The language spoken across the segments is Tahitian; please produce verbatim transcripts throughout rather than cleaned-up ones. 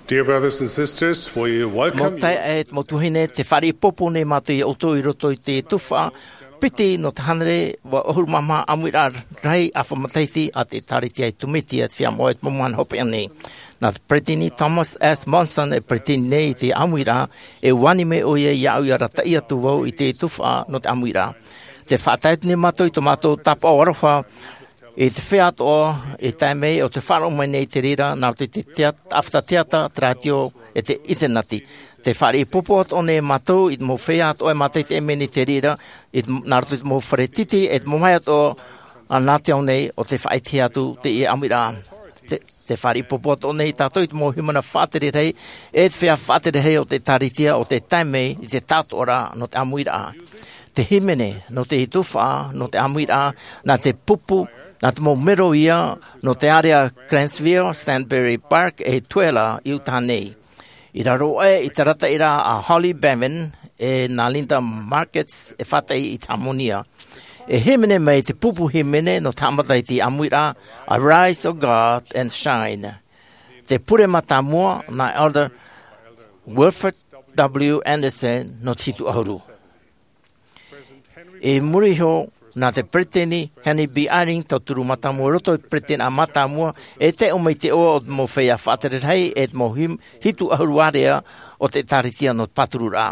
Dear brothers and sisters, we welcome you. Mau taeaʻe, mau tuahine, tē fāriʻi ʻōpū nei mātou ia ʻoutou i roto i te tuhaʻa piti nō te hānere ʻahuru mā maha ʻāmuiraʻa rahi ʻāfa matahiti a te ʻĒkālesia Tumiti a te Feiā Moʻa i te mau mahana hopeʻa nei. Nā te Peresideni Thomas S. Monson e peresideni nei i te ʻāmuiraʻa, e ʻua ani mai ʻoia iāʻu ia arataʻi atu vau i te tuhaʻa nō te ʻāmuiraʻa. Tē faʻatae atu nei mātou i tō mātou tāpaʻo aroha i te feiā atoʻa e tae mai ʻo tē faʻaroʻo mai nei i te reira, nā roto i te teat-, ʻāfata teata, te rātio, e te ʻiniterneti. Tē fāriʻi ʻōpū atoʻa nei mātou i te mau feiā atoʻa e mātaʻitaʻi mai nei i te reira, i te, nā roto i te mau fare tītī, e te mau mea atoʻa, ā, nā te ao nei ʻo tē faʻaʻitehia atu teie ʻāmuiraʻa. Tē, tē fāriʻi ʻōpū atoʻa nei tātou i te mau hīmene faʻatere rahi, e te feiā faʻatere rahi o te ʻĒkālesia ʻo tē tae mai i te taʻatoʻaraʻa nō te ʻāmuiraʻa. Te hīmene nō te tuhaʻa nō te ʻāmuiraʻa, nā te pupu, nā te mau mero ïa nō te ārea Grantsville, Sunbury Park, e Tooele i Utah nei. I raro aʻe i te arataʻiraʻa a Holly Bevan e nā Linda Markets e faʻataʻi i te hāmani. E hīmene mai te pupu hīmene nō te haʻamata i te ʻāmuiraʻa, Arise, O God, and Shine. Te pure mātāmua nā Elder Wilford W. Andersen nō te hitu ʻahuru. I muri iho, nā te Peresideni Henry B. Eyring, tauturu mātāmua i roto i te peresideni mātāmua, e taiʻo mai i te iʻoa o te mau feiā faʻatere rahi, e te mau him-, hitu ʻahuru ārea o te ʻĒkālesia nō te pātururaʻa.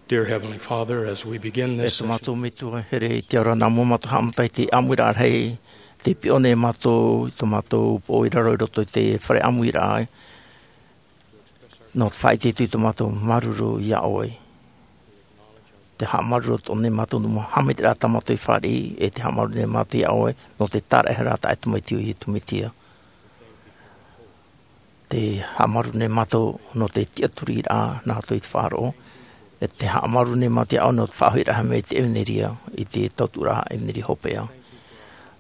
Dear Heavenly Father, as we begin this E tō mātou session, Metua here, i te ao ra nā mua mātou haʻamata i te ʻāmuiraʻa rahi, tē piʻo nei mātou, i tō mātou pō i raro i roto i te fare ʻāmuiraʻa, nō te faʻaʻite atu i tō mātou māuruuru iā ʻoe. Te haʻamāuruuru atoʻa nei mātou nō te mau haʻamaitaʻiraʻa tā mātou i fāriʻi, e te haʻamāuruuru nei mātou iā ʻoe, nō te tāraʻehara taʻatoʻa mai i te Iesu Mesia. Te haʻamāuruuru nei mātou nō te tiʻaturiraʻa nā roto i te faʻaroʻo, e te haʻamāuruuru nei mātou iā ʻoe nō te faʻahoʻiraʻa mai i te ʻevaneria, i te tautuʻaraʻa ʻevaneria hopeʻa.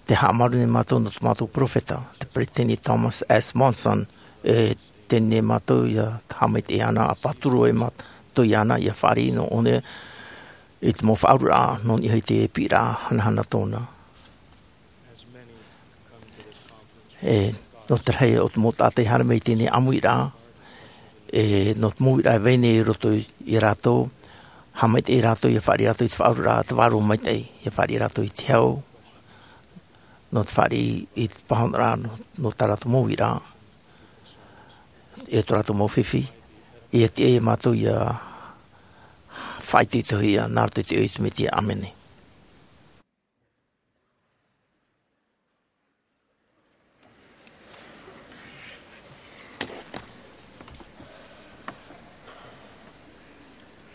Te haʻamāuruuru nei mātou nō tō mātou peropheta, te Peresideni Thomas S. Monson, e teie nei mātou ʻia haʻamaitaʻi iāna, ʻa pāturu ai mātou iāna, ʻia fāriʻi nō ʻōna i te mau faʻaueraʻa, nō niʻa i te piʻiraʻa hanahana tōna. E, nō te rahi o te mau taʻata i haere mai i teie nei ʻāmuiraʻa, e, nō te mau uiraʻa e vai nei i roto iā rātou, haʻamaitaʻi rātou, ʻia fāriʻi rātou i te faʻaueraʻa, te vārua maitaʻi, ʻia fāriʻi rātou i te hau, nō te fāriʻi i te pāhonoraʻa, nō, nō tā rātou mau uiraʻa, e tō rātou mau fifi, ʻia tiʻa iā mātou ʻia faʻaitoitohia, nā roto i te iʻoa o te Mesia, ʻāmene.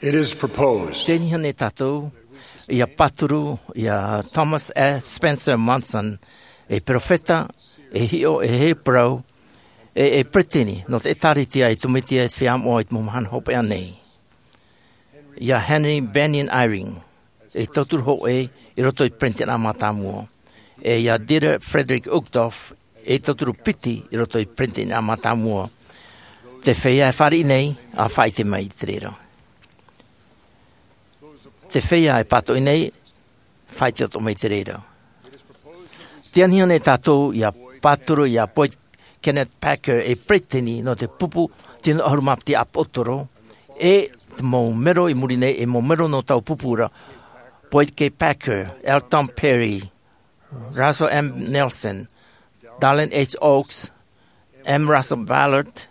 It is proposed. Tē niniʻi nei tātou, ʻia pāturu, iā Thomas S. Spencer Monson, e peropheta, e hiʻo, e heheu parau, e, e peresideni, nō te ʻĒtārētia ʻo Iesu Mesia i te Feiā Moʻa i te mau mahana hopeʻa nei. Iā Henry Bennion Eyring, e tauturu hōʻē i roto i te Peretiteni Mātāmua. E iā Dieter Friedrich Uchtdorf, e tauturu piti i roto i te Peretiteni Mātāmua. Te feiā e fāriʻi nei, ʻa faʻaʻite mai i te reira. Te feiā e pātoʻi nei, faʻaʻite atoʻa mai i te reira. Tē niniʻi nei tātou ʻia pāturu iā Boyd Kenneth Packer, e peresideni nō te pupu tino ʻahuru mā piti ʻāpōsetolo, e te mau mero i muri nei, e mau mero nō taua pupu ra, Boyd K. Packer, L. Tom Perry, Russell M. Nelson, Dallin H. Oaks, M. Russell Ballard,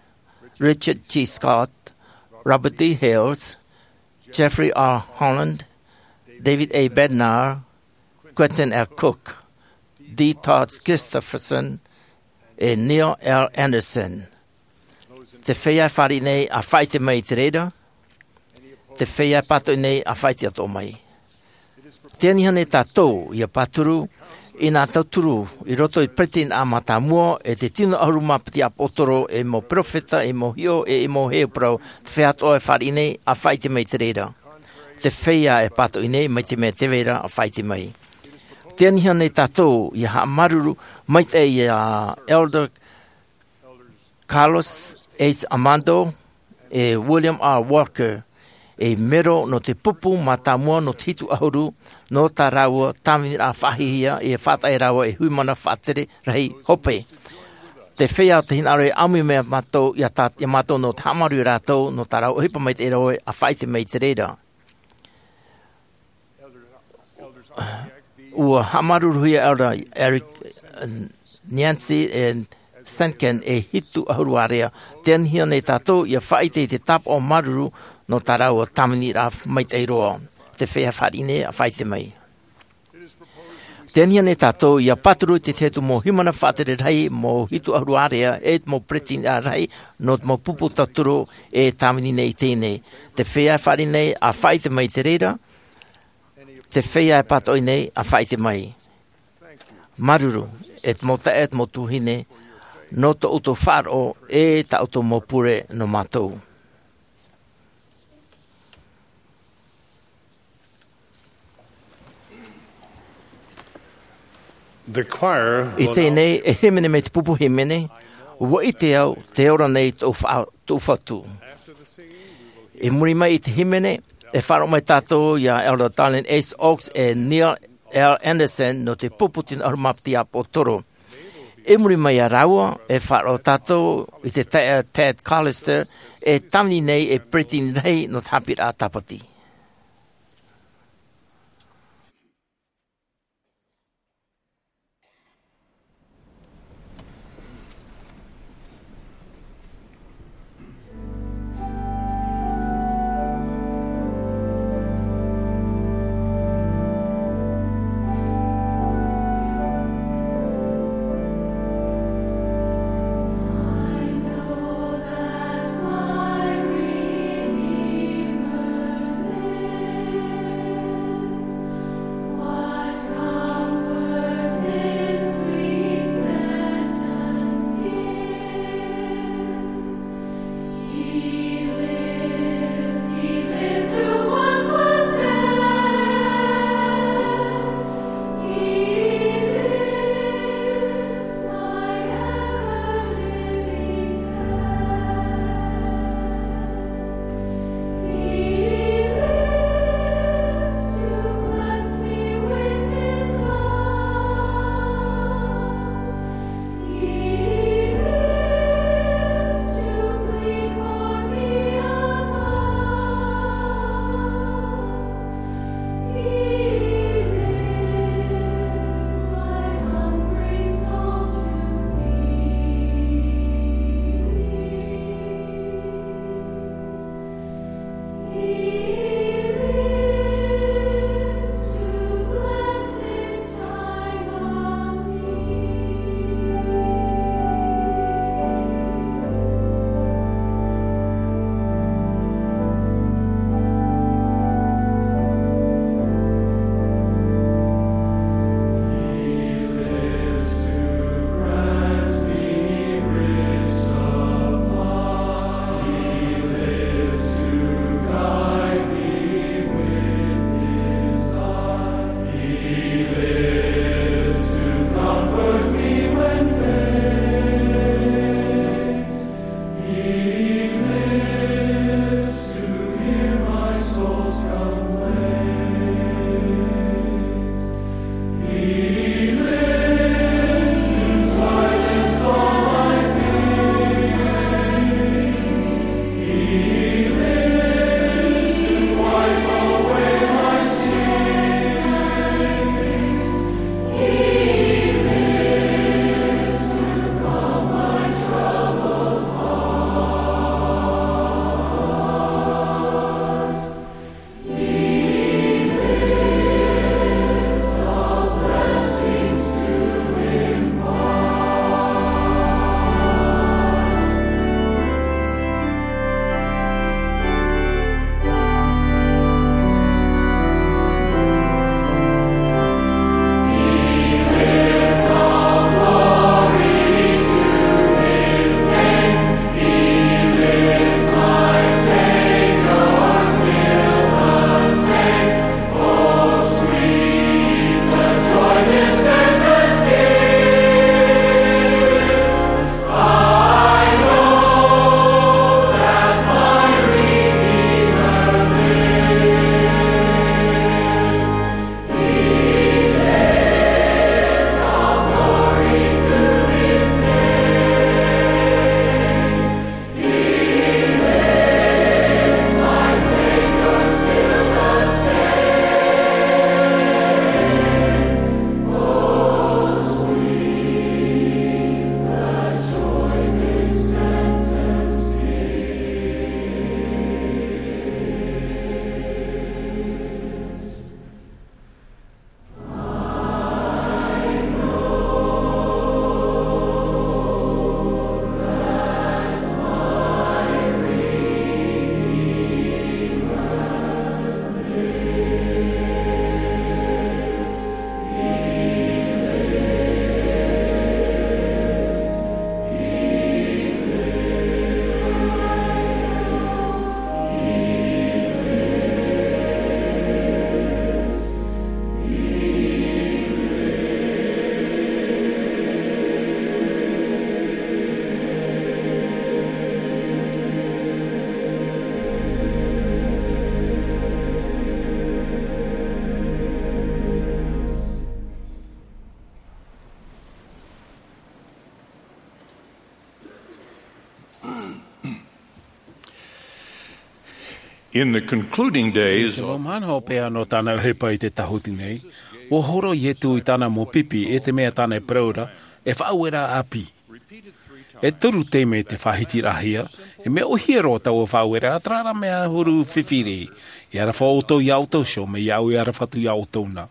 Richard G. Scott, Robert D. Hales, Jeffrey R. Holland, David A. Bednar, Quentin L. Cook, D. Todd Christofferson, e Neil L. Andersen. Te feiā e fāriʻi nei, ʻa faʻaʻite mai i te reira. Te feiā e pātoʻi nei, ʻa faʻaʻite atoʻa mai. Tē niniʻi nei tātou ʻia pāturu i nā tauturu i roto i te Peretiteni Mātāmua, e te tino ʻahuru mā piti ʻāpōsetolo, e mau peropheta, e mau hiʻo, e, e mau heheu parau. Te feiā atoʻa e fāriʻi nei, ʻa faʻaʻite mai i te reira. Te feiā e pātoʻi nei, mai te mea tē vai ra, ʻa faʻaʻite mai. Tē niniʻi nei tātou ʻia haʻamāuruuru maitaʻi iā Elder Carlos H. Amado, e William R. Walker, e mero nō te pupu mātāmua nō te hitu ʻahuru, nō tā rāua tāviniraʻa faʻahiahia, e faʻataʻa rāua e hui mana faʻatere rahi hope. Te feiā o te hinaʻaro e ʻāmui mai iā mātou, iā tā, iā mātou nō te haʻamāuruuru iā rātou, nō tā rāua ʻohipa maitaʻi ra ʻoe, ʻa faʻaʻite mai i te reira. ʻUa haʻamāuruuruhia Elder Eric, uh, Nancy e Senken e hitu ʻahuru ārea. Tē niniʻi nei tātou ʻia faʻaʻite i te tāpaʻo māuruuru nō tā rāua tāviniraʻa maitaʻi roa. Te feiā e fāriʻi nei, ʻa faʻaʻite mai. Tē niniʻi nei tātou ʻia pāturu i te tahi atu mau hui mana faʻatere rahi, mau hitu ʻahuru ārea, e te mau peretiteni rahi, nō te mau pupu tauturu e tāvini nei i teie nei. Te feiā e fāriʻi nei, ʻa faʻaʻite mai i te reira. Te feiā e pātoʻi nei, ʻa faʻaʻite mai. Māuruuru, e te mau taeaʻe, e te mau tuahine, nō tō ʻoutou faʻaroʻo, e tā ʻoutou mau pure nō mātou. The choir I will teie now nei, e hīmene mai te pupu hīmene, ʻUa ʻite au, tē ora nei tōʻu fa-, tōʻu Fatu. I muri mai i te hīmene, e faʻaroʻo mai tātou iā Elder Dallin H. Oaks e Neil L. Andersen nō te pupu tino ʻahuru mā piti ʻāpōsetolo. I muri mai iā rāua, e faʻaroʻo tātou i te taeaʻe Tad Callister, e tāvini nei ei peretiteni rahi nō te haʻapiʻiraʻa Tāpati. In the concluding days, te mau mahana hopeʻa nō tāna ʻohipa i te tahuti nei, ua horo iesu i tāna mau pipi e te mea tāna e parau ra, e faʻaueraʻa ʻāpī. E toru taime te faʻahitiraʻahia, e mea ʻohie roa taua faʻaueraʻa, terā rā mea huru fifi rī. E aroha ʻoutou iā ʻoutou iho, mai iāʻu e aroha atu iā ʻoutou na.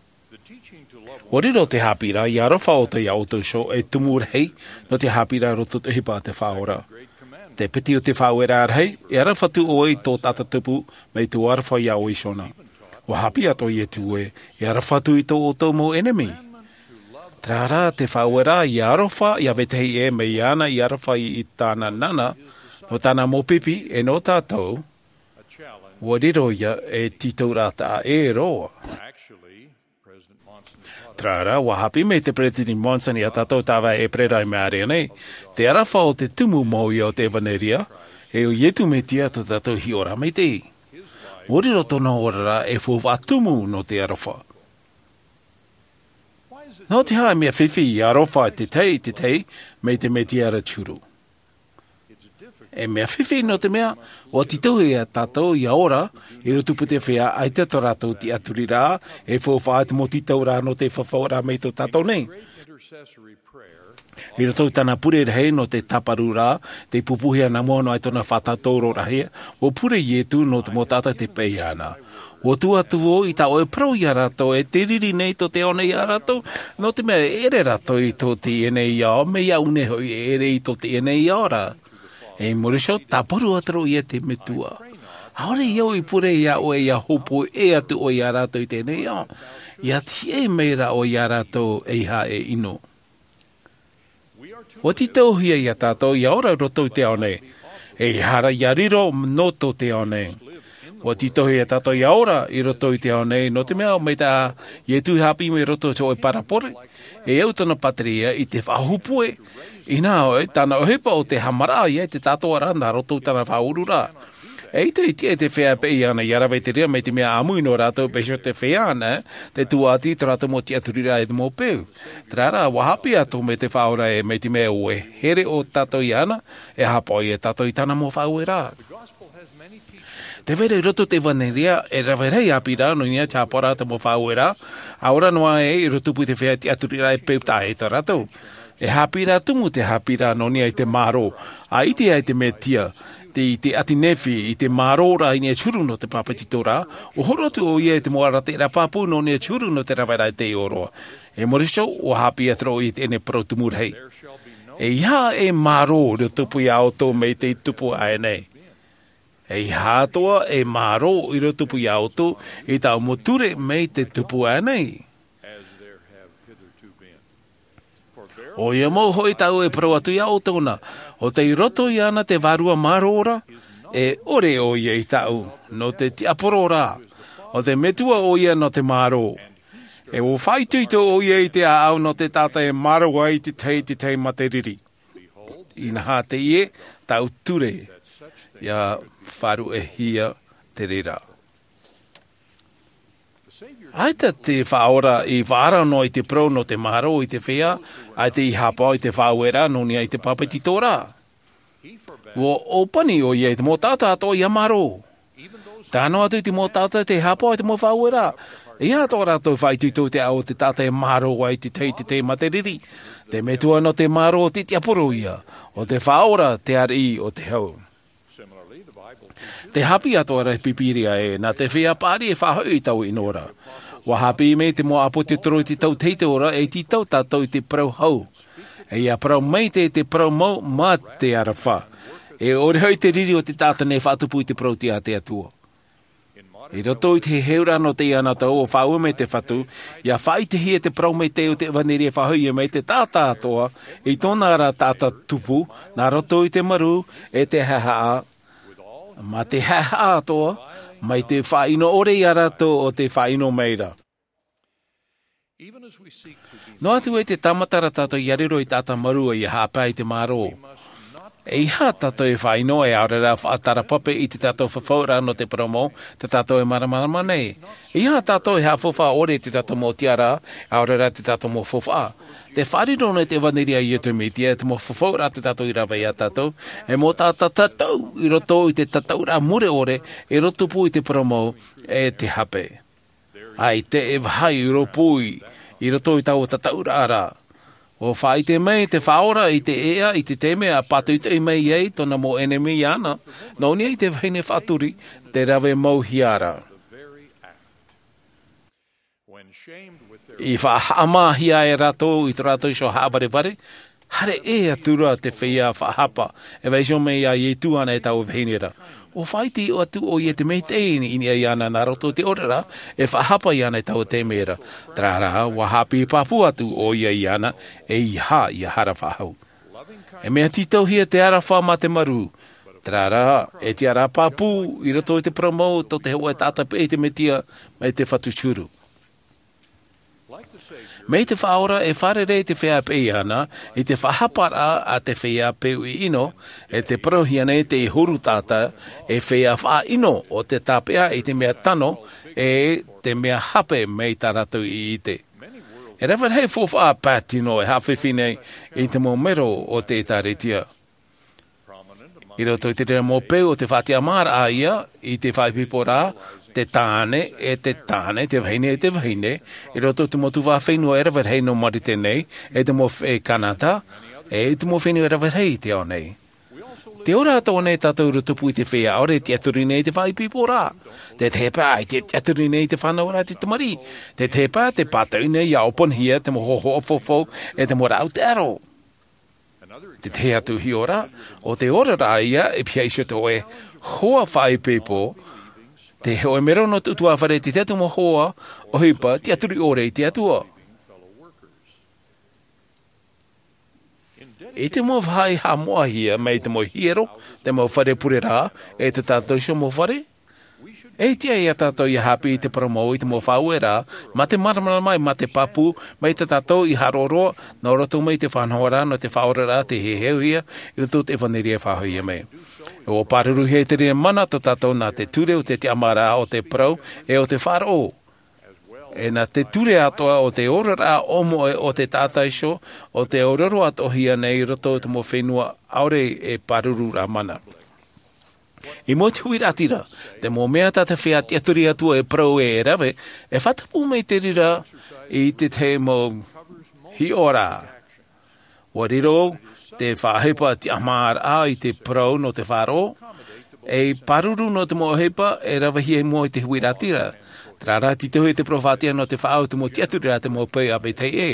Ua riro te haʻapiʻiraʻa ia aroha ʻoutou iā ʻoutou iho ei tumu rahi nō te haʻapiʻiraʻa roto i te ʻohipa a te Faʻaora. Te piti o te faʻaueraʻa rahi, e aroha atu ʻoe i tō taʻata tupu, mai tō aroha iā ʻoe iho na. Ua haʻapiʻi atoʻa iesu ē, e aroha atu i tō ʻoutou mau ʻenemi. Terā rā te faʻaueraʻa ia aroha iā vetahi ʻē, mai iāna ia aroha i tāna nana, nō tāna mau pipi e nō tātou. Ua riro ia ei tītauraʻa taʻa ʻē roa. Terā rā, ua haʻapiʻi mai te peresideni Monson iā tātou tāvai ʻēperēra i maʻiri aʻe nei, te aroha o te tumu mau ia o te ʻevanelia, e ʻo iesu mesia tō tātou hiʻoraʻa maitaʻi. Ua riro tōna oraraʻa ei faufaʻa tumu nō te aroha. Nō te aha e mea fifi ia aroha te tahi i te tahi mai te mesia ra te huru? E mea fifi nō te mea, ua tītauhia tātou ia ora i roto i te feiā, ʻaita tō rātou tiʻaturiraʻa, ei faufaʻa te mau tītauraʻa nō te fafauraʻa mai tō tātou nei. I roto i tāna pure rahi nō te tāparuraʻa, tei pupuhia nā mua noa i tōna faʻatātauro rahi, ua pure iesu nō te mau taʻata tei paʻi iāna. Ua tuʻu atu vau i tā ʻoe parau iā rātou, e te riri nei tō te ao nei iā rātou, nō te mea e ʻere rātou i tō teie nei ao, mai iāʻu nei hoʻi e ʻere i tō teie nei ao ra. E i muri iho, tāparu atu ra ʻoia i te metua. ʻAore i au i pure iā ʻoe ia hōpoi atu ʻoe iā rātou i teie nei ao, ia tiʻa mai ra ʻoe iā rātou eiaha e ʻino. Ua tītauhia ia tātou ia ora i roto i te ao nei, eiaha ra ia riro nō tō te ao nei. Ua tītauhia ia tātou ia ora i roto i te ao nei, nō te mea ʻo mai tā iesu i haʻapiʻi mai i roto i te hōʻē parabole, e au tōna pātireia i te faʻahōpoi, ʻinaha hoʻi tāna ʻohipa ʻo te haʻamaraʻa ia i te tātōraʻa nā roto i tāna faʻaururaʻa. E ʻaita i tiʻa i te feiā e paʻi iāna ia rave i te reira, mai te mea ʻāmui nō rātou, pēhea te feiā na, te tuaʻati i tō rātou mau tiʻaturiraʻa e te mau peu. Terā rā, ua haʻapiʻi atoʻa mai te Faʻaora ē, mai te mea ʻua here ʻo tātou iāna, e haʻapaʻo ia tātou i tāna mau faʻaueraʻa. Tē vai ra i roto i te ʻevanelia, e rave rahi ʻāpī ra nō niʻa i te haʻapaʻoraʻa i te mau faʻaueraʻa, ʻa ora noa ai i roto i te feiā tiʻaturiraʻa e peu taʻa ʻē tā rātou. E haʻapiʻiraʻa tumu te haʻapiʻiraʻa nō niʻa i te mārō, ʻa ʻite ai te mesia, te, i te ʻāti Nephi, i te mārōraʻa i niʻa i te huru nō te bāpetizoraʻa, ʻua horo atu ʻoia i te mau arataʻiraʻa pāpū nō niʻa i te huru nō te raveraʻa i te ʻōroʻa. E muri iho, ua haʻapiʻi atu ra ʻoia i teie nei parau tumu rahi. ʻEiaha e mārō i roto pū iā ʻoutou mai tei tupu aʻe nei. ʻEiaha atoʻa e mārō i roto pū iā ʻoutou i tāʻu mau ture mai tei tupu aʻe nei. ʻOia mau hoʻi tāʻu e parau atu iā ʻoutou na, ʻo tei roto iāna te Vārua Mārō ra, e ʻore ʻoia ia tāʻu, nō te tiʻaporōraʻa, ʻo te Metua ʻoia nō te mārō. E ʻua faʻaitoito ʻoia i te ʻāʻau nō te taʻata e mārō ai i te tahi, te tahi mā te riri. ʻInaha teie tāʻu ture, ʻia faʻaruʻehia te reira. ʻAita te Faʻaora i faʻaara noa i te parau nō te mārō i te feiā, ʻaita i haʻapaʻo i te faʻaueraʻa nō niʻa i te bāpetizoraʻa. ʻUa ʻōpani ʻoia i te mau taʻata atoʻa ʻia mārō. Tae noa atu i te mau taʻata tē haʻapaʻo i te mau faʻaueraʻa, ʻeiaha atoʻa rātou e faʻaitoito i te ʻāʻau o te taʻata e mārō ai i te tahi, te tahi mā te riri. Te Metua nō te mārō te tiʻaporō ia, ʻo te Faʻaora te ariʻi o te hau. Tē haʻapiʻi atoʻa ra te Pīpīria ē, nā te feiā paʻari e faʻahoʻi i taua ʻino ra. ʻUa haʻapiʻi mai te mau ʻāpōsetolo i te tau tahito ra, e tītau tātou i te parau hau. E ʻia parau maitaʻi te parau mau mā te aroha. E ʻore hoʻi te riri o te taʻata nei e faʻatupu i te parau tiʻa a te Atua. I roto i te heheuraʻa nō teie anaʻe, ʻua faʻaue mai te Fatu, ʻia faʻaʻitehia te parau maitaʻi o te ʻevanelia e faʻahoʻi mai i te taʻata atoʻa, i tōna ra taʻata tupu, nā roto i te marū, e te haʻehaʻa, mā te haʻehaʻa atoʻa, mai te faʻaʻino ʻore ia rātou ʻo tē faʻaʻino mai ra. Noa atu ē tē tāmata ra tātou ʻia riro ei taʻata mārū ʻia haʻapae i te mārō. E aha tātou e faʻaʻino e ʻaore rā faʻatarapape i tō tātou fafauraʻa nō te parau mau, tā tātou e māramarama nei? E aha tātou e haʻafaufaʻa ʻore i tō tātou mau tiʻaraʻa, e ʻaore rā tō tātou mau faufaʻa? Te faʻariro nei te ʻevanelia a Iesu Mesia, te mau fafauraʻa tā tātou i rave iā tātou, e mau taʻata tatau i roto i te tataʻuraʻa mure ʻore, i roto pū i te parau mau, e te hape. ʻAita e vāhi i rōpū i roto i taua tataʻuraʻa ra. ʻUa faʻaʻite mai te Faʻaora i te ʻēʻa i te taime a pātoʻitoʻi mai ai tōna mau ʻenemi iāna, nō niʻa i te vahine faʻaturi, te rave mauhia ra. I faʻahaʻamāhia ai rātou i tō rātou iho haʻavarevare, haere ʻē atu ra te feiā faʻahapa, e vaiiho mai iā Iesu ānei taua vahine ra. ʻUa faʻaʻite atu ʻoia i te maitaʻi i niʻa iāna nā roto i te ʻōreraʻa, e faʻahapa iāna i taua taime ra. Terā rā, ʻua haʻapiʻi pāpū atu ʻoia iāna, e ʻeiaha ia hara faʻahou. E mea tītauhia te aroha mā te marū. Terā rā, e tiʻaraʻa pāpū i roto i te parau mau tō te hōʻē taʻata peʻe i te Mesia mai te Fatu Huru. Mai te Faʻaora e fārerei te feiā peʻe iāna, i te faʻahaparaʻa a te feiā peu ʻino, e te parauhia nei te huru taʻata, e feiā faʻaʻino o te tāpeʻa i te mea tano, e te mea hape mai tā rātou i ʻite. E rave rahi faufaʻa pae tino e haʻafifi nei i te mau mero o te ʻĒtārētia. I roto i te reira mau peu o te faʻatiʻamāraʻa ia, i te faʻaipoiporaʻa, te tāne, e te tāne, te vahine, e te vahine, i roto i te mau tuhaʻa fenua e rave rahi nō Marite nei, e te mau fenua Kanata, e te mau fenua e rave rahi i te ao nei. Tē ora atoʻa nei tātou i roto pū i te feiā ʻore e tiʻaturi nei i te faʻaipoiporaʻa. Te tahi pae ʻaita e tiʻaturi nei i te fānauraʻa a te tamariʻi. Te tahi pae tē pātoʻi nei ʻia ʻōpuahia te mau hōhoʻa faufaʻa, e te mau rāʻau taʻero. Te tahi atu hiʻoraʻa, ʻo te oraraʻa ia, e pihaʻi iho te hōʻē hoa faʻaipoipo, te hōʻē mero nō te ʻutuāfare, te tahi atu mau hoa ʻohipa, tiʻaturi ʻore i te Atua. I te mau vāhi haʻamoʻahia mai te mau hiero, te mau fare pureraʻa, e tō tātou iho mau fare, e tiʻa iā tātou ʻia haʻapiʻi i te parau mau i te mau faʻaueraʻa, mā te māramarama, mā te pāpū, mai tā tātou i haʻaroaroa, nā roto mai i te faʻanahoraʻa nō te Faʻaoraraʻa tei heheuhia, i roto i te ʻevanelia e faʻahoʻihia mai. ʻUa pāruruhia i te reira mana tō tātou nā te ture o te tiʻamāraʻa o te parau, e o te faʻaroʻo. E nā te ture atoʻa o te oraraʻa ʻōmoʻe o te taʻata iho, ʻo tē ʻōrero atoʻahia nei i roto i te mau fenua ʻaore e pāruru ra mana. I mua i te huiraʻatira, te mau mea tā te feiā tiʻaturi Atua e parau e rave, e faʻatupu mai te reira i te tahi mau hiʻoraʻa. ʻUa riro te faʻaʻohipa tiʻamāraʻa i te parau nō te faʻaroʻo, e pāruru nō te mau ʻohipa e ravehia i mua i te huiraʻatira. Terā rā, tītauhia te parau faʻatiʻa nō te faʻaau i te mau tiʻaturiraʻa a te mau peu a Betehē.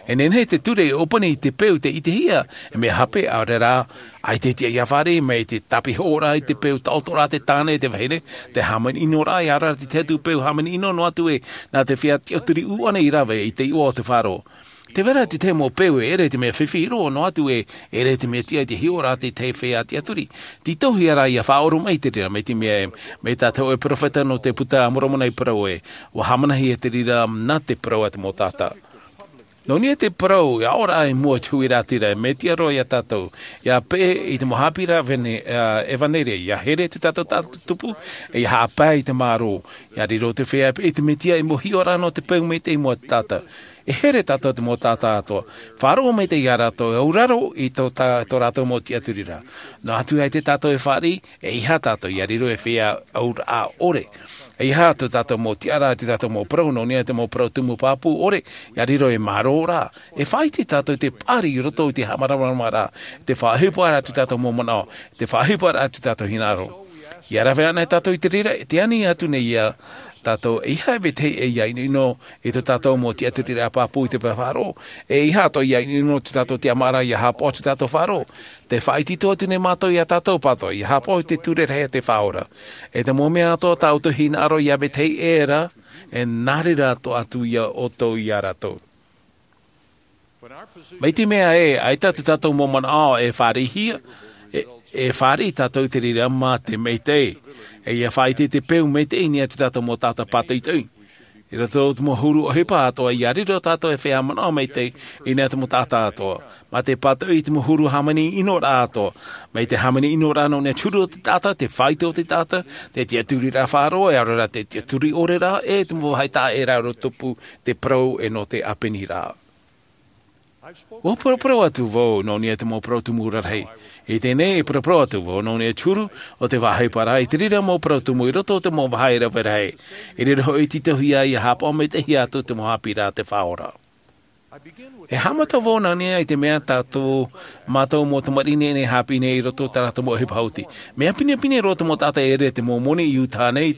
E nehenehe te ture e ʻōpani i te peu tei ʻitehia, e mea hape, ʻaore rā, ʻaita e tiʻa ʻia fāriʻi mai te tāpihoʻoraʻa i te peu, taʻotoraʻa te tāne, te vahine, te hāmani ʻinoraʻa, ʻia ora ra te tahi atu peu hāmani ʻino noa atu ē, nā te feiā tiʻaturi ʻuʻana i rave i te iʻoa o te faʻaroʻo. Tē vai ra te tahi mau peu e ʻere te mea fifi roa noa atu ē, e ʻere te mea tiʻa i te hiʻoraʻa a te tahi feiā tiʻaturi. Tītauhia rā ʻia faʻaʻoro mai te reira, mai te mea ē, mai tā te hōʻē perofeta nō te Buka a Moromona i parau ē, ʻua hāmanihia te reira nā te parau a te mau taʻata. Nō niʻa i te parau, ʻia ora i mua i te huiraʻatira, e mea tiʻa roa iā tātou, ʻia peʻe i te mau haʻapiʻiraʻa vene-, ā, ʻevanelia, ʻia here tō tātou taʻata tupu, e ʻia haʻapae i te mārō, ʻia riro te feiā peʻe i te Mesia i te mau hiʻoraʻa nō te peu maitaʻi i mua i te taʻata. E here tātou i te mau taʻata atoʻa. Faʻaroʻo maitaʻi iā rātou, e auraro i tō tā-, tō rātou mau tiʻaturiraʻa. Noa atu ā ʻaita tātou e fāriʻi, e ʻeiaha tātou ʻia riro e feiā auraʻa ʻore. E ʻeiaha tō tātou mau tiʻaraʻa, tō tātou mau parau, nō niʻa i te mau parau tumu pāpū ʻore, ʻia riro e mārō ra. E faʻaʻite tātou i te paʻari i roto i te haʻamāramaramaraʻa, te faʻaʻohiparaʻa a tō tātou mau manaʻo, te faʻaʻohiparaʻa a tō tātou hinaʻaro. ʻIa rave anaʻe tātou i te reira, tē ani atu nei iā tātou, e ʻeiaha e Betehē ʻia ʻinoʻino i tō tātou mau tiʻaturiraʻa pāpū i te pae faʻaroʻo, e ʻeiaha atoʻa ʻia ʻinoʻino tō tātou tiʻamāraʻa ʻia haʻapaʻo tō tātou faʻaroʻo. Tē faʻaʻite atu nei mātou iā tātou pāʻatoʻa, ʻia haʻapaʻo i te ture rahi a te Faʻaora. E te mau mea atoʻa tā ʻoutou hinaʻaro iā Betehē ra, e nā reira atoʻa atu ia ʻoutou iā rātou. Mai te mea ē, ʻaita tō tātou mau manaʻo e fāriʻihia, e, e fāriʻi tātou i te reira mā te maitaʻi. E ʻia faʻaʻite i te peu maitaʻi i niʻa i tō tātou mau taʻata pātoʻitoʻi. I roto i te mau huru ʻohipa atoʻa, ia riro tātou e feiā manaʻo maitaʻi i niʻa i te mau taʻata atoʻa. Mā te pātoʻi i te mau huru hāmani ʻino rā atoʻa. Mai te hāmani ʻino rā nō niʻa i te huru o te taʻata, te faito o te taʻata, te tiʻaturi rā faʻaroʻo, e ʻaore rā te tiʻaturi ʻore rā, e te mau vāhi taʻa ʻē rā rō tupu, te parau e nō te ʻāpeni rā. Ua paraparau atu vau nō niʻa i te mau parau tumu rarahi. I teie nei e paraparau atu vau nō niʻa i te huru o te vāhi parau i te reira mau parau tumu i roto i te mau vāhi rave rahi. I reira hoʻi tītauhia ia haʻapaʻo maitaʻi atu te mau haʻapiʻiraʻa a te Faʻaora. E haʻamata vau nā niʻa i te mea tātou mātou mau tamariʻi nei e haʻapiʻi nei i roto i tā rātou mau ʻohipa hauti. Mea pinepine roa te mau taʻata e ʻere te mau moni i Utah nei,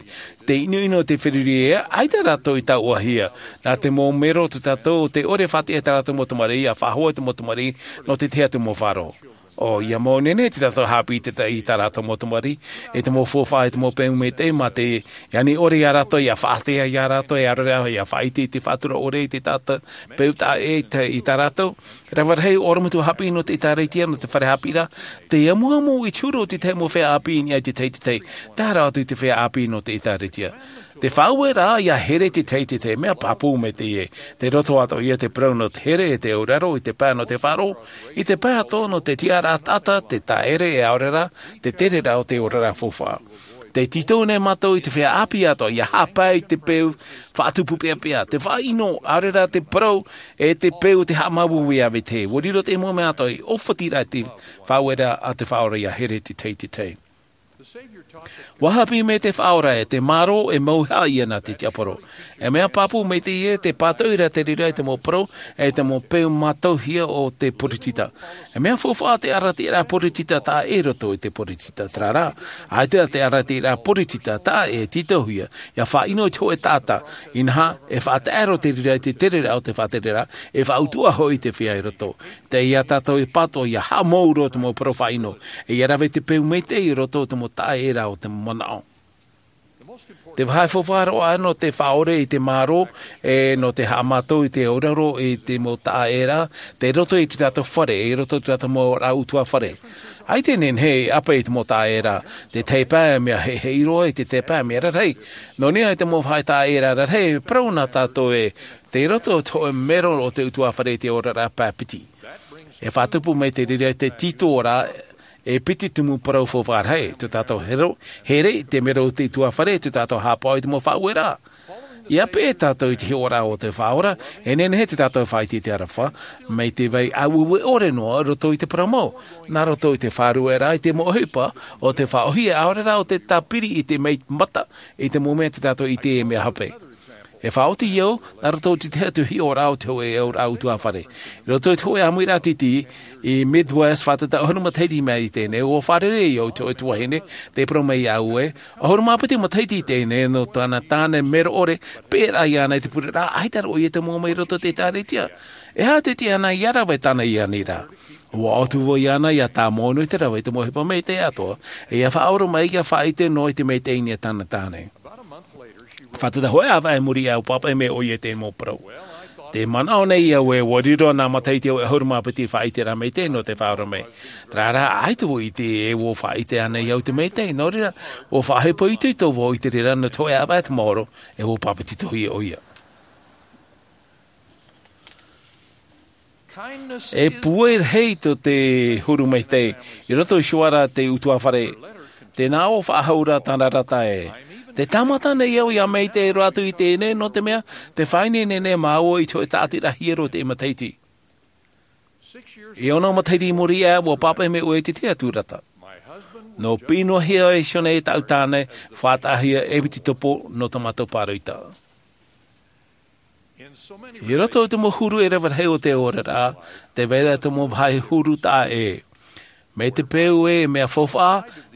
te ʻinoʻino o te feruri ē, ʻaita rātou i tauʻahia. Nā te mau mero o te tātou, te ʻore e faʻatiʻa i tā rātou mau tamariʻi, ʻia faʻahou i te mau tamariʻi, nō te tahi atu mau faʻaroʻo. ʻO ia mau nehenehe te tātou haʻapiʻi i te ta-, i tā rātou mau tamariʻi, e te mau faufaʻa, e te mau peu maitaʻi, mā te ani ʻore ia rātou, ʻia faʻatea ia rātou, e ʻaore rā, ʻia faʻaʻite i te faʻatura ʻore, i te taʻata, peu taʻa ʻē i tā, i tā rātou. Rave rahi, ʻorometua haʻapiʻi nō te ʻĒtārētia, nō te fare haʻapiʻiraʻa, te amuamu i te huru o te tahi mau feiā ʻāpī i niʻa i te tahi i te tahi, tae roa atu i te feiā ʻāpī nō te ʻĒtārētia. Te faʻaueraʻa ʻia here i te tahi i te tahi, mea pāpū maitaʻi ē. Tei roto atoʻa ia te parau nō te here, e te auraro, i te pae nō te faʻaroʻo, i te pae atoʻa nō te tiʻaraʻa taʻata, te taʻere, e ʻaore rā, te tereraʻa o te oraraʻa faufaʻa. Tē tītau nei mātou i te feiā ʻāpī atoʻa, ʻia haʻapae i te peu faʻatupu peʻapeʻa, te faʻaʻino, ʻaore rā te parau, e te peu o te haʻamāuiui a vetahi. ʻUa riro te mau mea atoʻa, e ʻōfati ra te faʻaueraʻa a te Faʻaora ʻia here i te tahi i te tahi. ʻUa haʻapiʻi mai te Faʻaora ē, te mārō e mauhaʻa ia nā te tiaporo. E mea pāpū maitaʻi ē, tē pātoʻi ra te reira i te mau parau, e te mau peu mātauhia o te poritita. E mea faufaʻa te ʻarataʻiraʻa poritita taʻa ʻē i roto i te poritita terā rā. ʻAita te ʻarataʻiraʻa poritita taʻa ʻē e tītauhia, ʻia faʻaʻino i te hōʻē taʻata, inaha, e faʻataʻero te reira i te tereraʻa o te faʻatereraʻa, e faʻautuʻa hoʻi te feiā i roto. Tei ia tātou e pātoʻi ʻia haʻamou roa te mau parau faʻaʻino, e ʻia rave te peu maitaʻi i roto i te mau taʻa ʻē ra o te manaʻo. Te vāhi faufaʻa roa nō te faʻaʻore i te mārō, e nō te haʻamātau i te auraro i te mau taʻa ʻē ra, tei roto i te tātou fare, i roto i te tātou mau oraraʻa ʻutuāfare. ʻAita e nehenehe e ʻape i te mau taʻa ʻē ra, te tahi pae mea heheʻi roa, i te tahi pae mea rarahi. Nō niʻa i te mau vāhi taʻa ʻē ra rarahi, e parau nā tātou ē, tei roto i te hōʻē mero o te ʻutuāfare i te oraraʻa pae piti. E faʻatupu mai te reira i te tītau ra, e piti tumu parau faufaʻa rahi, tō tātou hero, here i te mero o te ʻutuāfare, tō tātou haʻapaʻo i te mau faʻaueraʻa. ʻIa peʻe tātou i te hiʻoraʻa o te Faʻaora, e nehenehe te tātou e faʻaʻite i te aroha, mai te vai ʻāueue ʻore noa, roto i te parau mau, nā roto i te faʻarueraʻa i te mau ʻohipa, o te faʻaʻōhie ʻaore rā o te tāpiri i te mea mata, i te mau mea tō tātou ʻite e mea hape. E faʻaoti au, nā roto i te tahi atu hiʻoraʻa o te hōʻē auraʻa ʻutuāfare. I roto i te hōʻē ʻāmuiraʻa tītī, i Midwest, fātata ʻahuru matahiti mai i teie nei, ʻua fārerei au i te hōʻē tuahine, tē parau mai iāʻu ē, ʻahuru mā piti matahiti i teie nei, nō tāna tāne mero ʻore, peʻeraʻa iāna i te pureraʻa, ʻaita rā ʻoia tē moʻa mai i roto i te ʻĒtārētia. E aha te tiʻa āna ʻia rave tāna i ani ra? ʻUa ʻō atu vau iāna ʻia tāmau noa i te rave i te mau ʻohipa maitaʻi atoʻa, e ʻia faʻaora mai ʻia faʻaʻite noa i te maitaʻi i niʻa i tāna tāne. Fātata hōʻē ʻāvaʻe i muri iāʻu, ʻua pāpaʻi mai ʻoia i te mau parau. Tē manaʻo nei au ē, ʻua riro nā matahiti ʻahuru mā piti faʻaʻiteraʻa maitaʻi nō te Faʻaora mai. Terā rā, ʻaita vau i ʻite ē ʻua faʻaʻite ānei au i te maitaʻi, nō reira, ʻua faʻaʻohipa itoito vau i te reira nō te hōʻē ʻāvaʻe te maoro, e ʻua pāpetitohia ʻoia. E pūai rahi tō te huru maitaʻi, i roto i te suara a te ʻutuāfare. Tē nā ʻō faʻahou ra tāna rata ē. Tē tāmata nei au ʻia maitaʻi roa atu i teie nei, nō te mea, tē faʻaineine nei māua i te hōʻē tāʻatiraʻa hiero i teie matahiti. E ono matahiti i muri iho, ʻua pāpaʻi mai ʻoia i te tahi atu rata. Nō piʻinohia e Sione e tāʻu tāne, faʻataʻahia e piti topo nō tā mātou pāroita. I roto i te mau huru e rave rahi o te oraraʻa, tē vai ra te mau vāhi huru taʻa ʻē. Mai te peu ē, mea faufaʻa,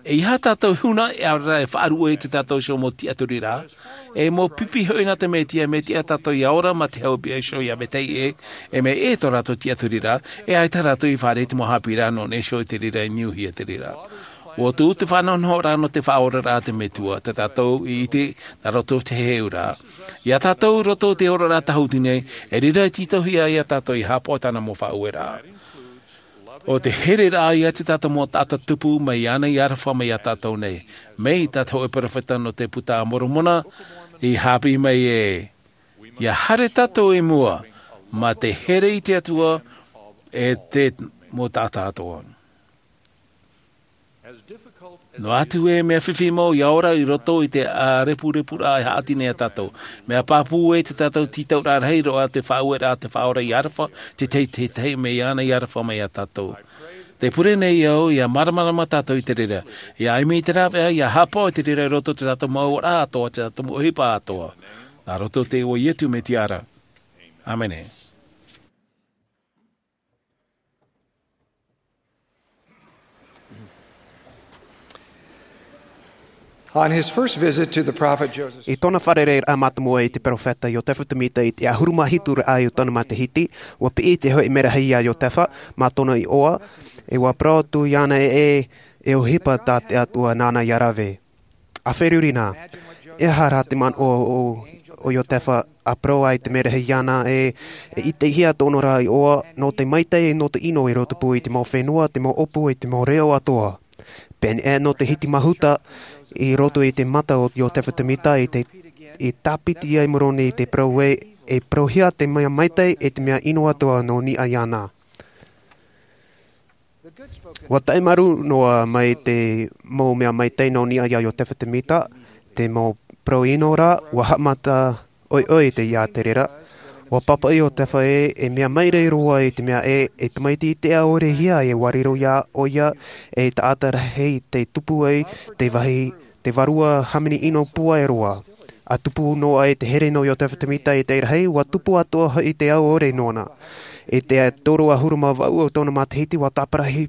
e ʻeiaha tātou huna, e ʻaore rā e faʻaruʻe i tā tātou iho mau tiʻaturiraʻa, e mau pipi hoʻi nā te Mesia, mea tiʻa tātou ʻia ora mā te haʻapiʻiraʻa iho ia vetahi ʻē, e mea ʻē tō rātou tiʻaturiraʻa, e ʻaita rātou i fārerei i te mau haʻapiʻiraʻa nō niʻa iho i te reira, i niuhia te reira. ʻUa tuʻu te faʻanahonahoraʻa nō te faʻaoraraʻa a te Metua, tā tātou i ʻite, nā roto i te heheuraʻa. Ia tātou roto i te oraraʻa tāhuti nei, e reira e tītauhia ia tātou ʻia haʻapaʻo i tāna mau faʻaueraʻa. ʻO te hereraʻa ia tā tātou mau taʻata tupu mai iāna i aroha mai ia tātou nei. Mai tā te hōʻē peropheta nō te Buka a Moromona, I hāpiʻi mai ē, ia haere tātou i mua, mā te here i te Atua, e te mau taʻata atoʻa. Noa atu e mea fifi mau ia ora i roto i te ʻārepurepu raʻa e haʻati nei iā tātou. Mea pāpū e te tātou tītauraʻa rahi roa te faʻaueraʻa te faʻaora i aroha, te tahi, te tahi mea iāna i aroha mai iā tātou. Te pure nei au, ia māramarama tātou i te reira. Ia ʻimi i te rāveʻa, ia haʻapaʻo i te reira i roto i te tātou mau ora atoʻa, te tātou mau ʻohipa atoʻa. Nā roto i te iʻoa o Ietu Metia ra. ʻĀmene. On his first visit to the prophet Joseph I tōna fārereiraʻa mātāmua i te peropheta Iotefa Semita i te ʻahuru mā hitu raʻa o tōna matahiti, ʻua piʻi te hoʻi merahi iā Iotefa, mā tōna iʻoa, e ʻua parau atu iāna ē, e ʻohipa tā te Atua nāna ia rave. ʻA feruri na, e aha rā te manaʻo o, o Iotefa ʻa parau ai te merahi iāna ē, e ʻitehia tōna ra iʻoa, nō te maitaʻi, nō te ʻino i rotopū i te mau fenua, te mau ʻōpū, e te mau reo atoʻa. Pēneiaʻe nō te hiti mahuta, i roto i te mata o Iotefa Semita i te, i tāpiti ai Moroni i te parau ē, e parauhia te mea maitaʻi, e te mea ʻino atoʻa nō niʻa iāna. ʻUa taʻemaru noa mai te mau mea maitaʻi nō niʻa iā Iotefa Semita, te mau parau ʻino ra, ʻua haʻamata ʻoiʻoi te ia te reira. ʻUa pāpaʻi Iotefa ē, e mea maitaʻi roa i te mea ē, e tamaiti i te ʻaore hia e ʻua riro iā ʻoia, e taʻata rahi te tupu ai, te vāhi, te vārua hāmani ʻino pūai roa. ʻA tupu noa ai te here nō Iotefa Semita i te rahi, ʻua tupu atoʻa hoʻi te ʻaore nōna. I te toru ʻahuru mā vaʻu o tōna matahiti ʻua tāparahi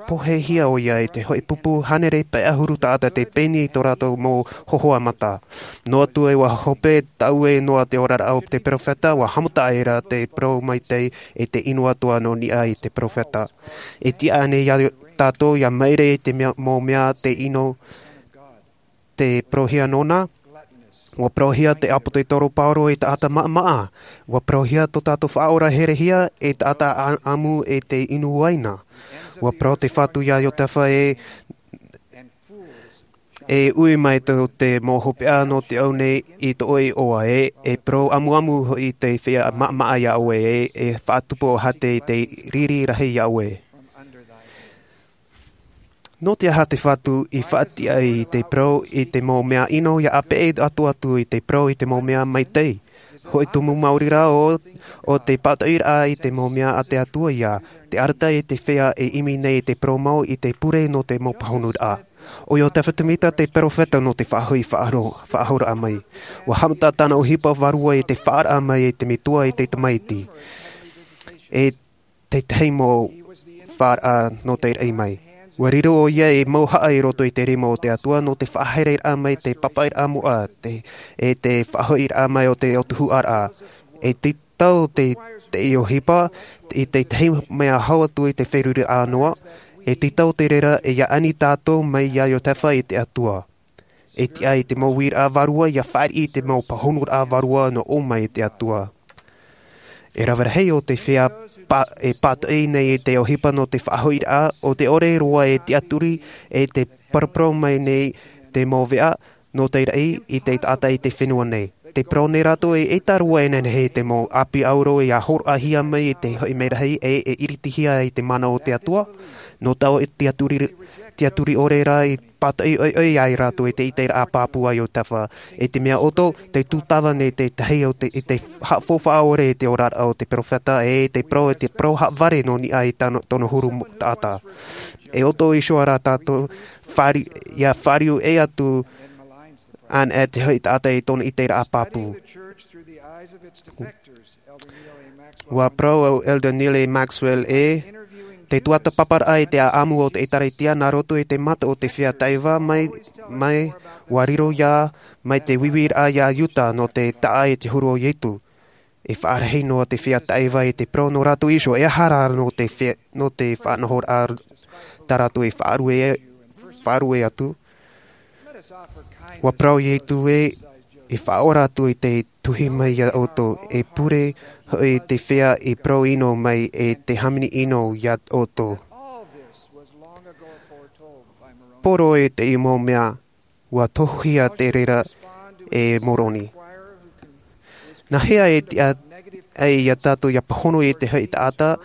pohehia ʻoia i te hoʻi pupu hānere pae ʻahuru taʻata te peni i tō rātou mau hohoʻa mata. Noa atu ē ʻua hope taʻue noa te oraraʻa o te peropheta, ʻua haʻamata aʻera te parau maitaʻi e te ʻino atoʻa nō niʻa i te peropheta. E tiʻa ānei iā tātou ia maitaʻi te mea, mau mea te ʻino te parauhia nōna, ʻua parauhia te ʻāpōsetolo Paulo e taʻata maʻamaʻa, ʻua parauhia tō tātou Faʻaora herehia e taʻata ʻa-, ʻamu e te inu uaina. ʻUa parau te Fatu iā Iotefa ē, e ui mai tō te mau hopeʻa nō te au nei i tō ʻoe iʻoa ē, e parau ʻamuʻamu hoʻi te feiā maʻamaʻa iā ʻoe ē, e faʻatupu ʻohate i te riri rahi iā ʻoe. Nō te aha te Fatu i faʻatiʻa i te parau i te mau mea ʻino ia ʻāpeʻe atu atu i te parau i te mau mea maitaʻi? Hoʻi tumu maori rā ʻo, ʻo te pātoʻiraʻa i te mau mea a te Atua ia, te arataʻi i te feiā e ʻimi nei i te parau mau i te pure nō te mau pāhonuraʻa. ʻO Iotefa Semita te peropheta nō te faʻahoʻi faʻahoro-, faʻahoraʻa mai. ʻUa haʻamata tāna ʻohipa vārua i te faʻaraʻa mai i te Metua i te Tamaiti. E tētahi mau faʻaraʻa nō te raʻi mai. ʻUa riro ʻoia ei mauhaʻa i roto i te rima o te Atua nō te faʻahaereraʻa mai te pāpaʻiraʻa moʻa, te, e te faʻahoʻiraʻa mai o te ʻōtuhuʻaraʻa. E tītau te, te ʻohipa, i tētahi mea hau atu i te feruriraʻa noa, e tītau te reira e ia ani tātou mai iā Iotefa i te Atua. E tiʻa i te mau uiraʻa vārua ia fāriʻi i te mau pāhonuraʻa vārua nō ʻō mai i te Atua. E rave rahi ʻo te feiā pā-, e pātoʻi nei i te ʻohipa nō te faʻahoʻiraʻa, ʻo te ʻore roa e tiʻaturi, e te paraparau mai nei te mau veʻa, nō te raʻi i te taʻata i te fenua nei. Te parau nei rātou e ʻaita roa e nehenehe te mau ʻāpī ʻauro ia hōroʻahia mai i te hoʻi merahi e, e iritihia i te mana o te Atua. Nō taua tiʻaturi, tiʻaturi ʻore rā i pātoʻi ʻoiʻoi ai rātou i te ʻiteraʻa pāpū a Iotefa. I te mea ʻoto, te tūtava nei tētahi o te, i te haʻafaufaʻa ʻore i te oraraʻa o te peropheta, e te parau, te parau haʻavare nō niʻa i tano, tōna huru mo-, taʻata. E ʻoto iho ā rā tātou, fāri-, ia fāriu ʻē atu ānei te hoʻi taʻata i tōna ʻiteraʻa pāpū. ʻUa parau ʻo Elder Neal A. Maxwell ē, te tuatāpaparaʻa i te ʻāʻamu o te ʻĒtārētia nā roto i te mata o te feiā taʻeva mai, mai, ʻua riro ia, mai te uiuiraʻa iā Iuta nō te taʻa i te huru o Ietu. E faʻarahi noa te feiā taʻeva i te parau nō rātou iho, e aha rā nō te fe-, nō te faʻanahoraʻa tā rātou e faʻarue, faʻarue atu. ʻUa parau Ietu ē, e faʻaora atu i te tuhi mai iā ʻoutou, e pure hoʻi te feiā i parau ʻino mai e te hāmani ʻino iā ʻoutou. Poro e te mau mea, ʻua tohuhia te reira e Moroni. Nā hea e tiʻa ai iā tātou ia pāhono i te hoʻi taʻata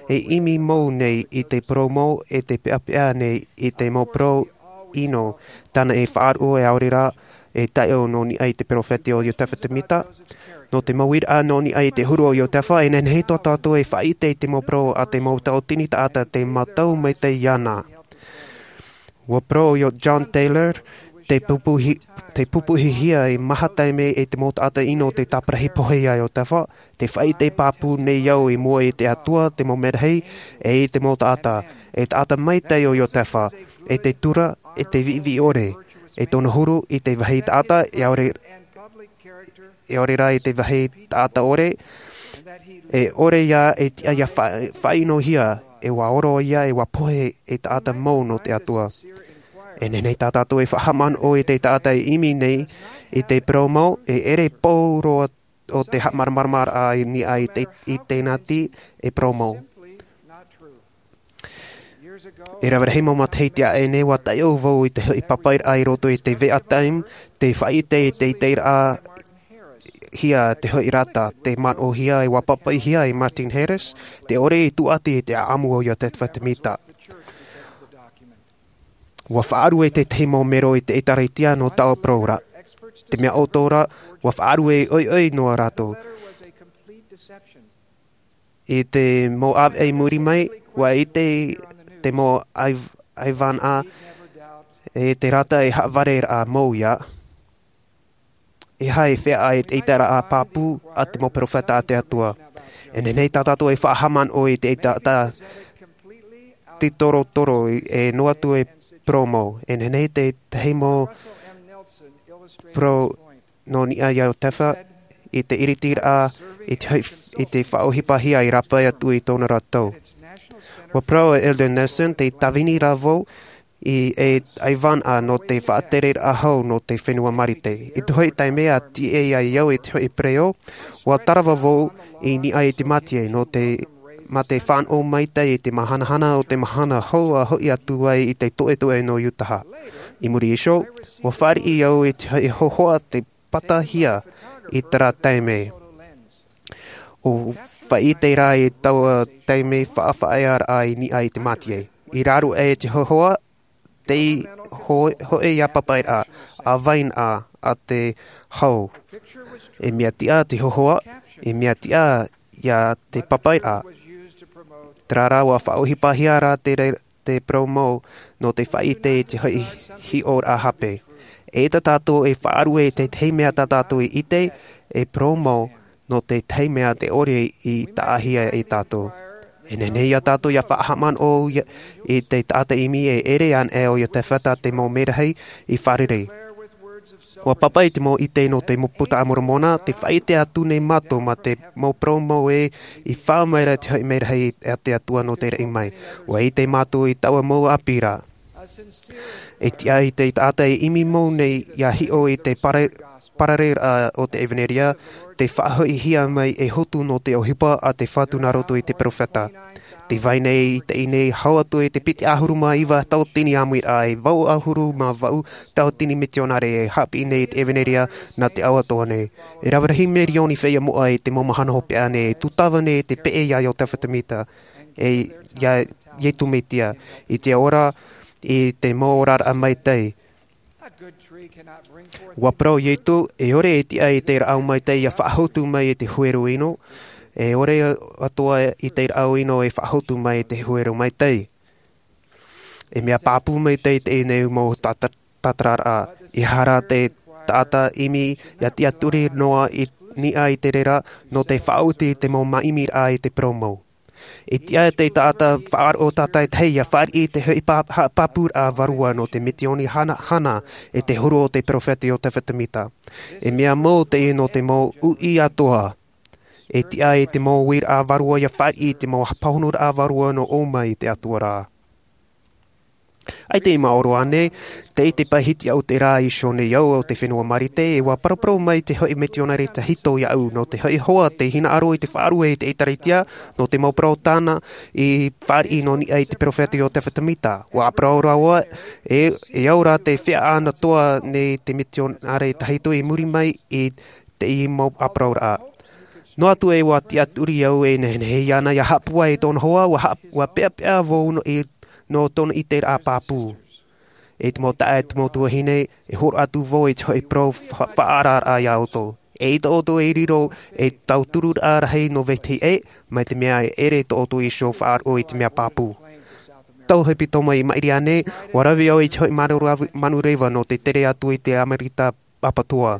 e ʻimi mau nei i te parau mau e te peʻapeʻa nei i te mau parau ʻino tāna e faʻaroʻo e ʻaore rā e taiʻo nō niʻa i te peropheta o Iotefa Temita? Nō te mau uiraʻa nō niʻa i te huru o Iotefa, e nehenehe tō tātou e faʻaʻite i te mau parau a te mau tauatini taʻata tei mātau maitaʻi iāna. Ua parau ʻo John Taylor, te pupuhi, te pupuhihia e maha taime e te mau taʻata ʻino te tāparahi pohe iā Iotefa, te faʻaʻite pāpū nei au i mua i te Atua te mau merahi, e i te mau taʻata, e taʻata maitaʻi o Iotefa, e te tura, e te viʻiviʻi ʻore, e tōna huru i te vāhi taʻata, e ʻaore, e ʻaore rā i te vāhi taʻata ʻore, e ʻore ia e tiʻa ia fa-, faʻaʻinohia, e ua oro ia, e ua pohe e taʻata mau nō te Atua. E nehenehe tā tātou e faʻahaʻamanaʻo i te taʻata e ʻimi nei i te parau mau, e ʻere pau roa o te haʻamāramaramaraʻa i niʻa i te, i tēnā tī e parau mau. E rave rahi mau matahiti aʻe nei, ua taiʻo vau i te hoʻi papairaʻa i roto i te Veʻa Time, te faʻaʻite i te ʻiteraʻa hia te hoʻi rata, te manaʻohia e ua papaihia e Martin Harris, te ʻore i tūʻati i te ʻaʻamu o Iotefa Temita. Ua faʻaruʻe tētahi mau mero i te ʻĒtārētia nō taua parau ra. Te mea ʻoto ra, ua faʻaruʻe ʻoiʻoi noa rātou. I te mau ʻāvaʻe i muri mai, ua ʻite te mau aiv-, aivānaʻa, e te rata e haʻavare rā mau ia. E aha e feiā i te ʻiteraʻa pāpū a te mau peropheta a te Atua? E nehenehe tā tātou e faʻahaʻamanaʻo i te ʻiteraʻa tītorotoro e noa atu e parau mau. E nehenehe tētahi mau parau nō niʻa iā Iotefa i te ʻiritiraʻa i te, i te faʻaʻohipahia i rāpae atu i tōna ra tau. Ua parau ʻo Elder Nelson, tē tāvini ra vau i te aivānaʻa nō te faʻatereraʻa hau nō te fenua Marite. I te hoʻi taime a tīaʻi ai au i te hoʻi pereʻoʻo, ua tarava vau i niʻa i te mātie nō te, mā te fānaʻo maitaʻi i te māhanahana o te mahana hou a hoʻi atu ai i te toʻetoʻe nō Iutaha. I muri iho, ua fāriʻi au i te hoʻi hōhoʻa tei patahia i terā taime. ʻO faʻaʻite rā i taua taime faʻafaʻaearaʻa i niʻa i te mātie. I raro aʻe i te hōhoʻa, tei ho-, hōʻē ia papairaʻa, ʻāvainaʻa a te hau. E mea tiʻa te hōhoʻa, e mea tiʻa ia te papairaʻa. Terā rā ua faʻaʻohipahia rā te re-, te parau mau nō te faʻaʻite i te hoʻi hiʻoraʻa hape. E tā tātou e faʻaruʻe i te tahi mea tā tātou i ʻite, e parau mau nō te tahi mea tē ʻore i taʻahia e tātou. E nehenehe iā tātou ia faʻahaʻamanaʻo ia, i te taʻata ʻimi e ʻere anaʻe ʻo Iotefa te mau merahi i fārerei. Ua pāpaʻi te mau ʻite nō te mau puta a Moromona, tē faʻaʻite atu nei mātou mā te mau parau mau ē, i faʻaʻite mai ra te hoʻi merahi a te Atua nō te raʻi mai. Ua ʻite mātou i taua mau ʻāpī ra. E tiʻa i te taʻata e ʻimi mau nei ia hiʻo i te pare-, parareraʻa o te ʻevaneria, tē faʻahoʻihia mai e hotu nō te ʻohipa a te Fatu nā roto i te peropheta. Tē vai nei i teie nei hau atu i te piti ʻahuru mā iva tauatini ʻāmuiraʻa, e vaʻu ʻahuru mā vaʻu tauatini mitionare e haʻapiʻi nei i te ʻevaneria nā te ao atoʻa nei. E rave rahi mirioni feiā moʻa i te mau mahana hopeʻa nei, e tūtava nei te peʻe iā Iotefa Temita, e iā Iesu Mesia, i te ora, i te mau oraraʻa maitaʻi. Ua parau Iesu, e ʻore e tiʻa i te rāʻau maitaʻi ia faʻahotu mai i te huero ʻino, e ʻore atoʻa i te rāʻau ʻino e faʻahotu mai i te huero maitaʻi. E mea pāpū maitaʻi teie nei mau tāta-, tātararaʻa. E aha rā te taʻata ʻimi ia tiʻaturi noa i niʻa i te reira nō te faʻaoti i te mau māʻimiraʻa i te parau mau. E tiʻa te taʻata faʻaroʻo tātaʻitahi ia fāriʻi i te hoʻi pā-, ha-, pāpūraʻa vārua nō te misiōni hana, hana e te huru o te peropheta Iotefa Temita. E mea mau teie nō te mau uʻi atoʻa. E tiʻa i te mau uiraʻa vārua ia fāriʻi i te mau pāhonoraʻa vārua nō ʻō mai i te Atua ra. ʻAita i maoro ānei, tē ʻite paʻi hiti au terā iho nei au o te fenua Marite, e ua paraparau mai te hoʻi misiōnare tahito iāʻu, nō te hoʻi hoa tei hinaʻaro i te faʻaruʻe i te ʻĒtārētia, nō te mau parau tāna i fāriʻi nō niʻa i te peropheta Iotefa Temita. Ua parau rāua, e, e au rā tē feiā atoʻa nei te misiōnare tahito i muri mai i teie mau ʻāparauraʻa. Noa atu e ua tiʻaturi au e nehenehe iāna ia haʻapūai i tōna hoa, ua, haʻa, ua peʻapeʻa vau no i, nō tōna ʻiteraʻa pāpū. E te mau taʻa e te mau tuahine, e horo atu vau i te hoʻi parau fa-, faʻaararaʻa iā ʻoutou. E ʻaita ʻoutou e riro, e tautururaʻa rahi nō vetahi ʻē, mai te mea e ʻere tō ʻoutou iho faʻaroʻo i te mea pāpū. Tau hepetoma i maʻiri aʻe, ua rave au i te hoʻi manu ravi-, manu reva nō te tere atu i te Amerika Papatoa.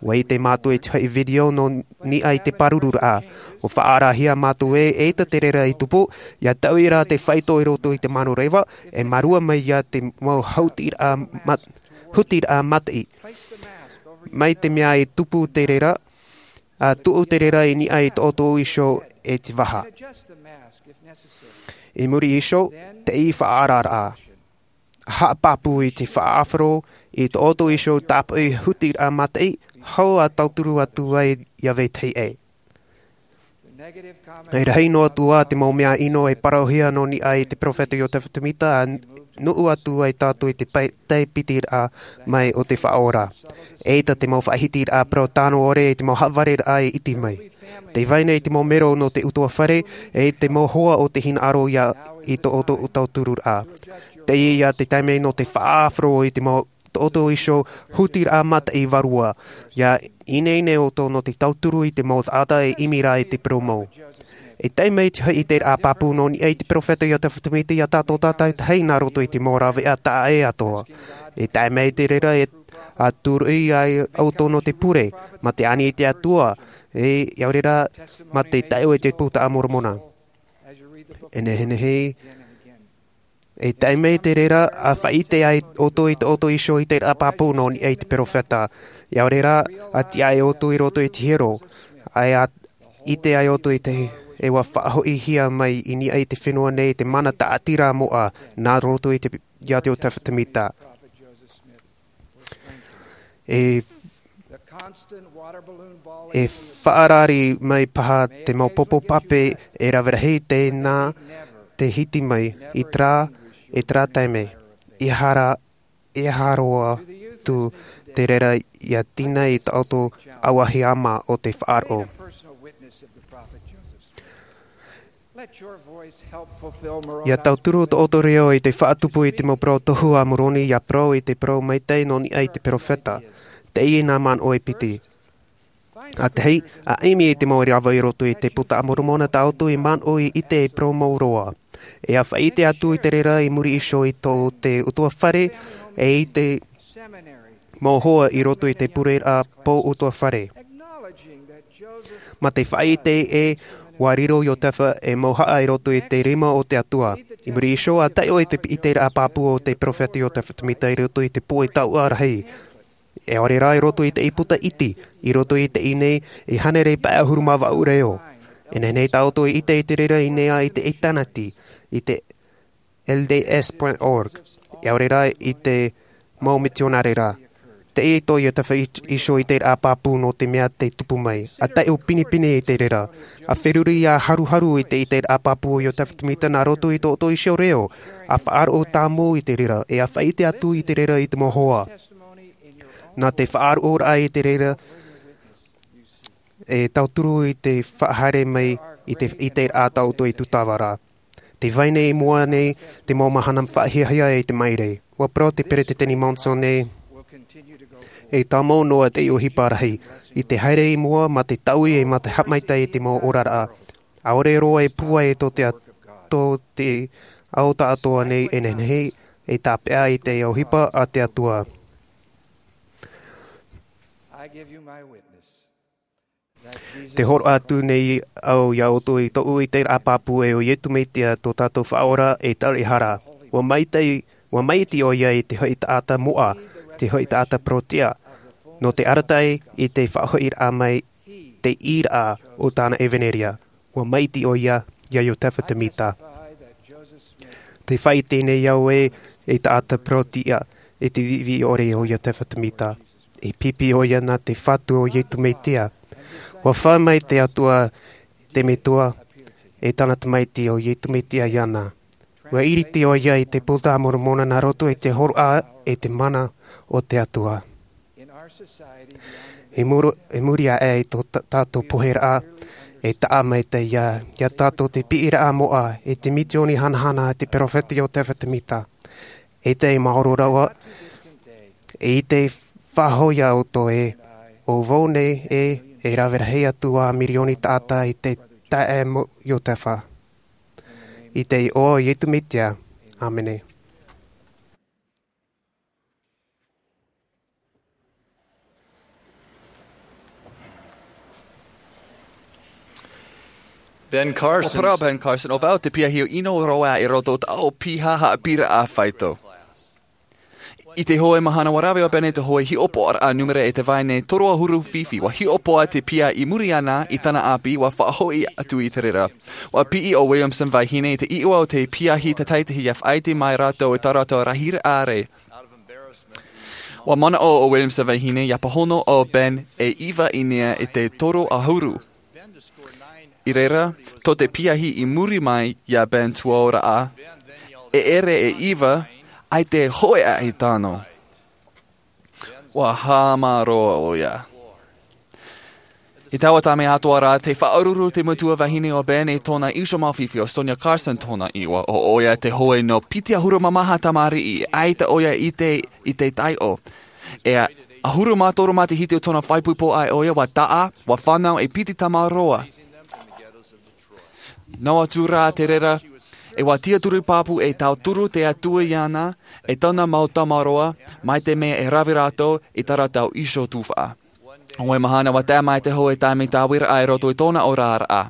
Ua ʻite mātou i te hoʻi video nō niʻa i te pārururaʻa. Ua faʻaarahia mātou e, eʻita te reira i tupu, ia taui rā te faito i roto i te manu reva, e mārua mai ia te mau hautiraʻa mat-, hutiraʻa mataʻi. Mai te mea i tupu te reira, a tuʻu te reira i niʻa i tō ʻoutou iho e te vaha. I muri iho, te faʻaararaʻa. Haʻapāpū i te faʻaʻāfaro i tō ʻoutou iho tāpaʻo hutiraʻa mataʻi, hou a tauturu atu ai ia vetahi ʻē. E rahi noa atu ā te mau mea ʻino e parauhia nō niʻa i te peropheta Iotefa Temita, a nuʻu atu ai tātou i te pai-, tae piti rā mai o te Faʻaora. Eʻita te mau faʻahitiraʻa parau tano ʻore e te mau haʻavareraʻa e iti mai. Tē vai nei te mau mero nō te ʻutuāfare, e te mau hoa o te hinaʻaro ia i tō ʻoutou tauturu rā. Teie ia te taime nō te faʻaʻāfaro i te mau tō ʻoutou iho hutiraʻa mataʻi vārua. Ia ineine ʻoutou nō te tauturu i te mau taʻata e ʻimi rā i te parau mau. E tae mai te hoʻi ʻiteraʻa pāpū nō niʻa i te peropheta Iotefa Temita ia tātou tātaitahi nā roto i te mau rāveʻa taʻa ʻē atoʻa. E tae mai te reira e a tūruʻi ai ʻoutou nō te pure, mā te ani i te Atua, e, ʻia ʻore rā, mā te taʻo i te Puta a Moromona. E nehenehe, e tae mai te reira, a faʻaʻite ai ʻoutou i tō ʻoutou iho ʻiteraʻa pāpū nō niʻa i te peropheta. ʻIa ʻore rā, a tiʻa ai ʻoutou i roto i te hiero. ʻAe a ʻite ai ʻoutou i te, e ua faʻahoʻihia mai i niʻa i te fenua nei te mana taʻatira moʻa, nā roto i te, ia Iotefa Temita. E, e faʻarari mai paha te mau popo pape e rave rahi tēnā te hiti mai i terā, i terā taime. ʻEiaha, ʻeiaha roa atu te reira ʻia tīna i tō ʻoutou ʻauahi ʻāma o te faʻaroʻo. ʻIa tauturu tō ʻoutou reo i te faʻatupu i te mau parau tohu a Moroni, ʻia parau i te parau maitaʻi nō niʻa i te peropheta. Teie nā manaʻo e piti. ʻA tahi, a ʻimi i te mau rāveʻa i roto i te Puta a Moromona tā ʻoutou i manaʻo i ʻite e parau mau roa. E a faʻaʻite atu i te reira i muri iho i tō te ʻutuāfare, e i te mau hoa i roto i te pureraʻa pō ʻutuāfare. Mā te faʻaʻite ē, ua riro Iotefa e mauhaʻa i roto i te rima o te Atua. I muri iho, a taʻo i te ʻiteraʻa pāpū o te peropheta Iotefa Temita i roto i te pō e taua rahi. E ʻaore rā i roto i te puta iti, i roto i teie nei, e hānere pae ʻahuru mā vaʻu reo. E nehenehe tā ʻoutou i ʻite i te reira i niʻa i te ʻitāniti, i te L D S point org. E ʻaore rā i te mau mitionare rā. Teie tō Iotefa i-, iho ʻiteraʻa pāpū nō te mea tē tupu mai. A taʻo pinepine i te reira. A feruri ʻia haruharu i te ʻiteraʻa pāpū o Iotefa Temita nā roto i tō ʻoutou iho reo. A faʻaroʻo tāmau i te reira. E a faʻaʻite atu i te reira i te mau hoa. Nā te faʻaroʻoraʻa i te reira, e tauturu i te faʻahaere mai i te, i te ʻiteraʻa tā ʻoutou e tūtava ra. Tē vai nei i mua nei te mau mahana faʻahiahia e te maʻiri. ʻUa parau te Peretiteni Monson ē, e tāmau noa te ʻohipa rahi. I te haere i mua, mā te taui e mā te haʻamaitaʻi i te mau oraraʻa. ʻAore roa e pūai tō te a-, tō te ao tāʻatoʻa nei e nehenehe, e tāpeʻa i te ʻohipa a te Atua. I give you my witness. Tē hōroʻa atu nei au iā ʻoutou i tōʻu ʻiteraʻa pāpū ē ʻo Iesu Mesia tō tātou Faʻaora e Taureʻahara. ʻUa maitaʻi, ʻua maitaʻi ʻoia i te hoʻi taʻata moʻa, te hoʻi taʻata parau-tiʻa. Nō te arataʻi i te faʻahoʻiraʻa mai, te ʻīraʻa o tāna ʻevaneria. ʻUa maitaʻi ʻoia iā Iotefa Temita. Tē faʻaʻite nei au ē, e taʻata parau-tiʻa, e te viʻiviʻi ʻore o Iotefa Temita. E pipi ʻoia nā te Fatu o Iesu Mesia. ʻUa fā mai te Atua, te Metua, e tāna Tamaiti o Iesu Mesia iāna. ʻUa iriti ʻoia i te Puta a Moromona nā roto i te hōroʻa e te mana o te Atua. I muru-, i muri aʻe i tō tā-, tātou poheraʻa, E taʻa mai te ia, ia tātou te piʻiraʻa moʻa, e te mitioni hanahana a te peropheta Iotefa Temita. E te maoro rawa, e te faʻahoʻi ia ʻoutou e, ʻo vau nei e, e rave rahi atu ā mirioni taʻata i te taʻa mo Iotefa. I te iʻoa o Iesu Mesia. ʻĀmene. Ben Carson. ʻO Parau Ben Carson, ʻo vau te piahi ʻino roa i roto i tāʻu piha haʻapiʻiraʻa faito. I te hōʻē mahana ua rave ʻo Ben i te hōʻē hiʻopoʻaraʻa nūmera e te vahine toru ʻahuru fifi, ua hiʻopoʻa te piha i muri iāna i tāna ʻāpī, ua faʻahoʻi atu i te reira. Ua piʻi ʻo Williamson Vahine i te iʻoa o te piahi tātaʻitahi ʻia faʻaʻite mai rātou i tā rātou rahiraʻa rē. Ua manaʻo ʻo Williamson Vahine ʻia pāhono ʻo Ben e iva ʻīnei i te toru ʻahuru. I reira, tō te piahi i muri mai iā Ben tuaoraʻa, e ʻere e iva, ʻaita e hōʻē aʻe i tano. Ua haʻamāuruuru ʻoia. I taua taime atoʻa rā, tē faʻaroʻo te metua vahine o Ben i tōna iho mau fifi, ʻo Sonia Carson tōna iʻoa, ʻo ʻoia te hōʻē nō piti ʻahuru mā maha tamariʻi, ʻaita ʻoia i te, i te taiʻo. E ʻahuru mā toru matahiti o tōna faʻaipoipo ʻāʻai ʻoia, ua taʻa, ua fānau e piti tamaroa. Noa atu rā te reira, e ua tiʻaturi pāpū e tauturu te Atua iāna, e tāna mau tamaroa, mai te mea e rave rātou i tā rātou iho tufaʻa. ʻO te mahana ua tae mai te hōʻē taime tāviraʻa i roto i tōna oraraʻa.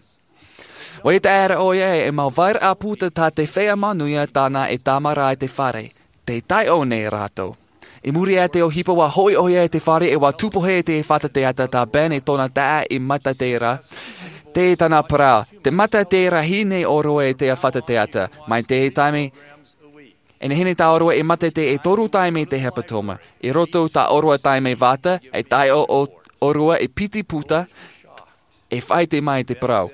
Ua ʻite aʻera ʻoia e mau vairaʻa puta tā te feiā manuia tāna e tāmara i te fare. Tē taiʻo nei rātou. I muri iho i te ʻohipa ua hoʻi ʻoia i te fare e ua tupu hia te fata teata tā Ben e tōna taʻa i mataʻi ra. Tē tāna parau, tē mataʻi ra hia nei ʻōrua i te fata teata, mai te taime e nehenehe tā ʻōrua e mataʻi e toru taime i te hepetoma. I roto tā ʻōrua taime vata, e taiʻo ʻo, ʻōrua i piti puta, e faʻaʻite mai te parau.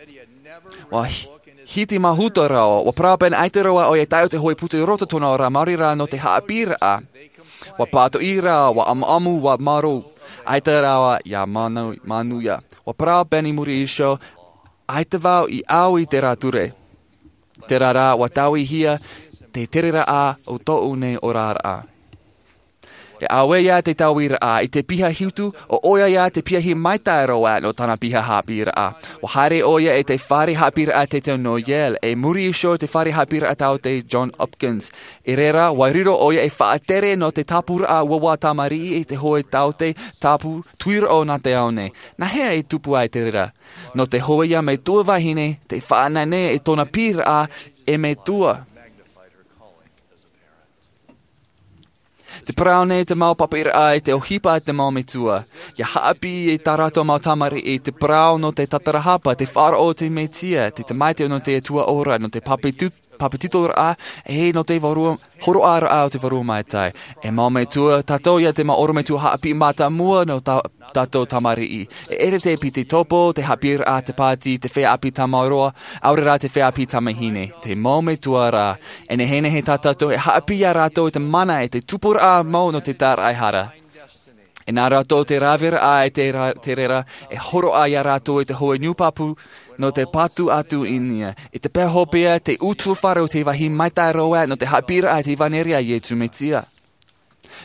Ua hi-, hiti mahuta rāua, ua parau Ben ʻaita rāua ʻoia e taiʻo te hōʻē puta i roto tōna ora, maori rā nō te haʻapiʻiraʻa. Ua pātoʻi rāua, ua ʻamuʻamu, ua marō. ʻAita rāua ʻia manu-, manuia. Ua parau Ben i muri iho, ʻaita vau i ʻau i terā ture. Terā rā, ua tauihia te tereraʻa o tōʻu nei oraraʻa. E ʻaita ia te tauiraʻa, i te piha hitu, ʻo ʻoia ia te piahi maitaʻi roa nō tāna piha haʻapiʻiraʻa. Ua haere ʻoia i te fare haʻapiʻiraʻa tētahi nō Yale, e muri iho i te fare haʻapiʻiraʻa taote John Hopkins. I reira, ua riro ʻoia e faʻatere nō te tāpūraʻa uaua tamariʻi i te hōʻē taote tāpū tuiraʻa nā te ao nei. Nā hea i tupu ai te reira? Nō te hōʻē ia metua vahine, tē faʻanahonaho i tōna piʻiraʻa e metua. Tē parau nei te mau papaʻiraʻa i te ʻohipa a te mau metua. ʻIa haʻapiʻi i tā rātou mau tamariʻi te parau nō te tatarahapa, te faʻaroʻo i te Mesia, te Tamaiti nō te Atua ora, nō te pāpeti-, pāpetitoraʻa, e nō te vārua, hōroʻaraʻa o te Vārua Maitaʻi. E mau metua, tātou ia te mau ʻorometua haʻapiʻi mātāmua nō tā-, tātou tamariʻi. E ʻere te piti topo, te haʻapiʻiraʻa, te pāti, te feiā ʻāpī tamaroa, ʻaore rā te feiā ʻāpī tamahine. Te mau metua rā, e nehenehe tā tātou e haʻapiʻi ia rātou i te mana e te tupuraʻa mau nō te tāraʻehara. E nā rātou te raveraʻa i te ra-, te reira, e hōroʻa ia rātou i te hōʻē nūpāpū nō te patu atu i niʻa. I te pae hopeʻa, te ʻutuāfare o te vāhi maitaʻi roa nō te haʻapiʻiraʻa i te ʻevanelia a Iesu Mesia.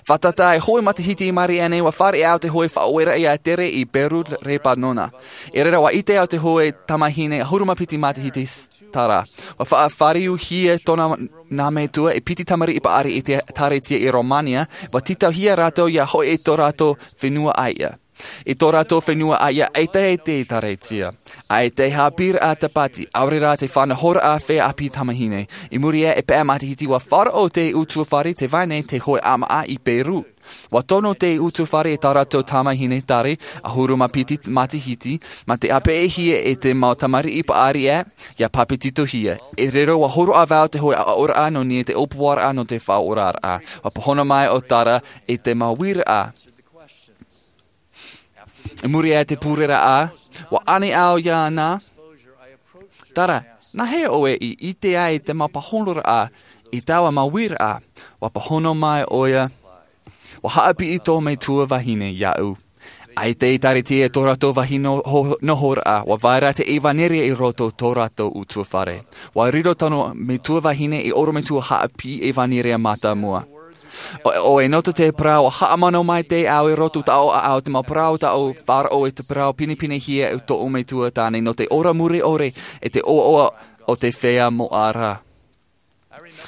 Fātata, e hōʻē matahiti i maʻiri aʻenei, ua fāriʻi au i te hōʻē faʻaueraʻa ʻia tere i Peru, Lepanona. I reira ua ʻite au i te hōʻē tamahine ʻahuru mā piti matahiti s-, terā. Ua faʻafāriuhia tōna nā metua e piti tamariʻi paʻari i te ʻĒkālesia i Romania, ua tītauhia rātou ʻia hoʻi i tō rātou fenua ʻāiʻa. I tō rātou fenua ʻāiʻa ʻaita e te ʻĒkālesia. ʻAita e haʻapiʻiraʻa tāpati, ʻaore rā te faʻanahoraʻa feiā ʻāpī tamahine. I muri iho i pae matahiti ua faʻaroʻo te ʻutuāfare i te vai nei te hōʻē ʻāmaʻa i Peru. Ua tono te ʻutuāfare i tā rātou tamahine tari, ʻahuru mā piti matahiti, mā te ʻāpeʻehia e te mau tamariʻi paʻari ē, ʻia pāpetitohia. I reira ua hōroʻa vau i te hōʻē aʻoraʻa nō niʻa i te ʻōpuaraʻa nō te faʻaoraraʻa. Ua pāhono mai ʻo Tara i te mau uiraʻa. I muri iho i te pureraʻa, ua ani au iāna, Tara, nā hea ʻoe i ʻite ai i te mau pāhonoraʻa i taua mau uiraʻa? Ua pāhono mai ʻoia, ua haʻapiʻi tō metua vahine iāʻu. ʻAita i tāriʻi e tō rātou vāhi noho, nohoraʻa, ʻua vai ra te ʻevanelia i roto tō rātou ʻutuāfare. ʻUa riro tōna metua vahine ei ʻorometua haʻapiʻi ʻevanelia mātāmua. ʻO, ʻo e noto te parau, ʻua haʻamanaʻo mai te ao i roto taʻu ʻaʻau te mau parau taʻu faʻaroʻo i te parau pinepinehia e tōʻu metua tāne nō te ora mure ʻore e te ʻoaʻoa o te feiā moʻa ra.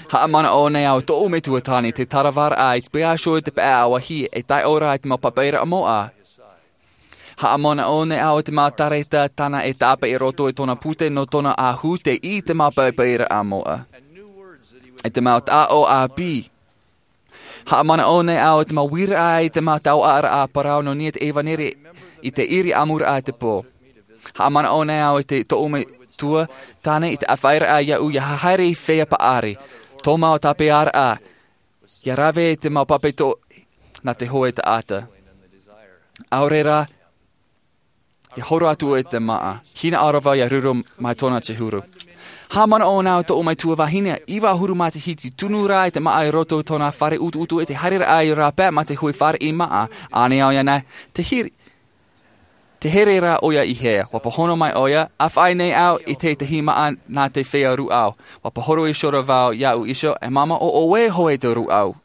Haʻamanaʻo nei au tōʻu metua tāne te taravaraʻa i te pēʻa iho i te pae ʻāvahi e taiʻo ra i te mau papairaʻa moʻa. Haʻamanaʻo nei au i te mau tareta tāna e tāpeʻa i roto i tōna pute nō tōna ʻahu te ʻī te mau papairaʻa moʻa. E te mau taʻo ʻāpī. Haʻamanaʻo nei au i te mau uiraʻa i te mau taoʻaraʻa parau nō niʻa i te ʻevanelia i te ʻiri ʻamuraʻa i te pō. Haʻamanaʻo nei au i te tōʻu metua tāne i te ʻāfaʻiraʻa iāʻu ʻia haere i feiā paʻari. Tō mau tāpeʻaraʻa, ʻia rave i te mau pape tō, nā te hōʻē taʻata. ʻAore rā, ʻia horo atu i te māʻa. Hinaʻaro vau ʻia riro mai tōna te huru. Haʻamanaʻo nei au tōʻu metua vahine, iva ʻahuru matahiti tunu ra i te māʻa i roto i tōna fare ʻutuʻutu i te haereraʻa i rāpae mā te hui fāriʻi māʻa. ʻĀnei au iāna, te hiri. Te here rā ʻoia i hea, ʻua pāhono mai ʻoia, ʻāfaʻi nei au i te tahi māʻa nā te feiā rūʻau. ʻUa pāhono iho ra vau iāʻu iho, e māmā ʻo ʻoe hoʻi te rūʻau.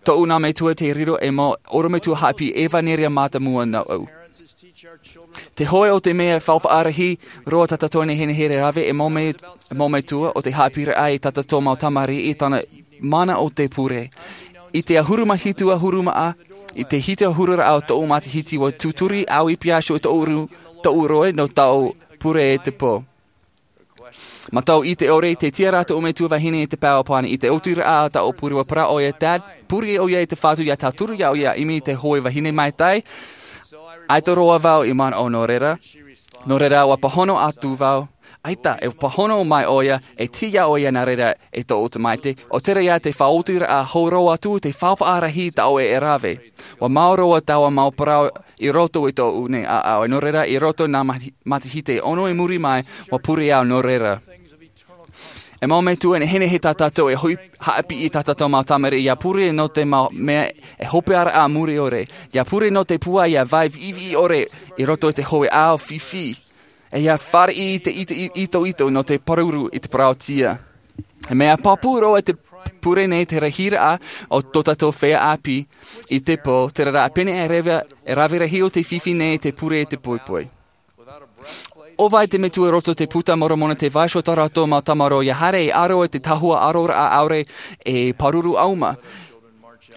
Tōʻu nā metua tei riro ei mau ʻorometua haʻapiʻi ʻevanelia mātāmua nōʻu. Te hoʻi o te mea faufaʻa rahi roa tā tātou e nehenehe e rave ei mau me-, ei mau metua ʻo te haʻapiʻiraʻa i tā tātou mau tamariʻi i tāna mana o te pure. I te ʻahuru mā hitu ʻahuru mā ʻā, i te hitu ʻahuru ra ʻo tōʻu matahiti ʻua tūturi au i pīhaʻi iho i tōʻu ru-, tōʻu rohe nō tāʻu pure i te pō. Mātou i te ʻore, tē tiʻa ra tōʻu metua vahine i te pae ʻāpī i te oti ra ʻo tāʻu pure. ʻUa parau ʻoia, Dad, pure ʻoia i te Fatu ʻia tauturu iāʻu ʻia ʻimi i te hōʻē vahine maitaʻi. ʻAita roa vau i manaʻo nō reira. Nō reira, ʻua pāhono atu vau. ʻAita, e pāhono mai ʻoia, e tiʻa ʻoia nā reira e tōʻu tamaiti. ʻO terā ia te faʻaotiraʻa hou roa atu, te faufaʻa rahi tā ʻoe e rave. ʻUa mau roa taua mau parau i roto i tōʻu nei ʻāʻau, e nō reira i roto nā mati-, matahiti e ono i muri mai, ʻua pure au nō reira. E mau metua, e nehenehe tā tātou e hoi-, haʻapiʻi i tā tātou mau tamariʻi ʻia pure nō te mau mea e hopeʻaraʻa muri ʻore. ʻIa pure nō te pūai ʻia vai viʻiviʻi ʻore i roto i te hōʻē ao fifi. E ʻia fāriʻi i te ito-, i-, itoito nō te pāruru i te parauʻtiʻa. E mea pāpū roa te pure nei te rahiraʻa o tō tātou feiā ʻāpī i te pō, terā rā pēnei e rave, e rave rahi o te fifi nei te pure i te poipoi. ʻO vai te metua i roto i te Puta Moromona tē vai iho tō rātou mau tamaroa ʻia haere e aro i te tahua aroraʻa ʻaore e pāruru ʻauma.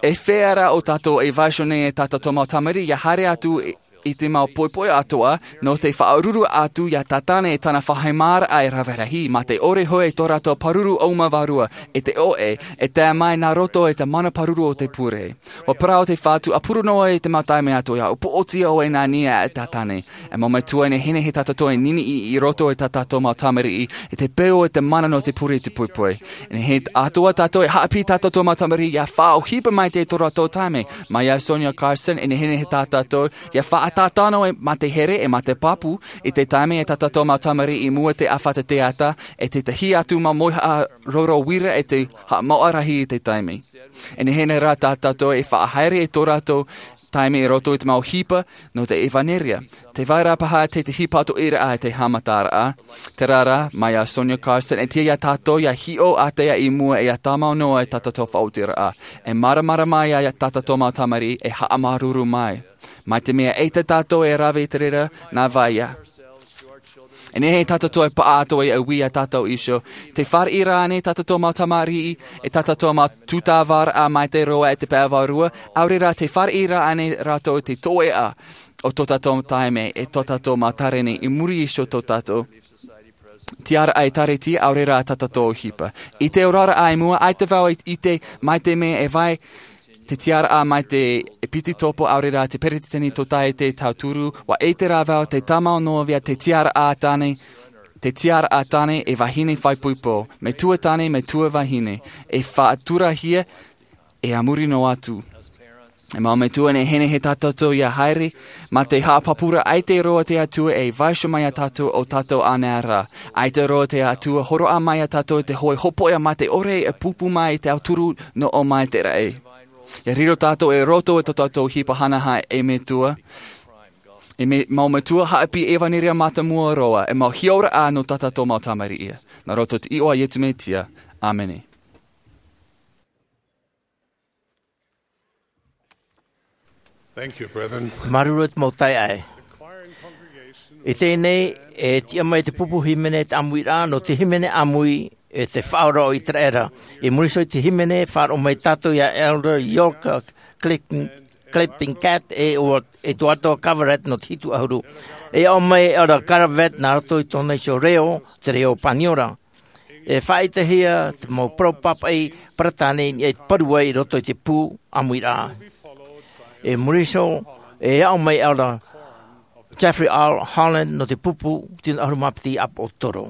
E feiā rā ʻo tātou e vai iho nei e tā tātou mau tamariʻi ʻia haere atu i, i te mau poipoi atoʻa, nō te faʻaruru atu iā Tātane e tāna faʻaheimaraʻa e rave rahi, mā te ʻore hoʻi i tō rātou pāruru ʻauma vārua, e te ʻoʻe, e tae mai nā roto i te mana pāruru o te pure. ʻUa parau te Fatu, ʻa pure noa i te mau taime atoʻa, ʻua poʻotia ʻoe nā niʻa e Tātane. E mau metua, e nehenehe tā tātou e niniʻi i roto i tā tātou mau tamariʻi, i te peu o te mana nō te pure i te poipoi. E nehenehe atoʻa tātou e haʻapiʻi i tā tātou mau tamariʻi ʻia faʻaʻohipa maitaʻi tō rātou taime. Mai iā Sonya Carson, e nehenehe tā tātou ʻia faʻatātano e mā te here e mā te pāpū i te taime e tā tātou mau tamariʻi i mua i te ʻāfata teata, e te tahi atu mau mauhaʻa roro uira e te haʻamāuʻa rahi i te taime. E nehenehe rā tā tātou e faʻahaere i tō rātou taime i roto i te mau ʻohipa nō te ʻevanelia. Tē vai ra paha te tahi pātoʻiraʻa i te haʻamataraʻa. Terā rā, mai iā Sonya Carson, e tiʻa iā tātou ʻia hiʻo ātea i mua ʻia tāmau noa i tā tātou faʻaotiraʻa. E māramarama mai iā tā tātou mau tamariʻi e haʻamāuruuru mai. Mai te mea ʻaita tātou e rave i te reira, nā vai ïa. E nehenehe tā tātou e paʻatoʻa ʻia ui iā tātou iho. Tē fāriʻi ra ānei tā tātou mau tamariʻi, e tā tātou mau tūtāvaraʻa maitaʻi roa i te pae vārua, ʻaore rā tē fāriʻi ra ānei rātou i te toeʻa o tō tātou taime, e tō tātou mau tāreni i muri iho i tō tātou tiaraʻa ʻĒkālesia, ʻaore rā tā tātou ʻohipa. I te oraraʻa i mua, ʻaita vau i ʻite mai te mea e vai te tiaraʻa mai te ʻEpitetopo, ʻaore rā te Peretiteni Tōtaiete Tauturu, ʻua ʻite rā vau tē tāmau noa vau te tiaraʻa tāne, te tiaraʻa tāne e vahine faʻaipoipo, metua tāne, metua vahine, e faʻaturahia, e a muri noa atu. E mau metua, e nehenehe tā tātou ʻia haere, mā te haʻapāpūraʻa ʻaita roa te Atua e vaiiho mai iā tātou ʻo tātou ānei rā. ʻAita roa te Atua hōroʻa mai iā tātou i te hōʻē hopoiʻa mā te ʻore e pūpū mai i te auturu nō ʻō mai te raʻi. ʻIa riro tātou i roto i tō tātou ʻohipa hanahana ei metua. E mea mau metua, haʻapiʻi ʻevanelia mātāmua roa, e mau hiʻoraʻa nō tā tātou mau tamariʻi. Nā roto i te iʻoa o Iesu Mesia. ʻĀmene. Thank you, brethren. Māuruuru te mau taeaʻe. I teie nei, e tiʻa mai te pupu hīmene te ʻāmuiraʻa nō te hīmene ʻāmui e te faʻaora o Iteraera. I muri iho i te hīmene, faʻaroʻo mai tātou ia Elder York Clifton, Clifton Catt, e ʻo, e tō ʻoe Karavett nō te hitu ʻahuru. E aʻo mai Elder Karavett nā roto i tōna iho reo, te reo Paniora. E faʻaʻitehia te mau parau pāpaʻi Peretāne i niʻa i te parau i roto i te pū ʻāmuiraʻa. I muri iho, e aʻo mai Elder Jeffrey R. Holland nō te pupu tino ʻahuru mā piti ʻāpoʻotoro.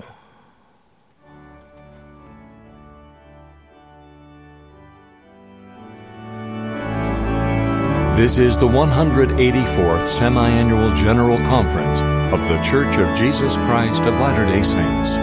This is the one hundred eighty-fourth Semi-Annual General Conference of The Church of Jesus Christ of Latter-day Saints.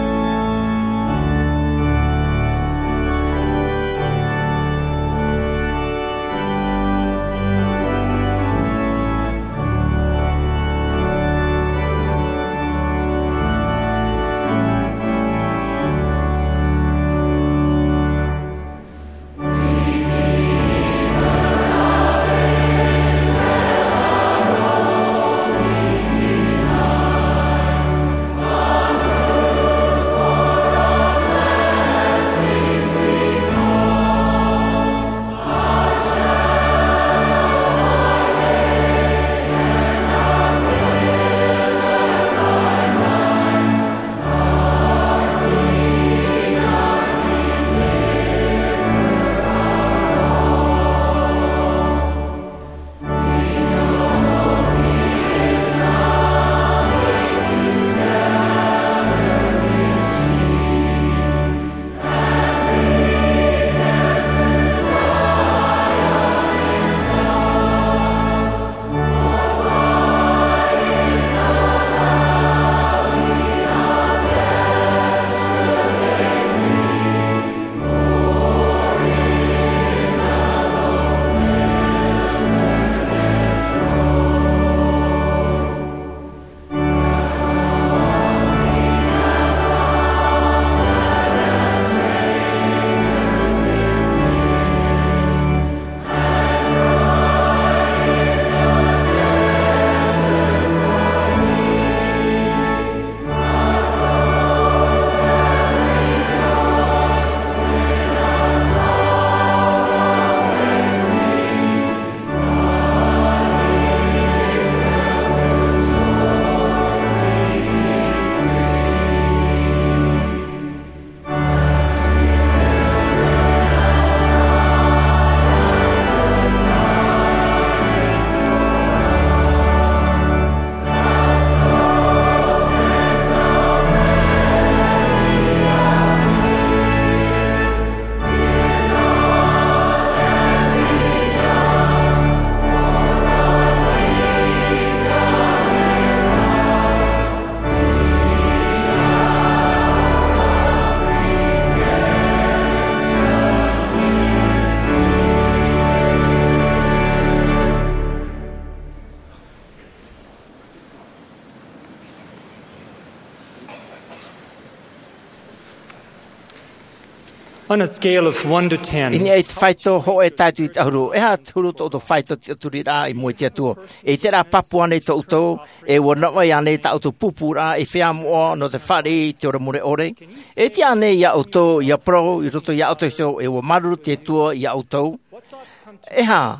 On a scale of one to ten. I niʻa i te faito hōʻē tae atu i te ʻahuru, e aha te huru tō ʻoutou faito tiʻaturiraʻa i mua i te Atua? E ʻite rā pāpū ānei tō ʻoutou, e ʻua navaʻi ānei tā ʻoutou pūpūraʻa i feiā moʻa nō te fāriʻi i te ora mure ʻore? E tiʻa ānei iā ʻoutou ia parau i roto iā ʻoutou iho, e ʻua māuruuru te Atua iā ʻoutou? E aha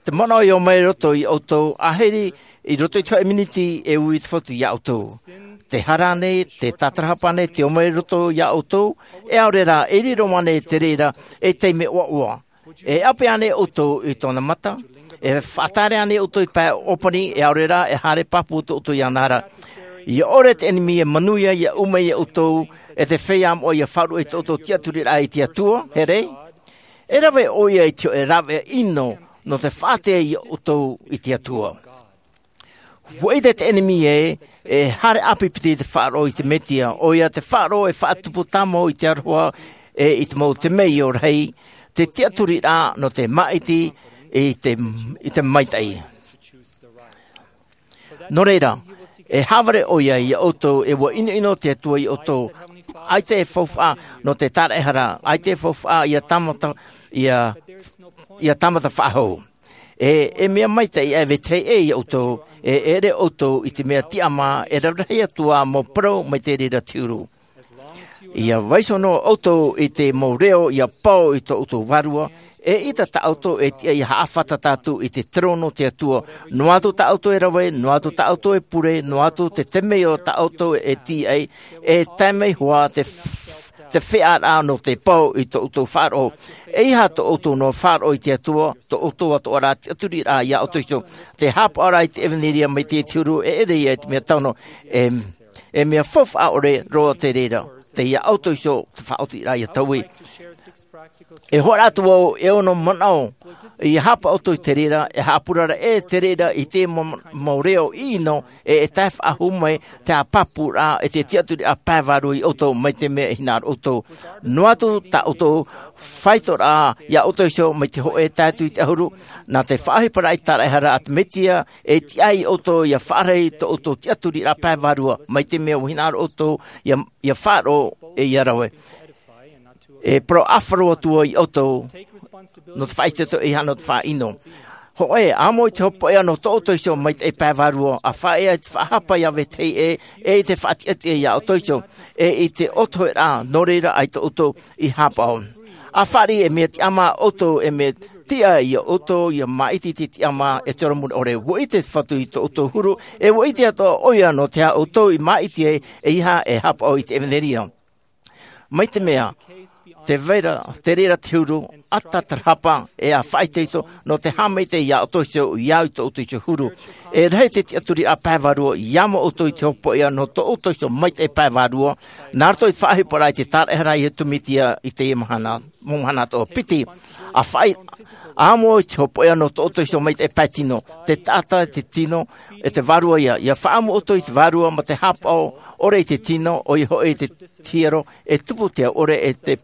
te manaʻo i ō mai i roto iā ʻoutou, ʻahiri i roto i te hōʻē miniti e ui te Fatu iā ʻoutou? Te hara ānei, te tātarahapa ānei, te ō mai i roto iā ʻoutou? E ʻaore rā, e riro ānei te reira ei taime ʻoaʻoa? E ʻape ānei ʻoutou i tōna mata? E faʻatāere ānei ʻoutou i te pae ʻōpani, e ʻaore rā, e haere pāpū tō ʻoutou iāna ra? ʻIa ʻore te ʻenemi e manuia, ʻia ʻū mai iā ʻoutou, e te feiā moʻa ʻia faʻaruʻe i tō ʻoutou tiʻaturiraʻa i te Atua, here? E rave ʻoia i te hōʻē rāveʻa ʻino nō te faʻaātea iā ʻoutou i te Atua. ʻUa ʻite te ʻenemi ē, e haere ʻāpipiti te faʻaroʻo i te Mesia, ʻoia te faʻaroʻo e faʻatupu tāmau i te aroha, e i te mau temeio rahi, te tiʻaturiraʻa nō te māʻiti i te, i te maitaʻi. Nō reira, e haʻavare ʻoia iā ʻoutou, e ʻua ʻinoʻino te Atua iā ʻoutou. ʻAita e faufaʻa nō te taraehara, ʻaita e faufaʻa ia tāmata, ia, ia tāmata faʻahou. E, e mea maitaʻi e vetahi ʻē iā ʻoutou, e ʻere ʻoutou i te mea tiʻamā, e rarahi atu ā mau parau mai te reira te huru. ʻIa vaiiho noa ʻoutou i te mau reo ʻia pao i tō ʻoutou vārua, eʻita tā ʻoutou e tiʻa ʻia haʻafātata atu i te terōno o te Atua, noa atu tā ʻoutou e rave, noa atu tā ʻoutou e pure, noa atu te temeio tā ʻoutou e tīaʻi, e tae mai hoʻi te f-, te feʻaʻaraʻa nō te pao i tō ʻoutou faʻaroʻo. ʻEiaha tō ʻoutou noa faʻaroʻo i te Atua, tō ʻoutou atoʻa rā tiʻaturiraʻa iā ʻoutou iho. Te haʻapaʻoraʻa i te ʻevanelia mai te huru, e ʻere ia i te mea tano, e, e mea faufaʻa ʻore roa te reira, tei iā ʻoutou iho te faʻaotiraʻa ʻia taui. E hōroʻa atu vau e ono manaʻo, ʻia haʻapaʻo ʻoutou i te reira, e haʻapurara ʻē te reira i te mau, mau reo ʻino, e, e tae faʻahou mai te haʻapāpūraʻa, e te tiʻaturiraʻa pae vārua iā ʻoutou, mai te mea e hinaʻaro ʻoutou. Noa atu tā ʻoutou faitoraʻa iā ʻoutou iho mai te hōʻē tae atu i te ʻahuru, nā te faʻaʻohiparaʻa i te taraehara a te Mesia, e tiʻa iā ʻoutou ʻia faʻarahi tō ʻoutou tiʻaturiraʻa pae vārua, mai te mea ʻua hinaʻaro ʻoutou ʻia, ʻia faʻaroʻo e ʻia rave. E parau ʻāfaro atu vau iā ʻoutou, nō te faʻaitoito ʻeiaha nō te faʻaʻino. Hōʻē, ʻāmui i te hopoiʻa nō tō ʻoutou iho maitaʻi pae vārua, ʻa faʻaea i te faʻahapa iā vetahi ʻē, e i te faʻatiʻatiʻa iā ʻoutou iho, e i te ʻotoheraʻa, nō reira ʻaita ʻoutou i haʻapaʻo. ʻA fāriʻi, e mea tiʻamā ʻoutou, e mea tiʻa iā ʻoutou ʻia māʻiti i te tiʻamā, e te ora mure ʻore. ʻUa ʻite te Fatu i tō ʻoutou huru, e ʻua ʻite atoʻa ʻoia nō te aha ʻoutou i māʻiti ai, ʻeiaha e haʻapaʻo i te ʻevanelia. Mai te mea, tē vai ra te reira te huru, ʻa tātarahapa, e ʻa faʻaitoito, nō te haʻamaitaʻi iā ʻoutou iho, ʻia au i tō ʻoutou iho huru. E rahi te tiʻaturiraʻa pae vārua, ʻia amo ʻoutou i te hopoiʻa nō tō ʻoutou iho maitaʻi pae vārua, nā roto i te faʻaʻohiparaʻa i te taraehara a Iesu Mesia i teie mahana, mau mahana atoʻa piti. ʻA faʻi-, ʻa amo i te hopoiʻa nō tō ʻoutou iho maitaʻi pae tino, te taʻata, te tino, e te vārua ia. ʻIa faʻaʻamu ʻoutou i te vārua mā te haʻapaʻo ʻore i te tino, ʻoia hoʻi i te hiero, e tupu te au ʻore e te,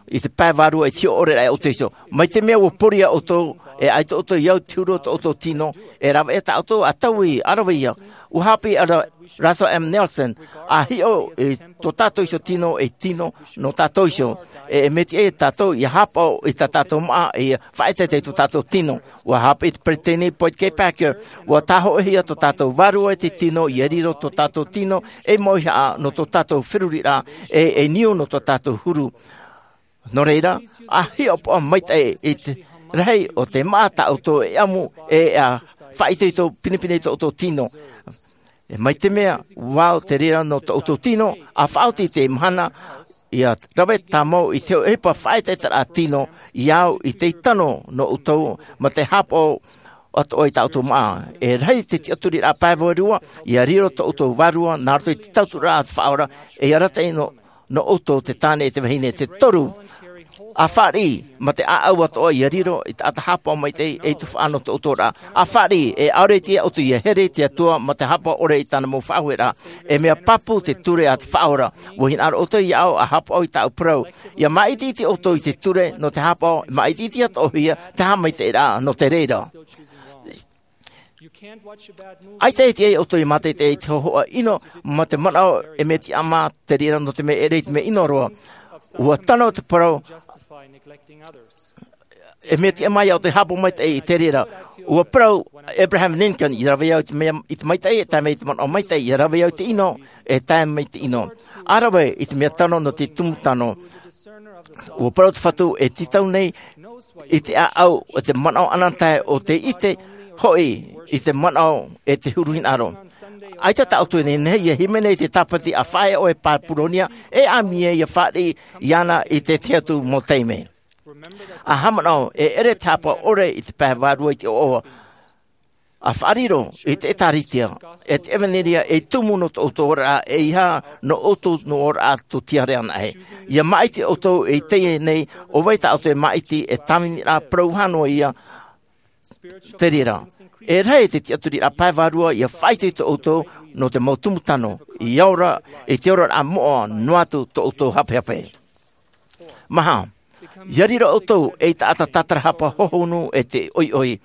i te pae vārua e te hiʻo ʻore ra iā ʻoutou iho. Mai te mea ʻua pori ʻoutou, e ʻaita ʻoutou i au i te huru o tō ʻoutou tino, e rave ʻē tā ʻoutou ʻa taui, ʻa rave ia. ʻUa haʻapiʻi ʻo Russell M. Nelson, ʻa hiʻo i tō tātou iho tino, ei tino nō tātou iho. E, e mea tiʻa ia tātou ʻia haʻapaʻo i tā tātou māʻa, e ʻia faʻaʻetaʻeta i tō tātou tino. ʻUa haʻapiʻi te peresideni Boyd K. Packer, ʻua tāhōʻēhia tō tātou vārua e te tino, ʻia riro tō tātou tino ei mauihaʻa nō tō tātou feruriraʻa, e, e niu nō tō tātou huru. Nō reira, ʻa hiʻopoʻa maitaʻi i te rahi o te māʻa tā ʻoutou e ʻamu, e ʻa faʻaitoito pinepine i tō ʻoutou tino. E mai te mea, ʻua au te reira nō tō ʻoutou tino, ʻa faʻaoti i te mahana, ʻia rave tāmau i te ʻohipa faʻaʻetaʻetaraʻa tino, ʻia au i te tano nō ʻoutou, mā te haʻapaʻo atoʻa i tā ʻoutou māʻa. E rahi te tiʻaturiraʻa pae vārua, ʻia riro tō ʻoutou vārua, nā roto i te tauturu a te Faʻaora, e ʻia arataʻi nō, nō ʻoutou te tāne e te vahine. Te toru, ʻa fāriʻi, mā te ʻāʻau atoʻa ʻia riro, i te taʻata haʻapaʻo maitaʻi, ei tuhaʻa nō tō ʻoutou oraraʻa. ʻA fāriʻi, e ʻaore i te ʻoutou ʻia here i te Atua, mā te haʻapaʻo ʻore i tāna mau faʻaueraʻa. E mea pāpū te ture a te Faʻaora. ʻUa hinaʻaro ʻoutou iāʻu, ʻa haʻapaʻo i tāʻu parau. ʻIa māʻitiʻiti ʻoutou i te ture, nō te haʻapaʻo, māʻitiʻiti atoʻahia, te haʻamaitaʻiraʻa, nō te reira. ʻAita e tiʻa ia ʻoutou ʻia mātaʻitaʻi i te hōhoʻa ʻino, mā te manaʻo e mea tiʻamā te reira nō te mea e ʻere i te mea ʻino roa. ʻUa tano te parau, e mea tiʻamā ia ʻoutou e haʻapaʻo maitaʻi i te reira. ʻUa parau Abraham Lincoln, ʻia rave au i te mea, i te maitaʻi, e tae mai i te manaʻo maitaʻi, ʻia rave au i te ʻino, e tae mai i te ʻino. ʻA rave i te mea tano nō te tumu tano. ʻUa parau te Fatu e tītau nei i te ʻāʻau, e te manaʻo ananahi o te ʻite, hoʻi i te manaʻo e te huru hinaʻaro. ʻAita tā ʻoutou e nehenehe ʻia hīmene i te tāpati ʻa Faʻaea ʻoe Papuronia, e ʻāmui ē ʻia fāriʻi iāna i te tahi atu mau taime. ʻA haʻamanaʻo, e ʻere te haʻapaʻo ʻore i te pae vārua i te ʻoaʻoa. ʻA faʻariro i te ʻĒtārētia, e te ʻevanelia ei tumu nō tō ʻoutou oraraʻa, ʻeiaha nō ʻoutou noa oraraʻa tū tiare anaʻe. ʻIa māʻiti ʻoutou i teie nei, ʻo vai tā ʻoutou e māʻiti, e tāviniraʻa parau hānua ia te reira. E rahi te tiʻaturiraʻa pae vārua ʻia faʻaitoito ʻoutou nō te mau tumu tano, ʻia ora i te oraraʻa moʻa noa atu tō ʻoutou hapehape. Maha, ʻia riro ʻoutou ei taʻata tātarahapa hohonu e te ʻoiʻoi.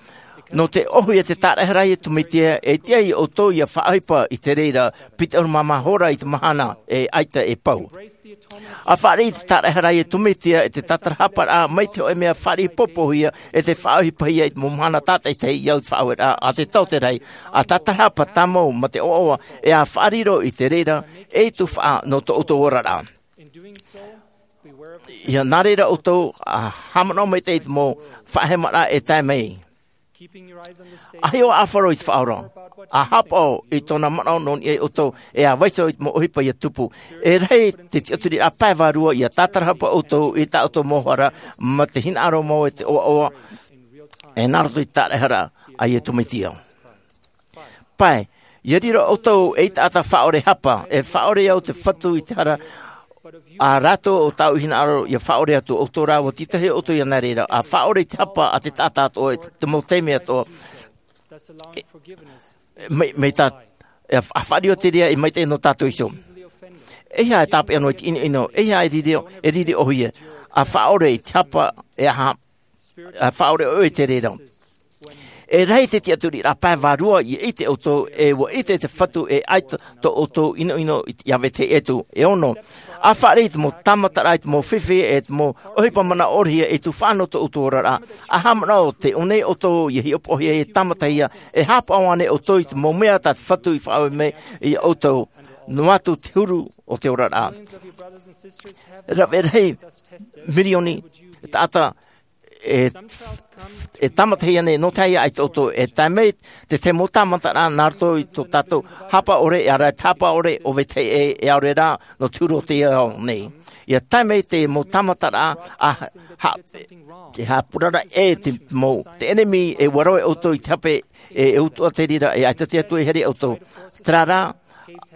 Nō te ʻohi a te tāraʻehara a Iesu Mesia, e tiʻa ia ʻoutou ia faʻaʻohipa i te reira, piti ʻahuru mā maha hora i te mahana, e ʻaita e pau. ʻA fāriʻi i te tāraʻehara a Iesu Mesia, e te tātarahaparaʻa, mai te hōʻē mea fāriʻi pōpōhia, e te faʻaʻohipahia i te mau mahana tātaʻitahi i au i te faʻaueraʻa, ʻa te taote rahi, ʻa tātarahapa tāmau mā te ʻoaʻoa, e ʻa faʻariro i te reira, e tuhaʻa nō tō ʻoutou oraraʻa. Ia nā reira ʻoutou, ʻa haʻamanaʻo maitaʻi i te mau faʻahemaraʻa e tae mai. ʻA hiʻo ʻāfaro i te Faʻaora, ʻa haʻapaʻo i tōna manaʻo nō niʻa ia ʻoutou, e ʻa vaiiho i te mau ʻohipa ia tupu. E rahi te tiʻaturiraʻa pae vārua ia tātarahapa ʻoutou i tā ʻoutou mau hara, mā te hinaʻaro mau e te ʻoaʻoa, e nā roto i te tāraʻehara a Iesu Mesia. Pae, ia riro ʻoutou ei taʻata faʻaʻore hapa, e faʻaʻore au te Fatu i te hara, ʻa rātou ʻo tāʻu i hinaʻaro ia faʻaʻore atu, ʻoutou rā ʻua tītauhia ʻoutou ia nā reira, ʻa faʻaʻore i te hapa a te taʻata atoʻa, te mau taime atoʻa. E, mai, mai tā, e, ʻa faʻariro te reira e maitaʻi nō tātou iho. E aha e tāpeʻa noa i te ʻinoʻino, e aha e riri, e riri ʻōhie, ʻa faʻaʻore i te hapa, e aha, ʻa faʻaʻore ʻoe i te reira. E rahi te tiʻaturiraʻa pae vārua ia ʻite ʻoutou, e ʻua ʻite te Fatu e ʻaita tō ʻoutou ʻinoʻino ia vetahi atu. E ono, ʻa fāriʻi i te mau tāmataraʻa, i te mau fifi, e te mau ʻohipa manaʻo ʻōrahia e tuhaʻa nō tō ʻoutou oraraʻa. ʻA haʻamanaʻo tē ʻō nei ʻoutou ia hiʻopoʻahia, ia tāmatahia, e haʻapaʻo ānei ʻoutou i te mau mea tā te Fatu i faʻaue mai ia ʻoutou, noa atu te huru o te oraraʻa. Rave rahi mirioni taʻata e, e tāmatahia nei, nō te aha ʻaita ʻoutou, e tae mai te, te mau tāmataraʻa nā roto i tō tātou haʻapaʻo ʻore, e ʻaore rā te haʻapaʻo ʻore o vetahi ʻē, e ʻaore rā nō te huru o teie ao nei. Ia tae mai te mau tāmataraʻa, ʻa, ha, te haʻapurara ʻē te mau, te ʻenemi e ʻua rave ʻoutou i te hape, e, e utuʻa te reira, e ʻaita te Atua e haere ia ʻoutou. Terā rā,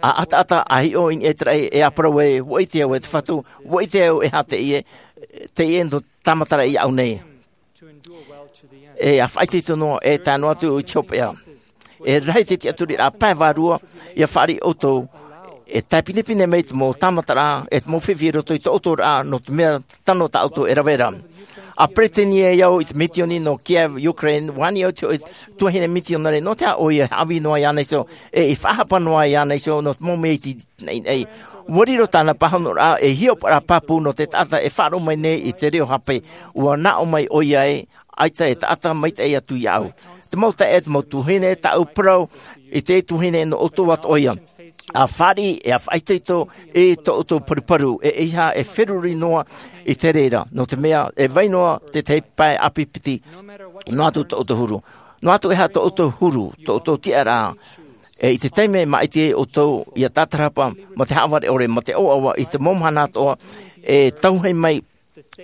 ʻa ʻataʻata, ʻa hiʻo i niʻa i te raʻi, e ʻa parau ē, ʻua ʻite au e te Fatu, ʻua ʻite au e aha teie, teie nō tāmataraʻa iāʻu nei. E ʻa faʻaitoito noa, e tae noa atu i te hopeʻa. E rahi te tiʻaturiraʻa pae vārua, ia fāriʻi ʻoutou, e tae pinepine mai te mau tāmataraʻa, e te mau fifi i roto i tō ʻoutou oraraʻa, nō te mea tano tā ʻoutou e rave ra. ʻA peretiteni au i te misiōni nō Kiev, Ukraine, ʻua ani au i te hōʻē tuahine misionare, nō te aha ʻoia e haʻavī noa iāna iho, e i faʻahapa noa iāna iho, nō te mau mea iti naʻinaʻi. ʻUa riro tāna pāhonoraʻa ei hiʻopoʻaraʻa pāpū nō te taʻata e faʻaroʻo mai nei i te reo hape, ʻua nā ʻō mai ʻoia ē, ʻaita e taʻata maitaʻi atu iāʻu. Te mau taeaʻe, te mau tuahine, tāʻu parau i te tuahine nō ʻoutou atoʻa ïa. ʻA fāriʻi, e ʻa faʻaitoito i tō ʻoutou paruparu, e ʻeiaha e feruri noa i te reira, nō te mea, e vai noa te tahi pae ʻāpī piti, noa atu tō ʻoutou huru. Noa atu e aha tō ʻoutou huru, tō ʻoutou tiʻaraʻa, e i te taime e māʻiti ai ʻoutou ia tātarahapa, mā te haʻavare ʻore, mā te ʻoaʻoa, i te mau mahana atoʻa, e tauhei mai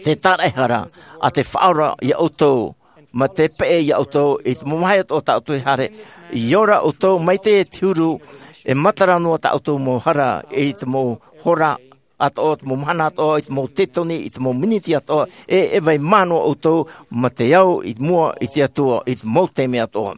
te tāraʻehara a te Faʻaora ia ʻoutou, mā te peʻe ia ʻoutou, i te mau vāhi atoʻa tā ʻoutou e haere, ʻia ora ʻoutou, mai te, te huru, e matara noa tā ʻoutou mau hara, i te mau hora atoʻa, te mau mahana atoʻa, i te mau tētoni, i te mau miniti atoʻa, e, e vai mā noa ʻoutou, mā te au i mua i te Atua, i te mau taime atoʻa.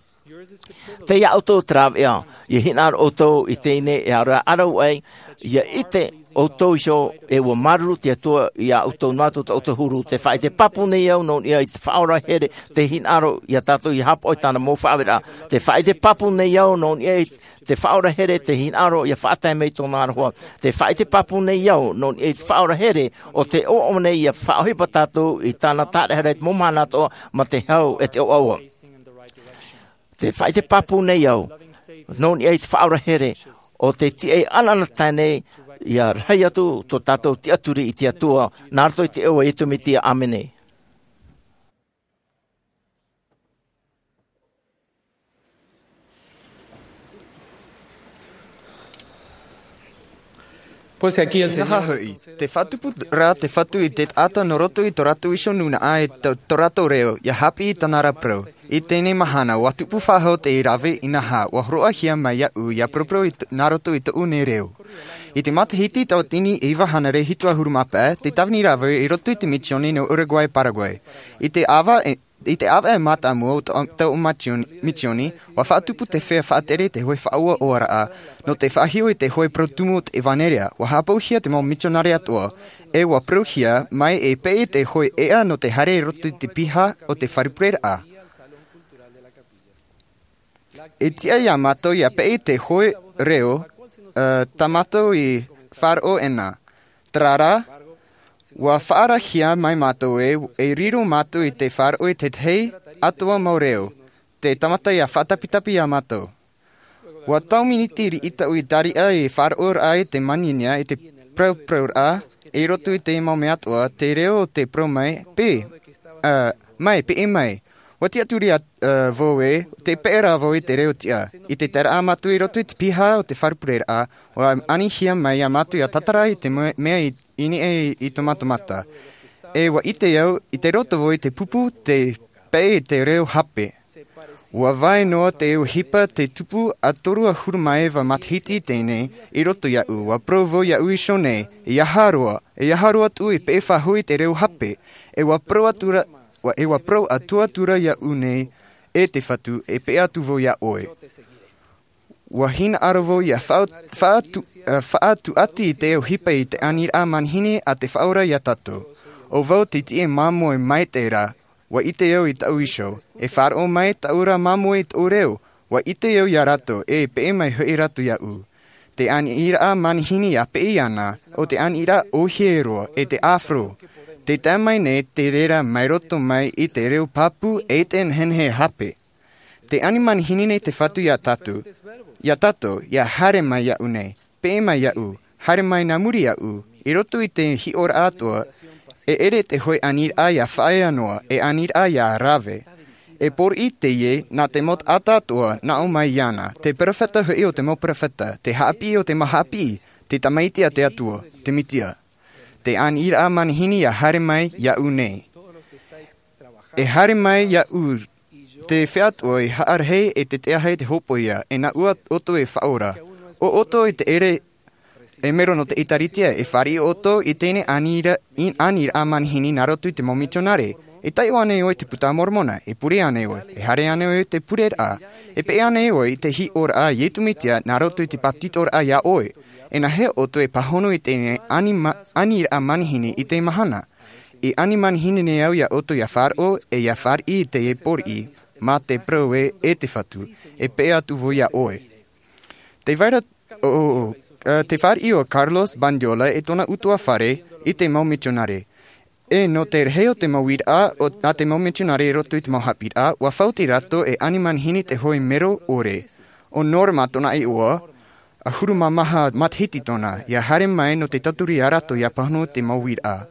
Tei iā ʻoutou te rāveʻa, ʻia hinaʻaro ʻoutou i teie nei e ʻaore rā ʻārahu ai, ʻia ʻite ʻoutou iho, e ʻua māuruuru te Atua iā ʻoutou noa atu tō ʻoutou huru. Tē faʻaʻite pāpū nei au nō niʻa i te Faʻaora here tei hinaʻaro iā tātou ʻia haʻapaʻo i tāna mau faʻaʻaveraʻa. Tē faʻaʻite pāpū nei au nō niʻa i te Faʻaora here tei hinaʻaro ʻia faʻatae mai i tōna aroha. Tē faʻaʻite pāpū nei au nō niʻa i te Faʻaora here ʻo tē ʻoaʻoa nei ʻia faʻaʻohipa tātou i tāna tāraʻehara i te mau mahana atoʻa mā te hau e te ʻoaʻoa. Tē faʻaʻite pāpū nei au nō niʻa i te Faʻaora here ʻo tē tiʻa ʻanaʻanatae nei ʻia rahi atu tō tātou tiʻaturi i te Atua, nā roto i te iʻoa o Iesu Mesia, ʻāmene. Pois aqui, Senhor. Inaha hoʻi, tē faʻatupu ra te Fatu i te taʻata nō roto i tō rātou iho nūnaʻa e tō, tō rātou reo, ʻia haʻapiʻi i tāna ra parau. I teie nei mahana, ʻua tupu faʻahou te rave inaha, ʻua hōroʻahia mai iāʻu ʻia paraparau i t-, nā roto i tōʻu nei reo. I te matahiti tauatini e iva hānere hitu ʻahuru mā pae, tē tāvini ra vau i roto i te misiōni nō Uruguay, Paraguay. I te ʻāvaʻe, i te ʻāvaʻe mātāmua o tō, tōʻu misiōn-, misiōni, ʻua faʻatupu te feiā faʻatere i te hōʻē faʻauaʻauaraʻa, nō te faʻahiʻo i te hōʻē parau tumu o te ʻevanelia, ʻua haʻapauhia te mau misionare atoʻa, e ʻua parauhia mai e peʻe te hōʻē ʻēʻa nō te haere i roto i te piha o te fare pureraʻa. E tiʻa iā mātou ia peʻe te hoʻe reo tā mātou i faʻaroʻo ʻena. Tarara, ua faʻaarahia mai mātou e riro mātou i te faʻaroʻo i te tahi atoʻa mau reo te tamata ia faʻatapitapi iā mātou. Ua tau miniti riʻi taʻu i tariʻa i faʻaroʻo raʻa i te maninia i te parauparau raʻa i roto i te mau mea atoʻa te reo o te parau mai pē mai peʻe mai. Ua tiʻaturi vau e te peʻe rā vau i te reo tiʻa i te taraʻa mātou i roto i te piha o te faʻarupereraʻa ua anihia mai iā mātou ia tatara i te mea i niʻa i tō mātou mata. E ua ʻite au i te roto vau i te pupu te peʻe i te reo hape. Ua vae noa te ʻohipa te tupu a toru ʻahuru mā iva matahiti i teie nei i roto iāʻu ua parau vau iāʻu iho nei, e aha roa e aha roa atu e peʻe faʻahou i te reo hape. E ua parau atu ra e ua parau atu atu ra iāʻu nei e te fatu e peʻe atu vau iā ʻoe. Ua hinaʻaro vau ia faʻatuʻati i te ʻohipa i te aniraʻa manihini a te faʻaora iā tātou. ʻO vau te tiʻe māmoe mai te rā. Ua ʻite au i taʻu iho e faʻaroʻo mai taʻu rā māmoe i tōʻu reo. Ua ʻite au iā rātou e peʻe mai hoʻi rātou iāʻu. Te aniraʻa manihini ia peʻe iāna o te aniraʻa ʻohie roa e te afro. Te tae mai nei te reira mai roto mai i te reo pāpū e te nehenehe hape. Te ani manihini nei te fatu iā tātou iā tātou ia haere mai iāʻu nei, peʻe mai iāʻu, haere mai nā muri iāʻu i roto i te hiʻoraʻa atoʻa. E ʻere te hoʻe aniraʻa ia faʻaea noa e aniraʻa ia rave. E pōriʻi teie nā te mau taʻata atoʻa nā ʻō mai iāna te peropheta hoʻi o te mau peropheta te haʻapiʻi o te mau haʻapiʻi, te tamaiti a te atua, te mesia. Te aniraʻa manihini ia haere mai iāʻu nei. E haere mai iāʻu te fea atoʻa i haʻarahi e te teaha i te hopoia e nā ua ʻoutou e faʻaora. ʻO ʻoutou i te ʻere e mero nō te ʻēkālesia e fāriʻi ʻoutou i teie aniraʻa manihini nā roto i te mau mitionare. E taiʻo ānei ʻoe i te puta a moromona e pure ānei ʻoe e haere ānei ʻoe i te pureraʻa? E peʻe ānei ʻoe i te hiʻoraʻa a iesu mesia nā roto i te bāpetizoraʻa iā ʻoe? E nāhea ʻoutou e pāhono i teie aniraʻa manihini i te mahana? I ani manihini nei au iā ʻoutou ia faʻaroʻo e ia fāriʻi i teie pōriʻi mā te parau ē e te fatu e peʻe atu vau iā ʻoe. Te vaira o te fāriʻi o carlos bandiola e tōna utuafare i te mau mitionare. E nō te rahi o te mau uiraʻa a te mau mitionare i roto i te mau haʻapiʻiraʻa ua fauti rātou e ani manihini te hoʻe mero ʻore. O norma tōna iʻoa ʻahuru mā maha matahiti tōna ia haere mai nō te tauturu iā rātou ia pāhono i te mau uiraʻa.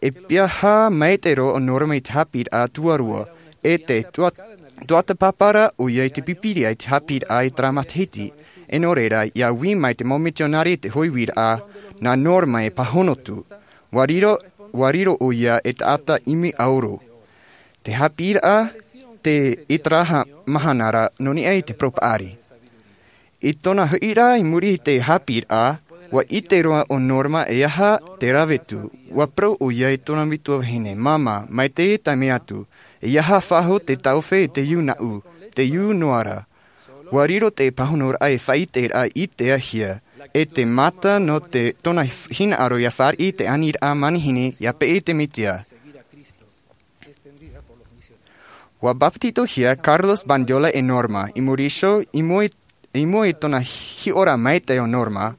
E piahi mai te roa o norma i te haʻapiʻiraʻa tuarua e te tuata pāpara ʻoia i te pīpīria i te haʻapiʻiraʻa i terā matahiti. E nō reira ia ui mai te mau mitionare i te hoʻe uiraʻa nā norma e pāhono atu. Ua riro ʻoia e taʻata ʻimi ʻauro. Te haʻapiʻiraʻa te i terā mahana ra nō niʻa i te parau paʻari. I tōna hoʻiraʻa i muri i te haʻapiʻiraʻa ua ʻite roa o norma e aha te rave atu. Ua parau ʻoia i tōna metua vahine māmā mai te taime atu, e aha faʻahou te taofe i te iu naʻu, te iu noa ra. Ua riro te pāhonoraʻa e faʻaʻiteraʻa i te ahia e te mata nō tōna hinaʻaro ia fāriʻi i te aniraʻa manihini ia peʻe i te mesia. Ua bāpetizohia carlos bandiola e norma i muri iho i mua i tōna hiʻoraʻa maitaʻi o norma.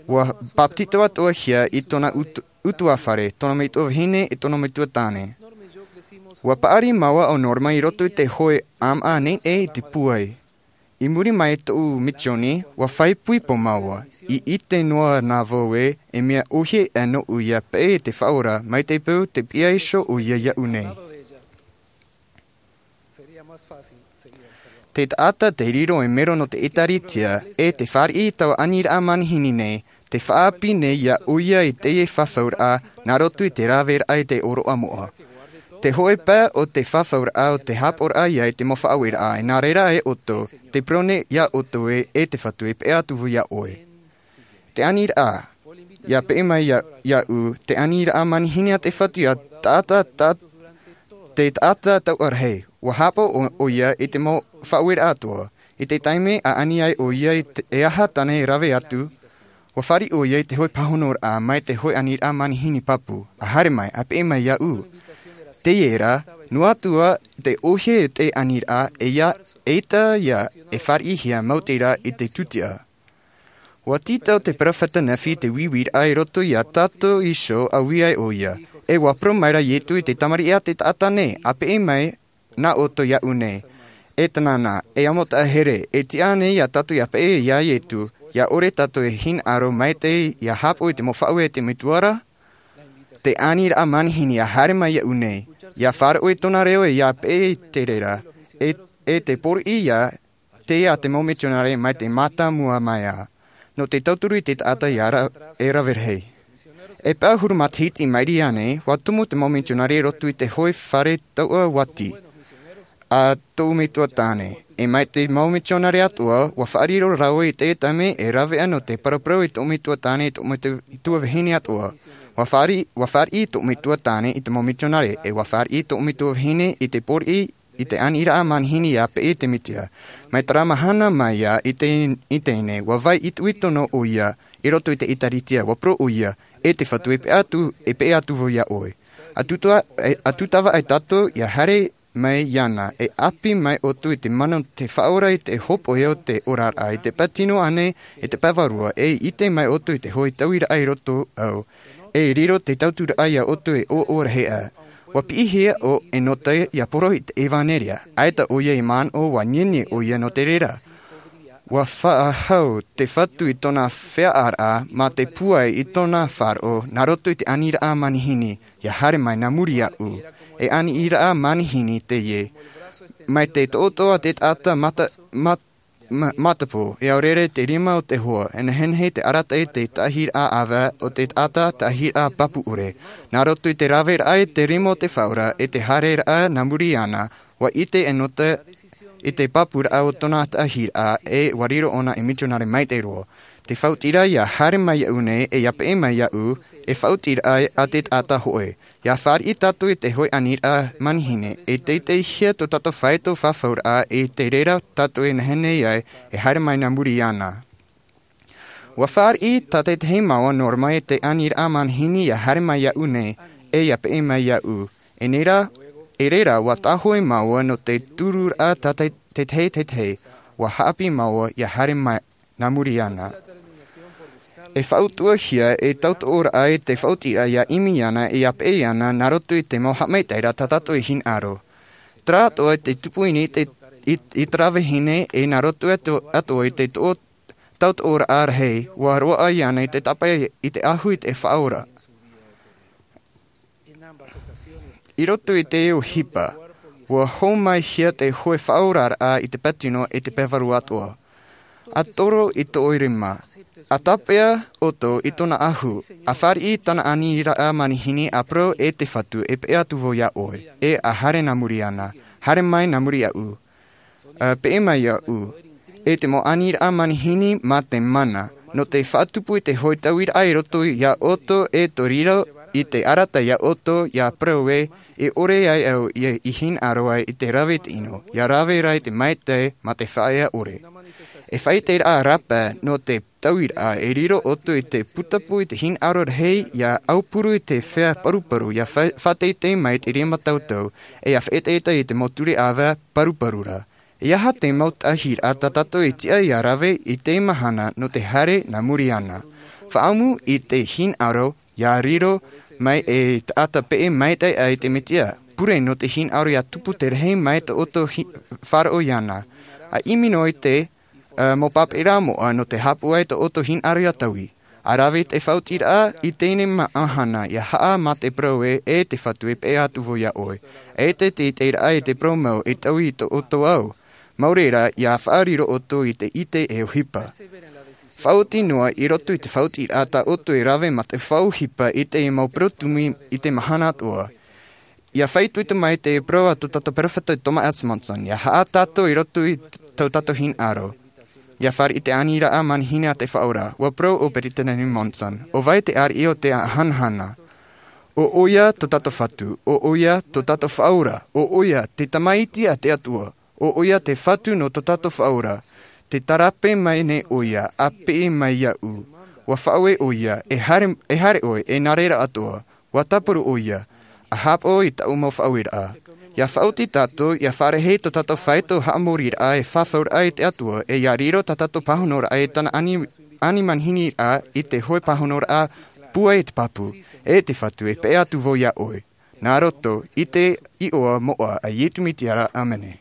Ua bāpetizo atoʻahia i tōna utuafare, tōna metua vahine e tōna metua tāne. Ua paʻari māua o norma i roto i te hoʻe ʻāmaʻa nei nei i te pūai. I muri mai tōʻu misioni ua faʻaipoipo māua. I ʻite noa nā vau ē e mea ʻohie ʻā nōʻu ia peʻe i te faʻaora mai te peu te piʻa iho ʻoia iāʻu nei. Te taʻata te riro e mero nō te ʻēkālesia e te fāriʻi i taua aniraʻa manihini nei te faʻaʻapi nei iā ʻoia i teie fafauraʻa nā roto i te raveraʻa i te ʻōroʻa moʻa. Te hoʻe pae o te fafauraʻa o te hāpaʻoraʻa ia i te mau faʻaueraʻa e nā reira e ʻoutou te pure nei iā ʻoutou ē e te fatu e peʻe atu vau iā ʻoe. Te aniraʻa ia peʻe mai iāʻu te aniraʻa manihini a te fatu ia taʻata taʻata te taʻata tauʻarahi. Ua hāpaʻo ʻoia i te mau faʻaueraʻa atoʻa i te taime a ani ai ʻoia e aha tāna e rave atu. Ua fāriʻi ʻoia i te hoʻe pāhonoraʻa mai te hoʻe aniraʻa manihini pāpū a haere mai a peʻe mai iāʻu. Teie rā, noa atu ā te ʻohie e te aniraʻa e ia, e ʻita ia e fāriʻihia mau te rā i te tūtia. Ua tītau te peropheta Nephi te vīvīraʻa i roto iā tātou iho a ui ai ʻo ia. E ua parau mai ra Ietu i te tamariʻi a te taʻata nei, a peʻe mai nā ʻoutou iāʻu nei. E tanana, e amo taʻahere, e tiʻa nei iā tātou ia peʻe iā Ietu, ia ʻore tātou e hinaʻaro maitaʻi ia hāpaʻo i te mau faʻaueraʻa a te Metua ra? Te aniraʻa manihini ia haere mai iāʻu nei, ia faʻaroʻo i tōna reo e ia peʻe i te reira, e, e te pōriʻi ia te a te mau mitionare mai te mātāmua mai ā. Nō te tauturu i te taʻata ia ra, e rave rahi. E pae ʻahuru matahiti i maʻiri aʻe nei, ua tumu te mau mitionare i roto i te hoʻi fare tauʻa vati a tōʻu metua tāne. E mai te mau mitionare atoʻa, ua faʻariro rāua i te taime e rave ana te paraparau i tōʻu metua tāne, i tōʻu metua vahine atoʻa. Ua fāriʻi, ua fāriʻi tōʻu metua tāne i te mau mitionare, e ua fāriʻi tōʻu metua vahine i te pōriʻi i te aniraʻa manihini ia peʻe i te Mesia. Mai terā mahana mai ā i te, i teie nei, ua vai itoito noa ʻo ia i roto i te ʻĒtārētia, ua parau ʻo ia, e te Fatu, e peʻe atu, e peʻe atu vau iā ʻoe. A tūtava, e, a tūtava ai tātou ia haere mai iāna, e ʻāpī mai ʻoutou i te mana o te Faʻaora i te hōpoiʻa o te oraraʻa, i te pae tino ānei, i te pae vārua, e ʻite mai ʻoutou i te hoʻi tauiraʻa i roto au. E riro te tauturaʻa iā ʻoutou e ʻoaʻoa rahi aʻe. Ua piʻihia ʻo Enota ia poro i te ʻevanelia, ʻaita ʻo ia i manaʻo, ua nienien ʻo ia nō te reira. Ua faʻahou te Fatu i tōna feʻaʻaraʻa mā te pūai i tōna faʻaroʻo nā roto i te aniraʻa manihini, ia haere mai nā muri iāʻu. E aniraʻa manihini teie. Mai te toʻotoʻo a te taʻata mata, mat-, ma-, matapō, e au rere te rima o te hoa, e nehenehe te arataʻi te taʻahiraʻa ʻāvae o te taʻata taʻahiraʻa pāpū ʻore. Nā roto i te raveraʻa i te rima o te Faʻaora, e te haereraʻa nā muri iāna, ua ʻite Enota i te pāpūraʻa o tōna taʻahiraʻa, e ua riro ʻōna ei mitionare maitaʻi roa. Te faʻaotiraʻa ia haere mai iāʻu nei, e ia peʻe mai iāʻu, e faʻaotiraʻa a te taʻata hōʻē. Ia fāriʻi tātou i te hoʻi aniraʻa manihini, e teiteihia tō tātou faito fafauraʻa, e te reira tātou e nehenehe ai e haere mai nā muri iāna. Ua fāriʻi tā te tahi māua Norma i te aniraʻa manihini ia haere mai iāʻu nei, e ia peʻe mai iāʻu. E nei rā, e reira ua tāhōʻē māua nō te tururaʻa tā te, te tahi, te tahi, ua haʻapiʻi māua ia haere mai nā muri iāna. E faʻautuʻahia e tautooraʻa i te faʻaotiraʻa ia ʻimi iāna, e ia peʻe iāna nā roto i te mau haʻamaitaʻiraʻa tā tātou e hinaʻaro. Terā atoʻa te tupu i niʻa i te, i, i terā vahine, e nā roto atoʻa, atoʻa i te tō-, tautooraʻa rahi, ua roaʻa iāna i te tāpae i te ʻahu i te Faʻaora. I roto i te ʻohipa, ua hōmaihia te hoʻi faʻaoraraʻa i te pae tino e te pae vārua atoʻa. A toro i tō rima. A tāpeʻa ʻoutou i tōna ʻahu. A fāriʻi tāna aniraʻa manihini, a parau, e te Fatu, e peʻe atu vau iā ʻoe. E a haere nā muri iāna. Haere mai nā muri iāʻu. A peʻe mai iāʻu. E te mau aniraʻa manihini mā te mana, nō te faʻatupu i te hoʻi tauiraʻa i roto iā ʻoutou, e tō riro i te arataʻi iā ʻoutou, ia parau ē, e ʻore ai au ia i hinaʻaro ai i te rave i te ʻino, ia rave rā i te maitaʻi mā te faʻaea ʻore. E faʻaʻiteraʻa rāpae nō te tauiraʻa e riro ʻoutou i te putapū i te hinaʻaro rahi, ia aupuru i te feiā paruparu, ia fa-, faʻateitei mai i te rima tautau, e ia faʻaʻetaʻeta i te mau ture ʻāvae paruparu ra. E aha te mau taʻahiraʻa tā tātou e tiʻa ia rave i te mahana nō te haere nā muri iāna? Faʻaʻamu i te hinaʻaro, ia riro mai e taʻata peʻe maitaʻi aʻe i te Mesia. Pure nō te hinaʻaro ia tupu te rahi mai tō ʻoutou hi-, faʻaroʻo iāna. A ʻimi noa i te, ā, mau pāpaʻiraʻa moʻa nō te haʻapaʻo i tō ʻoutou hinaʻaro ia taui. A rave i te faʻaotiraʻa i teie mahana, ia haʻa mā te parau ē, e te Fatu, e peʻe atu vau iā ʻoe. E te, te, te ʻiteraʻa i te parau mau e taui i tō ʻoutou ao. Mau reira, ia faʻariro ʻoutou i te ʻite e ʻohipa. Faʻaoti noa i roto i te faʻaotiraʻa tā ʻoutou e rave mā te faʻaʻohipa i te mau parau tumu i te mahana atoʻa. Ia faʻaitoito mai te parau a tō tātou peropheta Thomas S. Monson, ia haʻa tātou i roto i tō tātou hinaʻaro. Ia fāriʻi te aniraʻa manihini a te Faʻaora, ua parau ʻo Peresideni Monson, ʻo vai te ariʻi o te hanahana? ʻO ʻoia tō tātou Fatu, ʻo ʻoia tō tātou Faʻaora, ʻo ʻoia te Tamaiti a te Atua, ʻo ʻoia te Fatu nō tō tātou Faʻaora. Tē tarape mai nei ʻoia, a peʻe mai iāʻu. Ua faʻaue ʻoia, e haere, e haere ʻoe, e nā reira atoʻa. Ua tāparu ʻoia, A hāpaʻo i taʻu mau faʻaueraʻa. Ia faʻaoti tātou ia fārerei tō tātou faito haʻamoriraʻa e fafauraʻa i te Atua, e ia riro tā tātou pāhonoraʻa i tāna ani ani manihini raʻa i te hoʻe pāhonoraʻa. Pūai i te pāpū e te Fatu e peʻe atu vau iā ʻoe. Nā roto i te iʻoa moʻa a Iesu Mesia ra, ʻāmene.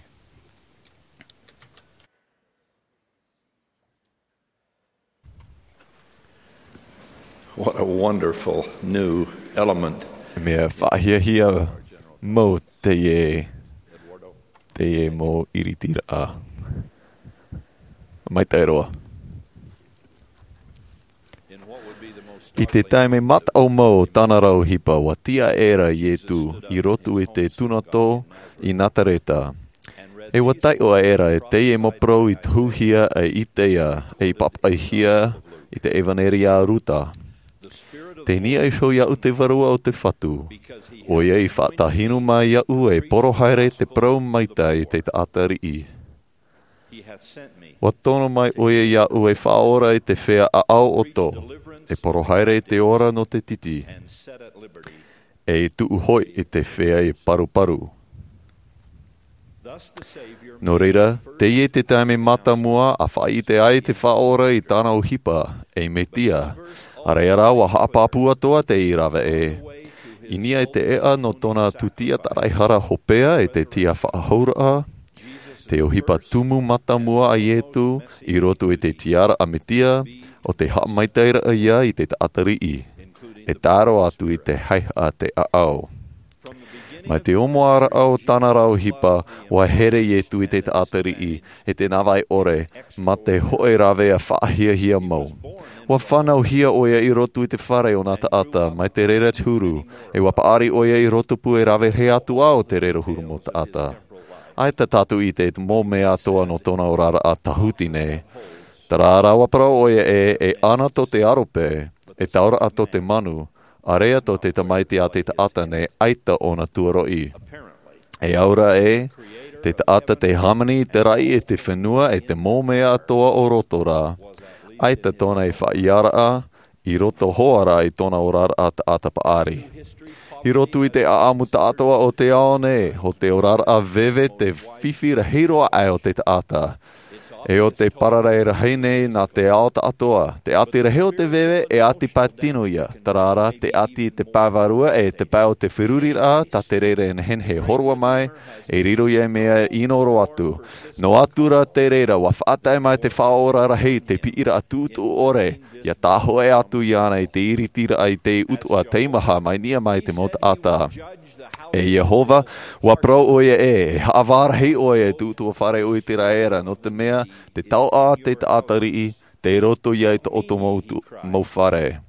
What a wonderful new element. Mea faʻahiahia mau teie, teie mau iritiraʻa. Maitaʻi roa. I te taime mataʻu mau o tāna rau ʻohipa, ua tiʻa aʻera Iesu i roto i te tūnato i Nazareta. E ua taiʻo aʻera e teie mau parau i tohuhia e Isaia, e i pāpaʻihia i te ʻEvaneria a Luka. Tei niʻa iho iāʻu te Vārua o te Fatu, ʻoia i faʻatāhinu mai iāʻu e poro haere te parau maitaʻi i te taʻata riʻi. Ua tono mai ʻoia iāʻu e faʻaora i te feiā ʻaʻau ʻoto, e poro haere i te ora nō te titi, e i tuʻu hoʻi i te feiā i paruparu. Nō reira, teie te taime mātāmua a faʻaʻite ai te Faʻaora i tāna ʻohipa, ei Mesia. ʻĀreʻa rā, ua haʻapāpū atoʻa teie rave ʻē. I niʻa i te ʻēʻa nō tōna tūtia taraehara hopeʻa e te tiafaʻahouraʻa, te ʻohipa tumu mātāmua a Iesu i roto i te tiaraʻa Mesia, ʻo te haʻamaitaʻiraʻa ia i te taʻata riʻi, e tae roa atu i te haihaʻa te ʻaʻau. Mai te ʻōmuaraʻa o tāna rau ʻohipa, ua here Iesu i te taʻata riʻi, e te navaʻi ʻore, mā te hōʻē rāveʻa faʻahiahia mau. Ua fānauhia ʻoia i roto i te fare o nā taʻata, mai te reira te huru, e ua paʻari ʻoia i rotopū e rave rahi atu ā o te reira huru mau taʻata. ʻAita tātou i ʻite i te mau mea atoʻa nō tōna oraraʻa tāhuti nei. Terā rā ua parau ʻoia ē, e ana tō te aro pē, e tauraʻa tō te manu, ʻāreʻa tō te Tamaiti a te taʻata nei ʻaita ʻōna tuaroʻi. E au rā ē, te taʻata te hāmani i te raʻi e te fenua e te mau mea atoʻa o roto rā, ʻaita tōna e faʻaʻiaraʻa, i roto hoʻi rā i tōna oraraʻa taʻata paʻari. I roto i te ʻaʻamu taʻatoʻa o te ao nei, ʻo te oraraʻa veve te fifi rahi roa aʻe o te taʻata. E ʻo te parare rahi nei nā te ao taʻatoʻa, te ʻati rahi o te veve e ʻati pae tino ia, terā rā, te ʻati i te pae vārua e te pae o te feruriraʻa, tā te reira e nehenehe e hōroʻa mai, e riro ia i mea ʻino roa atu. Noa atu rā te reira, ua faʻatae mai te Faʻaora rahi te piʻiraʻa tuʻutuʻu ʻore, ʻia tāhoʻē atu iāna i te iritiraʻa i te ʻutuʻa teimaha mai niʻa mai te mau taʻata. E Iehova, ua parau ʻoia ē, e haʻavā rahi ʻoe e te ʻutuafare o Iseraela, nō te mea, te taoʻa a te taʻata riʻi, tei roto ia i tō ʻoutou mau tu-, mau fare.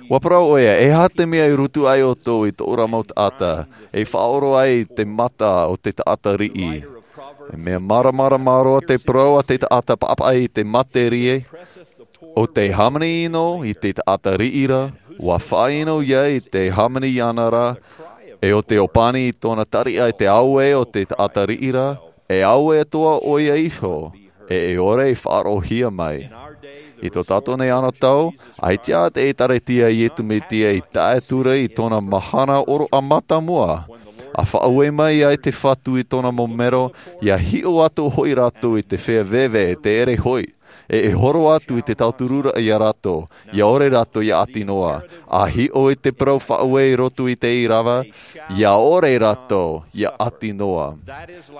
Ua parau ʻoia, e aha te mea i rutu ai ʻoutou i tō ʻoutou mau taʻata, e faʻaoro ai te mata o te taʻata riʻi. E mea māramarama roa te parau a te taʻata pāpaʻi i te materie, ʻo te hāmani ʻino i te taʻata riʻi ra, ua faʻaʻino ia i te hāmani iāna ra, e ʻo te ʻōpani i tōna tariʻa i te auē o te taʻata riʻi ra, e auē atoʻa ʻoia iho, e e ʻore i faʻaroʻohia mai. I tō tātou nei anotau, ʻaita te ʻĒkālesia a Iesu Mesia i tae atu ra i tōna mahana ʻōroʻa mātāmua, ʻa faʻaue mai ai te Fatu i tōna mau mero, ʻia hiʻo atu hoʻi rātou i te feiā veve e te ʻere hoʻi, e e horo atu i te tauturu ra ia rātou, ʻia ʻore rātou ʻia ʻati noa, ʻa hiʻo i te parau faʻaue i roto i te ʻīrava, ʻia ʻore rātou ʻia ʻati noa.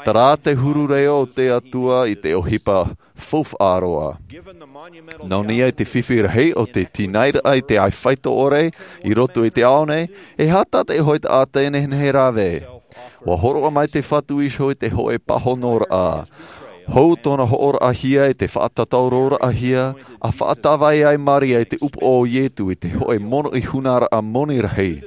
Terā te huru reo o te Atua i te ʻohipa faufaʻa roa. Nō niʻa i te fifi rahi o te tīnairaʻa i te ʻāifaito ʻore i roto i te ao nei, e aha tā te hōʻē taʻata e nehenehe e rave? Ua hōroʻa mai te Fatu iho i te hōʻē pāhonoraʻa. Hou tōna hoʻoraʻahia i te faʻatataʻuraʻahia, ʻa faʻatāvai ai Maria i te ʻupoʻo o Iesu i te hōʻē mono i hunaraʻa moni rahi.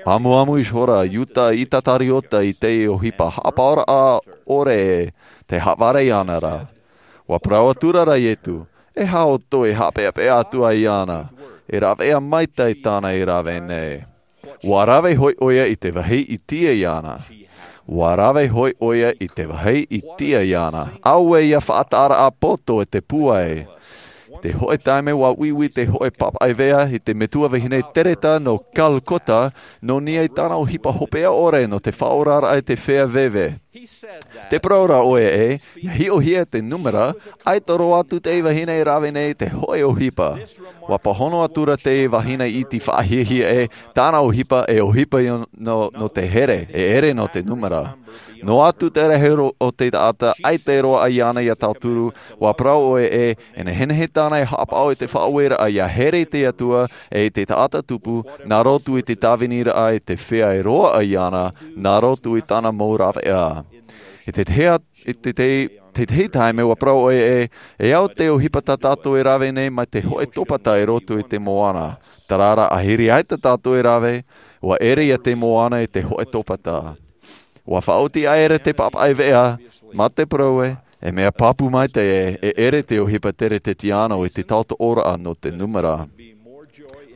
ʻAmuʻamu ihora Iuta Itakariote i te ʻohipa haʻapaʻoraʻa ʻore e te haʻavare iāna ra. Ua parau atura rā Iesu, e aha ʻoutou e haʻapeʻapeʻa atu ai iāna, e rāveʻa maitaʻi tāna i rave nei. Ua rave hoʻi ʻoia i te vāhi i tīaʻi iāna. Ua rave hoʻi ʻoia i te vāhi i tīaʻi iāna. Auē ʻia faʻataʻaraʻa poto e te pūai. Te hoʻe taime ua uiui te hoʻe papaʻi veʻa i te metua vahine tereta nō Calcutta, nō niʻa i tāna ʻohipa hopeʻa ʻore nō te faʻaoraraʻa i te feiā veve. Te parau ra ʻoia ē, ia hiʻohia te numera, ʻaita roa atu te vahine e rave nei te hoʻe ʻohipa. Ua pāhono atu ra te vahine iti faʻahiahia ē, tāna ʻohipa e ʻohipa nō, nō te here, e ʻere nō te numera. Noa atu te rahi o te taʻata ʻaita e roaʻa iāna ia tauturu, ua parau ʻoia ē, e nehenehe tāna e haʻapaʻo i te faʻaueraʻa ia here i te Atua, e i te taʻata tupu, nā roto i te tāviniraʻa i te feiā e roaʻa iāna, nā roto i tāna mau raveʻa. I te tahi, i te, te, te tahi taime ua parau ʻoia ē, e au te ʻohipa tā tātou e rave nei mai te hoʻe topata i roto i te moana. Terā rā, ʻahiri ʻaita tātou e rave, ua ʻere ia te moana i te hoʻe topata. Ua faʻaoti aʻera te papaʻi veʻa, mā te parau ē, e mea pāpū maitaʻi ē, e ʻere te ʻohipa teretetiano i te taotoʻoraʻa nō te numera.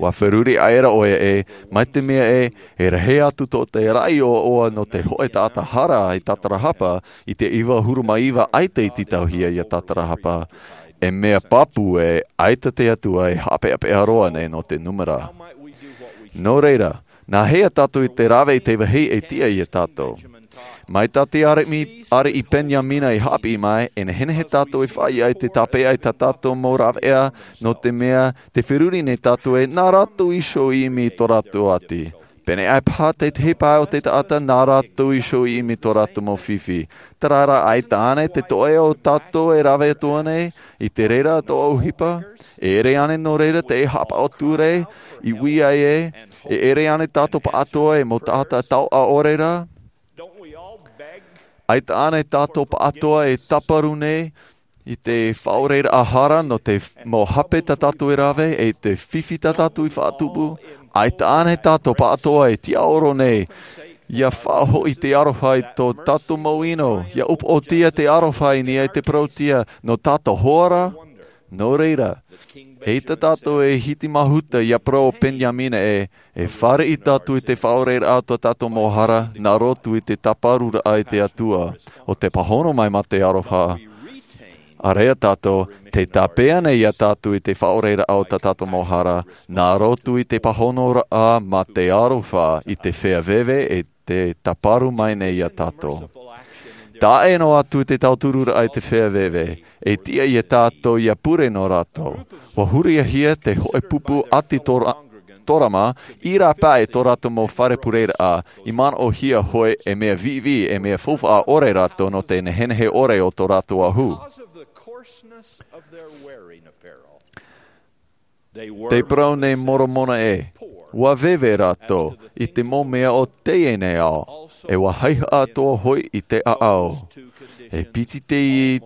Ua feruri aʻera ʻoia ē, mai te mea ē, e rahi atu tō te raʻi ʻoaʻoa nō te hoʻe taʻata hara i Tatarahapa, i te iva ʻahuru mā iva ʻaita i tītauhia ia Tatarahapa. E mea pāpū ē, ʻaita te Atua e haʻapeʻapeʻa roa nei nō te numera. Nō reira, nā hea tātou i te rave i te vāhi e tiʻa ia tātou? Mai tā te ariʻi, ariʻi Peniamina i haʻapiʻi mai, e nehenehe tātou e faʻaʻite i te tāpeʻa i tā tātou mau raveʻa, nō te mea, tē feruri nei tātou ē, nā rātou iho i ʻimi i tō rātou ati. Pēneiaʻe paha te tahi pae o te taʻata, nā rātou iho i ʻimi i tō rātou mau fifi. Terā rā, ʻaita ānei te toʻe o tātou e rave atu nei i te reira atoʻa ʻohipa? E ʻere ānei nō reira te haʻapaʻo ture i ui ai ē, e ʻere ānei tātou pāʻatoʻa e mau taʻata taoʻa ʻore rā? ʻAita ānei tātou pāʻatoʻa e tāparu nei i te faʻaoreraʻa hara nō te f-, mau hape tā tātou e rave, e te fifi tā tātou i faʻatupu? ʻAita ānei tātou pāʻatoʻa e tiʻaoro nei, ia faʻahoʻi te aroha i tō tātou mau ʻino, ia upoʻotia te aroha i niʻa i te parauʻtiʻa nō tātou hoʻi rā? Nō reira, eʻita tātou e hiti mahuta ia parau o Peniamina ē, e fāriʻi tātou i te faʻaoreraʻa o tō tātou mau hara, nā roto i te tāparuraʻa i te Atua, ʻo tē pāhono mai mā te aroha. ʻAreʻa tātou, tē tāpeʻa nei ia tātou i te faʻaoreraʻa o tā tātou mau hara, nā roto i te pāhonoraʻa mā te aroha i te feiā veve e tē tāparu mai nei ia tātou. Taʻa noa atu te tautururaʻa i te feiā veve, e tiʻa ia tātou ia pure nō rātou. Ua huriahia te hoʻe pupu ʻati tora-, torama, i rāpae tō rātou mau fare pureraʻa, i manaʻohia hoʻi e mea viʻiviʻi, e mea faufaʻa ʻore rātou nō te nehenehe ʻore o tō rātou ahu. Te parau nei Moromona ē, ua veve rātou i te mau mea o teie nei ao, e ua haʻehaʻa atoʻa hoʻi i te ʻaʻau. E piti te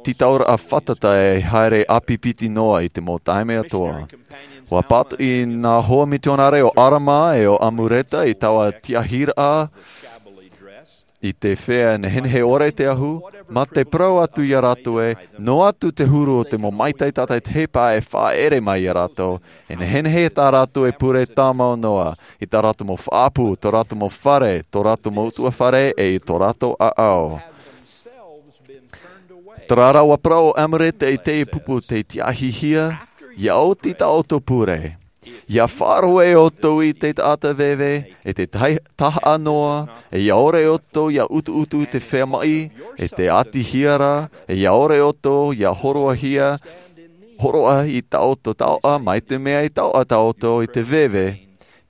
tītauraʻa fātata e haere ʻāpipiti noa i te mau taime atoʻa. Ua pātoʻi nā hoa mitionare o Arama e o Amureta i taua tiahiraʻa i te feiā nehenehe ʻore te ahu, mā te parau atu ia rātou ē, noa atu te huru o te mau maitaʻi tātaʻitahi pae e faʻaʻere mai ia rātou, e nehenehe tā rātou e pure tāmau noa, i tā rātou mau faʻaʻapu, tō rātou mau fare, tō rātou mau utuafare, e i tō rātou ʻaʻau. Terā rā ua parau ʻo Amureta i teie pupu tei tiahihia, ia oti tā ʻoutou pure. Ia faʻaroʻo ʻoutou i te taʻata veve, e te tahi-, tahaʻa noa, e ia ʻore ʻoutou ia utuutu i te feiā maʻi, e te ʻatihia ra, e ia ʻore ʻoutou ia hōroʻahia, hōroʻa i tā ʻoutou taoʻa, mai te mea i taoʻa tā ʻoutou i te veve.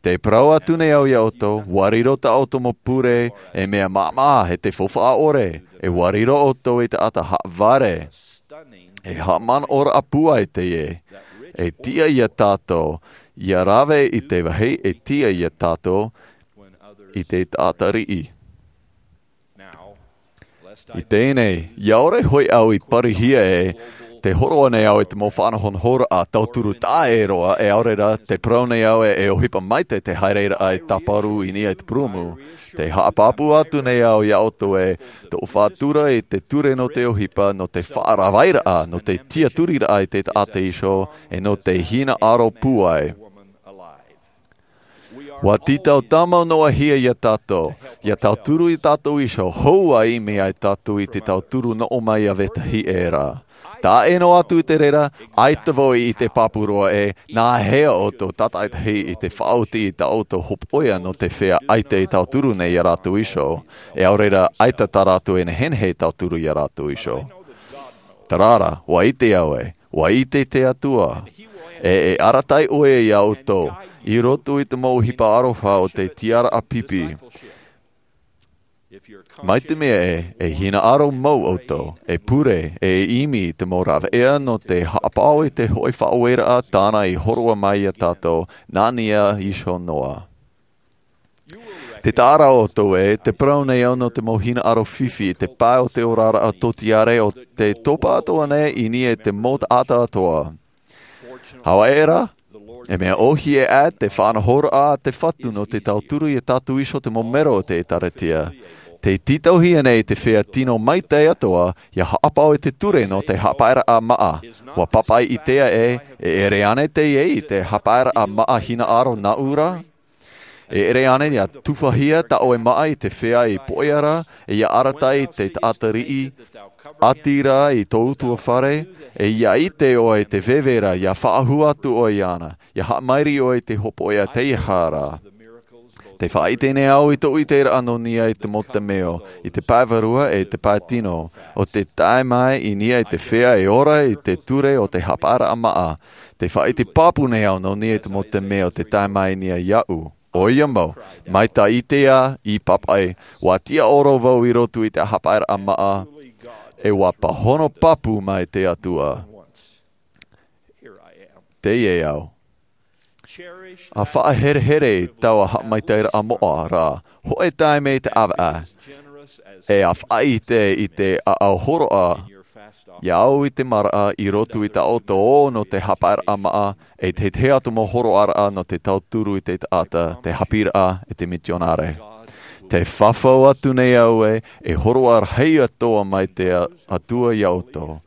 Tē parau atu nei au ia ʻoutou, ʻua riro tā ʻoutou mau pure, e mea māmā, e te faufaʻa ʻore, e ʻua riro ʻoutou i te taʻata haʻavare. E haʻamanaʻoraʻa pūai teie, e tiʻa ia tātou, ia rave i te vāhi e tiʻa ia tātou, i te taʻata riʻi. I teie nei, ia ʻore hoʻi au i parihia ē, tē hōroʻa nei au i te mau faʻanahonahoraʻa tauturu taʻa ʻē roa, e ʻaore rā, tē parau nei au ē, e ʻohipa maitaʻi te haereraʻa e tāparu i niʻa i te purūmu. Tē haʻapāpū atu nei au ia ʻoutou ē, tō faʻatura i te ture nō te ʻohipa, nō te faʻaravairaʻa, nō te tiaturiraʻa i te taʻata iho, e nō te hinaʻaro pūai. Ua tītau tāmau noa hia iā tātou, ia tauturu iā tātou iho, hou ā ʻimi ai tātou i te tauturu noʻo mai iā vetahi ʻē ra. Taʻa ʻē noa atu i te reira, ʻaita vau i ʻite pāpū roa ē, nā hea ʻoutou tātaʻitahi i te faʻaoti i tā ʻoutou hopoiʻa nō te feiā ʻaita i tauturu nei iā rātou iho, ʻe ʻaore rā ʻaita tā rātou e nehenehe e tauturu iā rātou iho. Terā rā, ua ʻite au ē, ua ʻite te Atua, ʻe e arataʻi ʻoia iā ʻoutou, i roto i te mau ʻohipa aroha o te tiaraʻa pipi. Mai te mea ē, e hinaʻaro mau ʻoutou, e pure, ʻe e ʻimi i te mau rāveʻa nō te haʻapaʻo i te hoʻi faʻaueraʻa tāna i hōroʻa mai iā tātou, nā niʻa iho noa. Tē taʻa ra ʻoutou ē, tē parau nei au nō te mau hinaʻaro fifi i te pae o te oraraʻa tōtiare ʻo tē topa atoʻa nei i niʻa i te mau taʻata atoʻa. Hau ʻē ra, e mea ʻōhie ā te faʻanahoraʻa a te Fatu nō te tauturu iā tātou iho te mau mero o te ʻĒtārētia. Tē tītauhia nei te feiā tino maitaʻi atoʻa, ia haʻapaʻo i te ture nō te haʻapaeraʻa māʻa. Ua pāpaʻi ʻitea ē, e ʻere ānei teie i te haʻapaeraʻa māʻa hinaʻaro nāʻu ra? E ʻere ānei ia tuʻuhia tā ʻoe māʻa i te feiā i poʻia ra, ʻe ia arataʻi i te taʻata riʻi, ʻati ra i tō ʻutuāfare, ʻe ia ʻite ʻoe i te veve ra, ia faʻahou atu ʻoe iāna, ia haʻamairi ʻoe i te hopoiʻa teiaha ra. Tē faʻaʻite nei au i tōʻu ʻiteraʻa nō niʻa i te mau temeio, i te pae vārua ʻe i te pae tino, ʻo tē tae mai i niʻa i te feiā e ora i te ture o te haʻapaeraʻa māʻa. Tē faʻaʻite pāpū nei au nō niʻa i te mau temeio tē tae mai i niʻa iāʻu. ʻOia mau, mai tā ʻitea i pāpaʻi, ua tiʻaoro vau i roto i te haʻapaeraʻa māʻa, ʻe ua pāhono pāpū mai te Atua. Teie au. ʻA faʻaherehere i taua haʻamaitaʻiraʻa moʻa ra, hōʻē taime i te ʻāvaʻe, ʻe ʻa faʻaʻite i te ʻāʻau hōroʻa iā ʻau i te maraʻa i roto i tā ʻoutou ō nō te haʻapaeraʻa māʻa, ʻe te, te atu mau hōroʻaraʻa nō te tauturu i te taʻata, te haʻapiʻiraʻa, ʻe te mitionare. Tē fafau atu nei au ē, e hōroʻa rahi atoʻa mai te A-, Atua iā ʻoutou.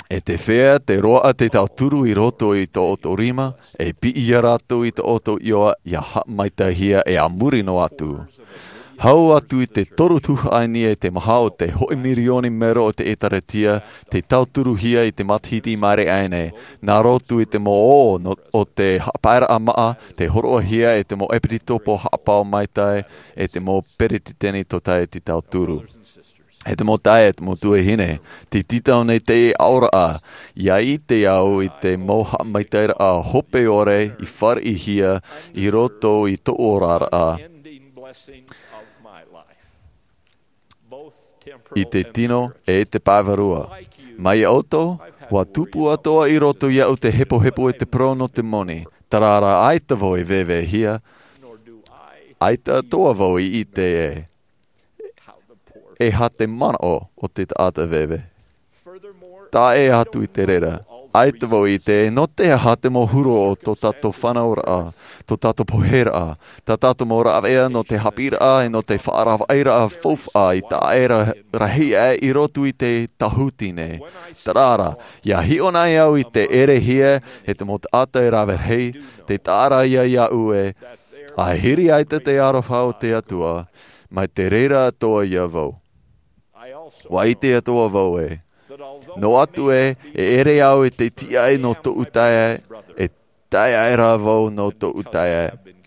ʻE te feiā tē roaʻa te tauturu i roto i tō ʻoutou rima, e piʻi ia rātou i tō ʻoutou ʻohipa, ia haʻamaitaʻihia ʻe a muri noa atu. Hau atu i te toru tuhaʻa i niʻa i te maha o te hōʻē mirioni mero o te ʻĒtārētia, tei tauturuhia i te matahiti i maʻiri aʻe nei, nā roto i te mau ō nō, o te haʻapaeraʻa māʻa, tei hōroʻahia e te mau ʻepisekopo haʻapaʻo maitaʻi, ʻe te mau peretiteni tōtaiete tauturu. ʻE te mau taeaʻe, ʻe te mau tuahine, tē tītau nei teie aʻoraʻa, ʻia ʻite au i te mau haʻamaitaʻiraʻa hope ʻore i fāriʻihia i roto i tōʻu oraraʻa, i te tino ʻe te pae vārua. Mai iā ʻoutou, ua tupu atoʻa i roto iāʻu te hepohepo ʻe te parau nō te moni, terā rā ʻaita vau e vēvēhia, ʻaita atoʻa vau i ʻite ē. E aha te manaʻo o te taʻata veve? Taʻa ʻē atu i te reira, ʻaita vau i ʻite nō te aha te mau huru o tō tātou fānauraʻa, tō tātou poheraʻa, tā tātou mau rāveʻa nō te haʻapiʻiraʻa ʻe nō te faʻaravaʻiraʻa faufaʻa i taʻa ʻē ra rahi aʻe i roto i te tāhuti nei. Terā rā, ʻia hiʻo nei au i te ʻerehia e te mau taʻata e rave rahi, tē taʻa ra ïa iāʻu ē, ʻa hiri ʻaita te aroha o te Atua, mai te reira atoʻa iā vau. Ua ʻite atoʻa vau ē, noa atu ē, e ʻere au i te tiaʻi nō tōʻu taeaʻe, e taeaʻe rā vau nō tōʻu taeaʻe,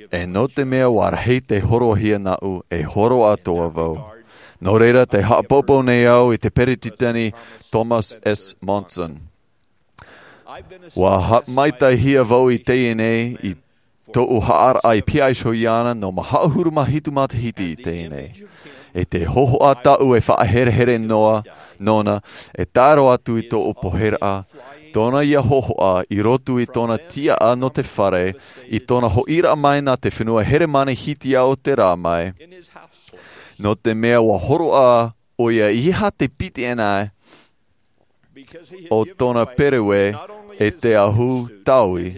ʻe nō te mea ua rahi tei hōroʻahia nāʻu, e hōroʻa atoʻa vau. Nō reira, tē haʻapoupou nei au i te peretiteni Thomas S. Monson. Ua haʻamaitaʻihia vau i teie nei i tōʻu haʻaraʻa i pihaʻi iho iāna nō maha ʻahuru mā hitu matahiti i teie nei. ʻE te hōhoʻa tāʻu e faʻaherehere noa, nōna, e tae roa atu i tōʻu poheraʻa, tōna ïa hōhoʻa i roto i tōna tiaʻa nō te fare, i tōna hoʻiraʻa mai nā te fenua Heremani Hitiā o te rā mai. Nō te mea ua hōroʻa ʻoia i aha te piti ʻana o tōna pereue ʻe te ahu taui,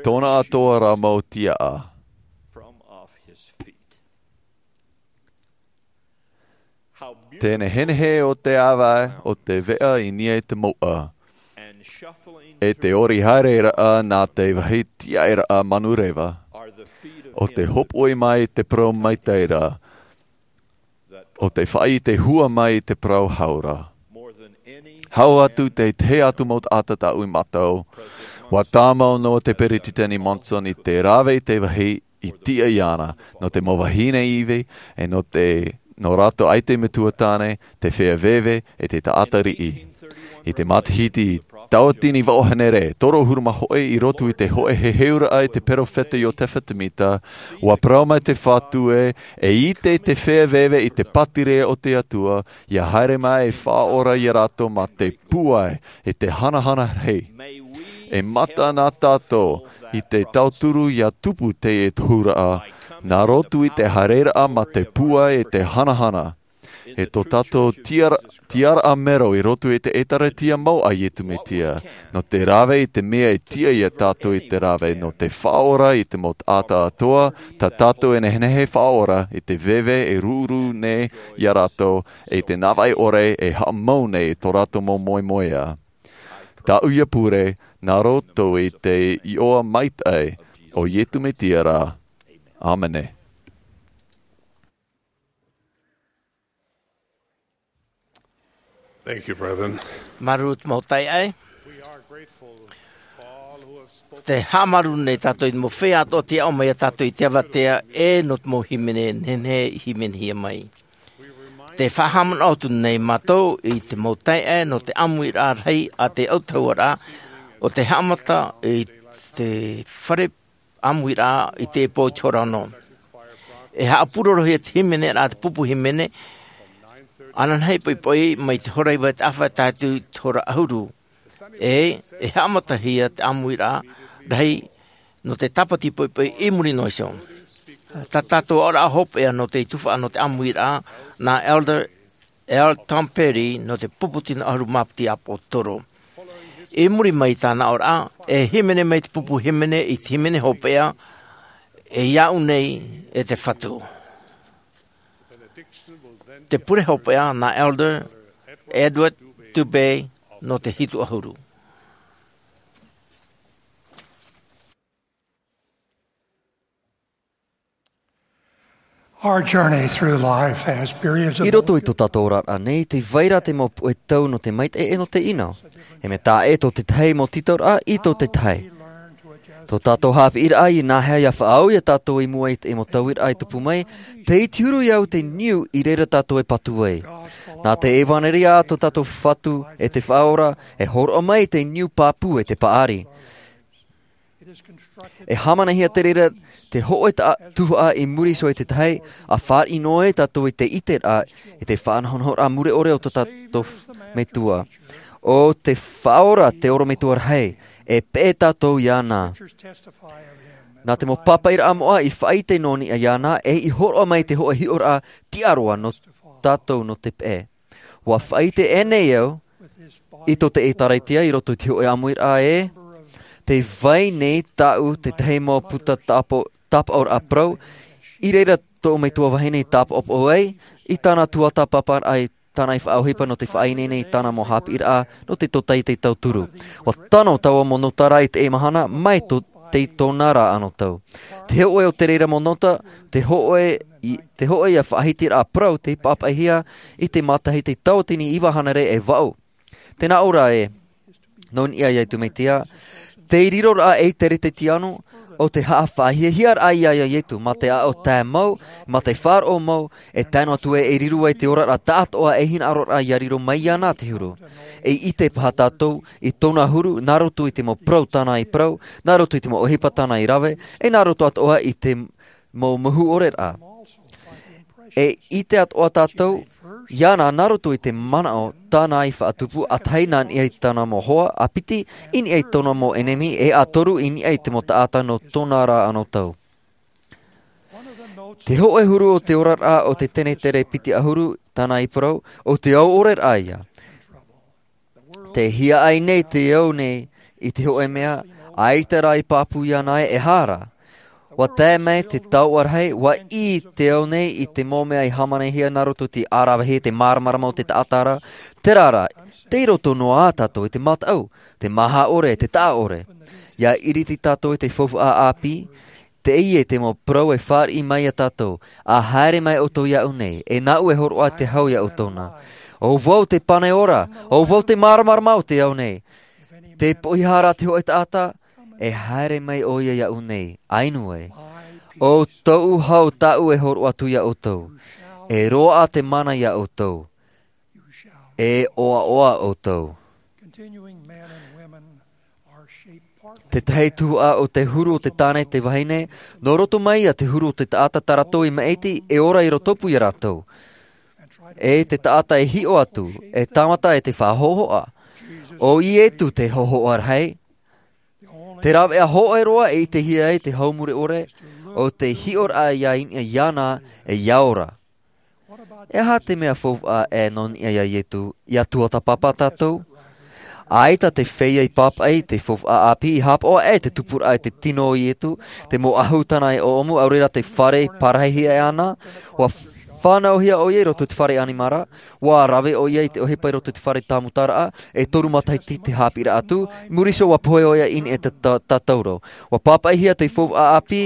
tōna atoʻa rā mau tiaʻa. Te nehenehe o te ʻāvaʻe o te veʻa i niʻa i te mouʻa. e te ori haere raʻa nā te vāhi tiaʻi raʻa manureva, o te hopoi mai te parau maitaʻi ra, o te faʻaite hua mai te parau hau ra. Hau atu te tahi atu mau taʻata tāʻu i mātau, ua tāmau noa te peresideni Monson i te rave i te vāhi i tiʻa iāna, nō te mau vahine ivi, e nō te, nō rātou ʻaita metua tāne, te feiā veve, e te taʻata riʻi. I te matahiti tauatini vaʻu hānere, toru ʻahuru mā hōʻē i roto i te hōʻē heheuraʻa i te peropheta Iotefa Semita, ua parau mai te Fatu ē, e ʻite te feiā veve i te pātireia o te Atua, ʻia haere mai e faʻaora iā rātou mā te pūai, e te hanahana rahi. E mata nā tātou, i te tauturu ʻia tupu teie tohuraʻa, nā roto i te haereraʻa mā te pūai e te hanahana. E tō tātou tiara-, tiaraʻa mero i roto i te ʻĒtārētia mau a Iesu Mesia, nō te rave i te mea e tiʻa iā tātou i te rave, nō te faʻaora i te mau taʻata atoʻa, tā tātou e nehenehe e faʻaora, i te veve e ruru nei iā rātou, e te navaʻi ʻore e haʻamau nei i tō rātou mau moemoeā. Tāʻu ia pure, nā roto i te iʻoa maitaʻi o Iesu Mesia ra. ʻĀmene. Thank you, brethren. Māuruuru te mau taeaʻe. We are grateful for all who have spoken. Te haʻamāuruuru nei tātou i te mau feiā atoʻa tei aʻo mai iā tātou i te avatea, e nō te mau hīmene nehenehe i hīmenehia mai. Te faʻahaʻamanaʻo atu nei mātou i te mau taeaʻe nō te ʻāmuiraʻa rahi a te autahuʻaraʻa, ʻo te haʻamata i te fare ʻāmuiraʻa i te pō i te hora ono. E haʻapurorohia te hīmeneraʻa, te pupu hīmene, ananahi poʻipoʻi mai te hora iva i te ʻāfaʻi tae atu i te hora ʻahuru. E, e haʻamatahia te ʻāmuiraʻa rahi nō te tāpati poʻipoʻi i muri noa iho. Tā tātou aʻoraʻa hopeʻa nō te tuhaʻa nō te ʻāmuiraʻa, nā Elder L. Tom Perry nō te pupu tino ʻahuru mā piti ʻāpoʻo toro. I muri mai i tāna aʻoraʻa, e hīmene mai te pupu hīmene i te hīmene hopeʻa, e iāʻu nei e te Fatu. Te pure hopeʻa nā Elder Edward Dubé nō te hitu ʻahuru. Our journey through life has periods of I roto i tō tātou oraraʻa nei, tē vai ra te mau puʻe tau nō te maitaʻi e nō te ʻino. E mea taʻa ʻē tō te tahi mau tītauraʻa i tō te tahi. Tō tātou haʻapiʻiraʻa i nāhea ʻia faʻaau iā tātou i mua i te mau tauiraʻa e tupu mai, tei te huru iāʻu te niu i reira tātou e patu ai. Nā te ʻevanelia a tō tātou Fatu e te Faʻaora, e hōroʻa mai te niu pāpū e te paʻari. E hāmanihia te reira te hōʻē taʻa-, tuhaʻa i muri iho i te tahi, ʻa fāriʻi noa ai tātou i te ʻiteraʻa, i te faʻanahonahoraʻa mure ʻore o tō tātou f-, Metua. ʻO te Faʻaora te ʻorometua rahi, e peʻe tātou iāna. Nā te mau pāpaʻiraʻa moʻa i faʻaʻite nō niʻa iāna, e i hōroʻa mai te hōʻē hiʻoraʻa tiʻa roa nō tātou nō te peʻe. ʻUa faʻaʻite ʻēnei au, i tō te ʻĒtārētia i roto i te hōʻē ʻāmuiraʻa ē, tē vai nei tāʻu te tahi mau puta tāpo-, tāpaʻoraʻa parau, i reira tō Metua vahine i tāpaʻopaʻo ai, i tāna tuatāpaparaʻa, i tāna i faʻaʻohipa nō te faʻaineine i tāna mau haʻapiʻiraʻa, nō te tōtaiete tauturu. ʻUa tano taua mau nota ra i teie mahana, mai tō, tei tōna ra anotau. Te hōʻē o te reira mau nota, te hōʻē i, te hōʻē ia faʻahitiraʻa parau tei pāpaʻihia i te matahiti tauatini iva hānere e vaʻu. Tē nā ʻō ra ē, nō niʻa iā Iesu Mesia, te riroraʻa e te Kerisetiano, ʻo te haʻafaʻahiahiaraʻa iā, iā Iesu, mā te aʻo tae mau, mā te faʻaroʻo mau, e tae noa atu ē e riro ai te oraraʻa tāʻātoʻa e hinaʻaroraʻa ʻia riro mai iāna te huru. E ʻite paha tātou i tōna huru, nā roto i te mau parau tāna i parau, nā roto i te mau ʻohipa tāna i rave, e nā roto atoʻa i te mau mahu ʻoreraʻa. E ʻite atoʻa tātou iāna nā roto i te manaʻo tāna i faʻatupu, ʻa tahi nā niʻa i tāna mau hoa, ʻa piti i niʻa i tōna mau ʻenemi, e ʻa toru i niʻa i te mau taʻata nō tōna ra anotau. Te hōʻē huru o te oraraʻa o te Kenetere piti ʻahuru tāna i parau, ʻo te au ʻoreraʻa ia. Tē hiaʻai nei te au nei i te hōʻē mea, ʻaita rā i pāpū iāna e, e aha rā. Ua tae mai te taoʻa rahi, ua ʻī te ao nei i te mau mea i hāmanihia nā roto i te ʻāravehia, te māramarama o te taʻata ra. Terā rā, tei roto noa ā tātou i te mataʻu, te maha ʻore, te taʻa ʻore. ʻIa iriti tātou i te faufaʻa ʻāpī, teie te mau parau e fāriʻi mai ia tātou, ʻa haere mai ʻoutou iāʻu nei, e nāʻu e hōroʻa te hau iā ʻoutou na. ʻO vau te pane ora, ʻo vau te māramarama o te ao nei. Tē poʻihā ra te hōʻē taʻata, e haere mai ʻoia iāʻu nei, ʻa inu ai. ʻO tōʻu hau tāʻu e hōroʻa atu iā ʻoutou. E roaʻa te mana iā ʻoutou. E ʻoaʻoa ʻoutou. Tētahi tuhaʻa o te huru o te tāne, te vahine, nō roto mai ia te huru o te taʻata tā rātou i maʻiti, e ora i rotopū ia rātou. E te taʻata e hiʻo atu, e tāmata e te faʻahōhoʻa. ʻO Ietu te hōhoʻa rahi. Te rāveʻa hōʻē roa e ʻitehia ai te hau mure ʻore, ʻo te hiʻoraʻa ʻia iniʻa iāna, e ʻia ora. E aha te mea faufaʻa ē nō niʻa iā Ietu, ʻia tuatāpapa tātou? ʻAita te feiā i pāpaʻi, te faufaʻa ʻāpī i haʻapaʻo aʻe te tupuraʻa i te tino o Ietu, te mau ʻahutana e ʻoʻomu, ʻaore rā te fare parahihia e ana, ʻua fānauhia ʻoia i roto i te fare ʻanimara, ʻua rave ʻoia i te ʻohipa i roto i te fare tāmutaraʻa, e toru matahiti te haʻapiʻiraʻa atu, i muri iho ʻua pohe ʻoia i niʻa i te ta-, tatauro. ʻUa pāpaʻihia te faufaʻa ʻāpī,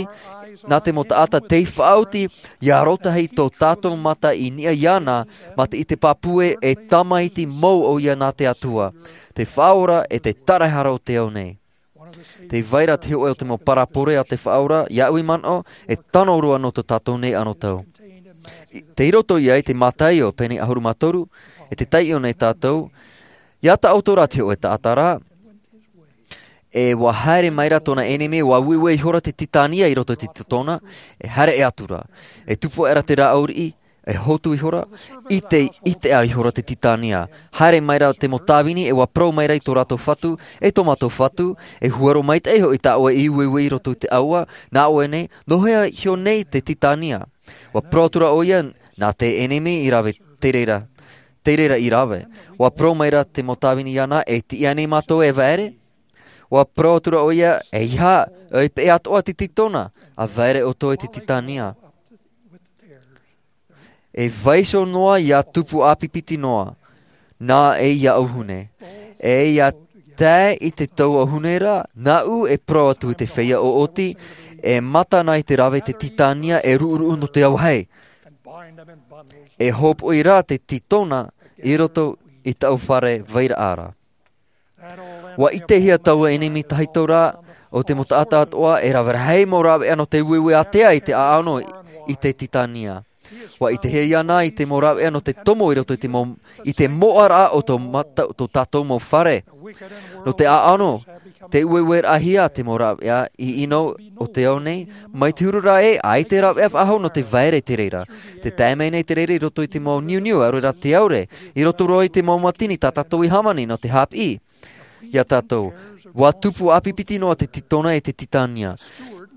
nā te mau taʻata tei faʻaoti, ʻia rōtahi tō tātou mata i niʻa iāna, mā te ʻite pāpū ē, e tamaiti mau ʻoia nā te Atua. Te Faʻaora e te Taraehara o te ao nei. Tē vai ra te hōʻē o te mau parabole a te Faʻaora, iāʻu i manaʻo, e tano roa nō tō tātou nei anotau. I, tei roto ia i te Mataio pene ʻahuru mā toru, e tē taiʻo nei tātou, ʻia taʻoto ra te hōʻē taʻata ra, e ʻua haere mai ra tōna ʻenemi, ʻua ueue ihora te tītania i roto i te titona, e haere atu ra, e tupu aʻera te rāʻau riʻi, e hotu ihora, ʻite, ʻite aʻe ihora te tītania. Haere mai ra te mau tāvini, e ʻua parau mai ra i tō rātou fatu, e tō mātou fatu, e huero maitaʻi hoʻi tāʻoe i ueue i roto i te ʻāua, nā ʻoe nei, nō hea iho nei te tītania? ʻUa parau atu ra ʻoia, nā te ʻenemi i rave, tei reira, tei reira i rave. ʻUa parau mai ra te mau tāvini iāna, e tiʻa nei mātou e vaere? ʻUa parau atu ra ʻoia, ʻeiaha, ʻo peʻe atoʻa te titona, ʻa vaere ʻoutou i te tītania. E vaiiho noa ʻia tupu ʻāpipiti noa, nā ʻeiaha ʻōhune. E ʻia tae i te tau ʻōhune ra, nāʻu e parau atu i te feiā ʻoʻoti, e mata na i te rave te tītania e ruʻuruʻu nō te auahi. E hōpoʻi ra te titona i roto i taʻu fare vairaʻa ra. ʻUa ʻitehia taua ʻenemi tahito ra, ʻo te mau taʻata atoʻa, e rave rahi mau rāveʻa nō te ueue ātea i te ʻāʻano i te tītania. ʻUa ʻitehia iāna i te mau rāveʻa nō te tomo i roto i te mau, i te moʻaraʻa o tō mata-, tō tātou mau fare. Nō te ʻāʻano, tē ueueraʻahia te mau rāveʻa i ʻino o te ao nei, mai te huru ra ē, ʻaita e rāveʻa faʻahou nō te vaere te reira. Tē tae mai nei te reira i roto i te mau niuniu, ʻaore rā te aore, i roto roa i te mau mātini tā tātou i hāmani nō te haʻapiʻi. Ia tātou, ʻua tupu ʻāpipiti noa te titona e te tītania.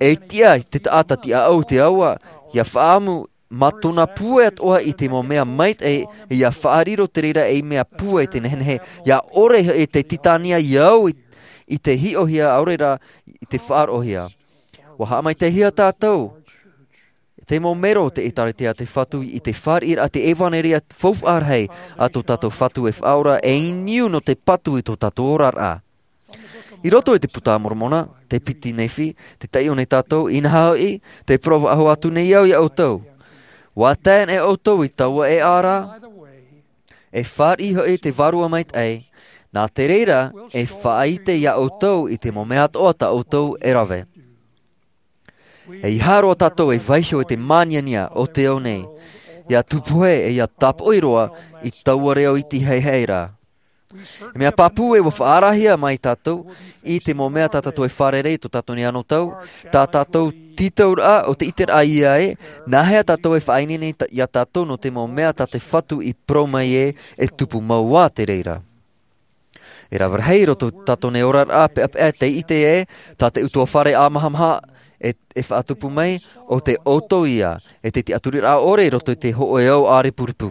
E tiʻa te taʻata tiʻaʻau te ʻāua, ʻia faʻaʻamu mā tōna pūai atoʻa i te mau mea maitaʻi, ʻia faʻariro te reira ei mea pūai te nehenehe, ʻia ʻore e te tītania ʻia au i, i te hiʻohia, ʻaore rā i te faʻaroʻohia. ʻUa haʻamaitaʻihia tātou, te mau mero o te ʻĒtārētia a te Fatu i te fāriʻiraʻa te ʻevanelia faufaʻa rahi a tō tātou Fatu e Faʻaora, e niu nō te patu i tō tātou oraraʻa. I roto i te Puta a Moromona, te piti Nephi, tē taiʻo nei tātou, inaha hoʻi, tē parau faʻahou atu nei au ia ʻoutou. ʻUa tae nei ʻoutou i taua ʻēʻa ra, e fāriʻi hoʻi te Vārua Maitaʻi, nā te reira, e faʻaʻite ia ʻoutou i te mau mea atoʻa tā ʻoutou e rave. ʻEiaha roa tātou e vaiiho i te māniania o te ao nei, ʻia tupu hē, e ʻia tāpoʻi roa i taua reo iti haihai ra. Mea pāpū ē ʻua faʻaarahia mai tātou, i te mau mea tā tātou e fārerei i tō tātou nei anotau, tā tātou tītauraʻa o te ʻiteraʻa ia ē, nā hea tātou e faʻaineine ta-, ia tātou nō te mau mea tā te Fatu i parau mai ē, e tupu mau ā te reira. E rave rahi i roto tātou nei oraraʻa, peʻapeʻa tei ʻite ē, tā te utuafare ʻāmahamaha e, e faʻatupu mai, ʻo te ʻoutou ia, e te tiʻaturiraʻa ʻore i roto i te hōʻē ao ʻārepurepu.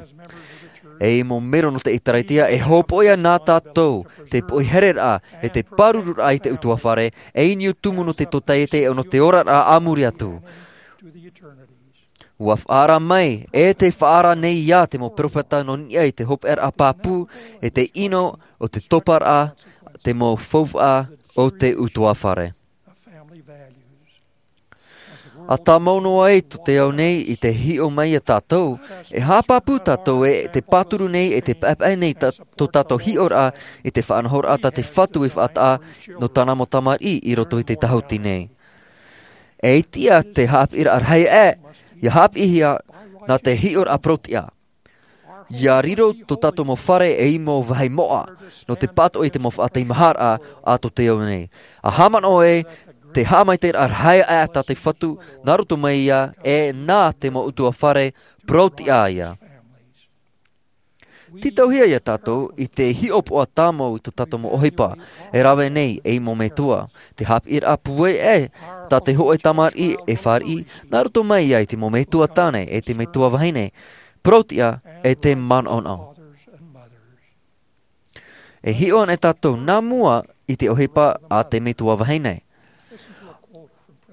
E i mau mero nō te ʻĒkālesia, e hōpoiʻa nā tātou te poʻi hereraʻa, e te pāruruaraʻa i te ʻutuāfare, e i niʻa tumu nō te tōtaiete, e nō te oraraʻa a muri atu. ʻUa faʻaara mai, e te faʻaara nei ia te mau peropheta nō niʻa i te hopeʻaraʻa pāpū, e te ʻino o te toparaʻa, te mau faufaʻa o te ʻutuāfare. ʻA tāmau noa ai tō te ao nei i te hiʻo mai ia tātou, e haʻapāpū tātou e te pāturu nei e te paʻepaʻe nei tā, tō tātou hiʻoraʻa i te faʻanahoraʻa tā te Fatu i faʻataʻa nō tāna mau tamariʻi i roto i te tahuti nei. E ʻaita te haʻapiʻiraʻa rahi aʻe, ʻia haʻapiʻihia nā te hiʻoraʻa parau-tiʻa. ʻIa riro tō tātou mau fare ei mau vāhi moʻa, nō te pātoʻi i te mau faʻateimaharaʻa a tō te ao nei. ʻA haʻamanaʻo e te haʻamaitaʻiraʻa rahi aʻe tā te Fatu, nā roto mai ia, e nā te mau ʻutuāfare parau-tiʻa ia. Tītauhia ia tātou i te hiʻopoʻa tāmau i tō tātou mau ʻohipa, e rave nei ei mau metua. Te haʻapiʻiraʻa pūai aʻe, tā te hōʻē tamariʻi e fāriʻi, nā roto mai ia i te mau metua tāne, e te metua vahine, parau-tiʻa, e te manaʻonaʻo. E hiʻo ana tātou nā mua i te ʻohipa a te metua vahine.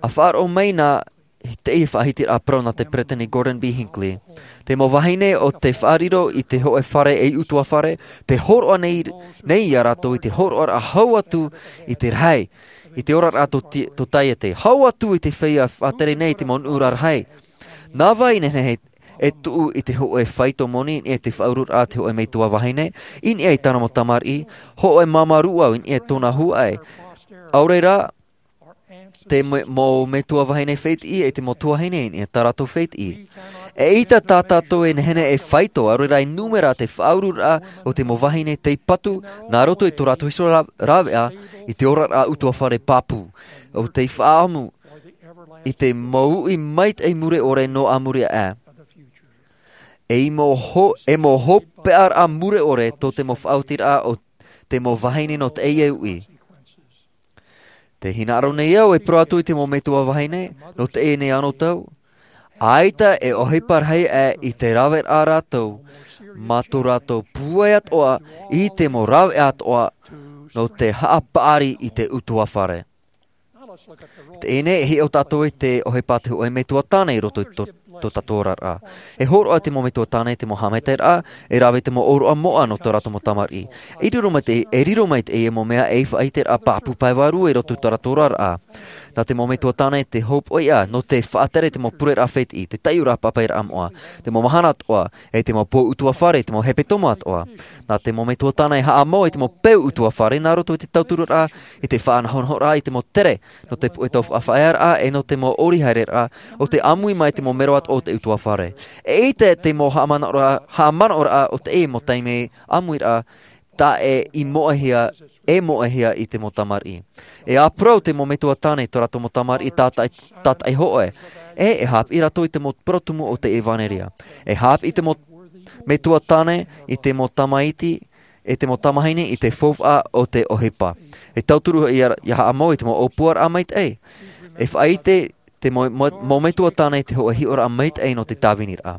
ʻA faʻaroʻo mai nā teie faʻahitiraʻa parau nā te Peresideni Gordon B. Hinckley. Te mau vahine o te faʻariro i te hōʻē fare ei ʻutuāfare, te hōroʻa nei, nei ia rātou i te hōroʻaraʻa hau atu i te rahi, i te oraraʻa tō ti-, tōtaiete, hau atu i te feiā faʻatere nei te mau nuʻu rarahi. Nā vai nehenehe e tuʻu i te hōʻē faito moni i niʻa i te faʻaururaʻa a te hōʻē metua vahine, i niʻa i tāna mau tamariʻi, hōʻē māmā rūʻau i niʻa i tōna huaʻai. ʻAore rā, te me-, mau metua vahine fētiʻi e te mau tuahine i niʻa i tā rātou fētiʻi. E ʻaita tā tātou e nehenehe e faito, ʻaore rā e nūmera te faʻaururaʻa o te mau vahine tei patu, nā roto i tō rātou hiʻoraʻa ra-, rāveʻa, i te oraraʻa ʻutuāfare pāpū. ʻO tei faʻaʻamu i te mau uʻi maitaʻi mure ʻore nō a muri aʻe. E i mau ho-, e mau hopeʻaraʻa mure ʻore tō te mau faʻaotiraʻa o te mau vahine nō teie uʻi. Tē hinaʻaro nei au e parau atu i te mau metua vahine, nō teie nei anotau. ʻAita e ʻohipa rahi aʻe i te raveraʻa rātou, mā tō rātou pūai atoʻa i te mau raveʻa atoʻa, nō te haʻapaʻari i te ʻutuāfare. Teie nei e hiʻo tātou i te ʻohipa a te hōʻē metua tāne i roto i tō, tō tātou oraraʻa. E hōroʻa te mau metua tāne i te mau haʻamaitaʻiraʻa, e rave i te mau ʻōroʻa moʻa nō tō rātou mau tamariʻi. E riro mai te, e riro mai teie mau mea ei faʻaʻiteraʻa pāpū pae vārua i roto i tō rātou oraraʻa. Nā te mau metua tāne te hōpoiʻa, nō te faʻatere i te mau pureraʻa fētiʻi, te taiʻoraʻa pāpaʻiraʻa moʻa, te mau mahana atoʻa, e te mau pō ʻutuāfare, te mau hepetoma atoʻa. Nā te mau metua tāne e haʻamau i te mau peu ʻutuāfare, nā roto i te tauturu ra, i te faʻanahonahoraʻa, i te mau tere, nō te puʻe taufaʻafaʻaearaʻa, e nō te mau ʻori haereraʻa, ʻo tē ʻāmui mai i te mau mero atoʻa o te ʻutuāfare. E ʻaita te mau haʻamanaʻoraʻa, haʻamanaʻoraʻa o teie mau taime ʻāmuiraʻa, taʻe i moʻehia, e moʻehia i te mau tamariʻi. E ʻāparau te mau metua tāne i tō rātou mau tamariʻi tātaʻi, tātaʻi hōʻē. E, e haʻapiʻi rātou i te mau parau tumu o te ʻevanelia. E haʻapiʻi te mau metua tāne i te mau tamaiti, e te mau tamahine i te faufaʻa o te ʻohipa. E tauturu ʻia, ʻia haʻamau i te mau ʻōpuaraʻa maitaʻi. E faʻaʻite te mau, mau, mau metua tāne i te hōʻē hiʻoraʻa maitaʻi nō te tāviniraʻa.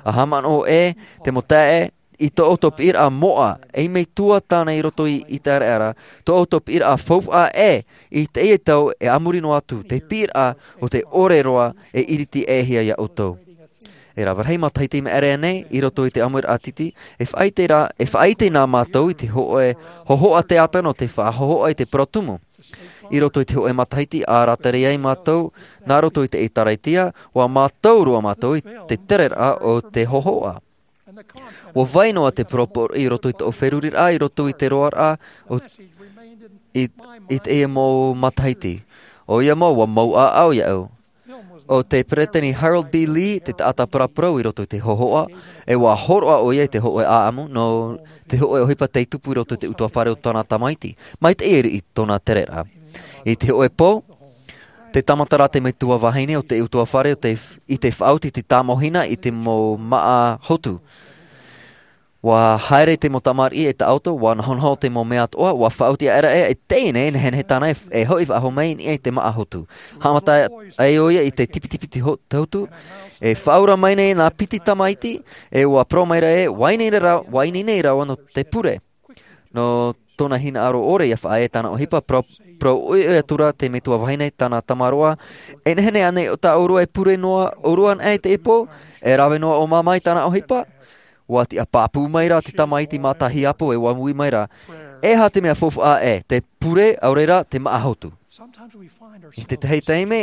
ʻA haʻamanaʻo ē, te mau taeaʻe, i tō ʻoutou piʻiraʻa moʻa, ei metua tāne i roto i, i te ʻāreʻa ra, tō ʻoutou piʻiraʻa faufaʻa ē, i teie tau e a muri noa atu, te piʻiraʻa o te ʻore roa e iriti ʻē hia ia ʻoutou. E rave rahi matahiti i maʻiri aʻe nei, i roto i te ʻāmuiraʻa tītī, e faʻaʻite ra, e faʻaʻite na mātou i te hōʻē hōhoʻa teata nō te faʻahōhoʻa i te parau tumu. I roto i te hōʻē matahiti ʻa rātere ai mātou, nā roto i te ʻĒkālesia, ʻua mātau roa mātou i te tereraʻa o te hōhoʻa. ʻUa vai noa te parau poroʻi i roto i tōʻu feruriraʻa, i roto i te roaraʻa, ʻo, i, i teie mau matahiti. ʻOia mau, ʻua mau ʻāʻau iāʻu. ʻO te Peresideni Harold B. Lee te taʻata paraparau i roto i te hōhoʻa, e ʻua hōroʻa ʻoia i te hōʻē ʻāʻamu, nō te hōʻē ʻohipa tei tupu i roto i te ʻutuāfare o tāna tamaiti. Maitaʻi e riʻi tōna tereraʻa. I te hōʻē pō, tē tāmata ra te metua vahine o te ʻutuāfare o te, i te faʻaoti i te tāmau hina i te mau māʻa hotu. ʻUa haere te mau tamariʻi e taʻoto, ʻua nahonaho te mau mea atoʻa, ʻua faʻaoti aʻera ʻe, e teie nei, e nehenehe tāna e, e hoʻi faʻahou mai i niʻa i te māʻa hotu. Haʻamata ai ʻoia i te tipitipi te ho-, te hotu, e faʻaora mai nei nā piti tamaiti, e ʻua parau mai ra ē, ʻua ineine ra-, ʻua ineine rāua nō te pure. Nō tōna hinaʻaro ʻore ʻia faʻaea tāna ʻohipa, parau, parau ʻoiʻoi atu ra te metua vahine tāna tamaroa, e nehenehe ānei tā ʻōrua e pure noa ʻōrua anaʻe i teie pō, e rave noa ʻō māmā i tāna ʻohipa? ʻUa tiʻa pāpū mai ra te tamaiti mātahiapo e ʻua ui mai ra, e aha te mea faufaʻa ē, te pure, ʻaore rā, te māʻa hotu? I te tahi taime,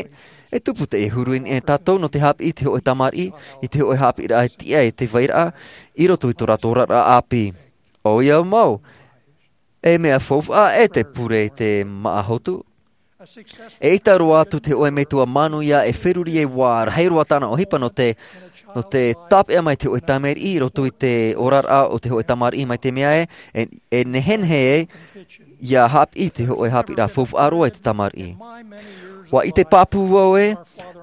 e tupu teie huru i niʻa ia tātou nō te haʻapiʻi i te hōʻē tamariʻi, i te hōʻē haʻapiʻiraʻa e tiʻa e te vairaʻa, i roto i tō rātou oraraʻa ʻāpī. ʻOia mau, e mea faufaʻa ē te pure i te māʻa hotu? E ʻita roa atu te hōʻē metua manuia e feruri e ʻua rahi roa tāna ʻohipa nō te, nō te tāpeʻa mai te hōʻē tamariʻi i roto i te oraraʻa o te hōʻē tamariʻi mai te mea ē, e, e nehenehe ē, ʻia haʻapiʻi te hōʻē haʻapiʻiraʻa faufaʻa roa i te tamariʻi. ʻUa ʻite pāpū vau ē,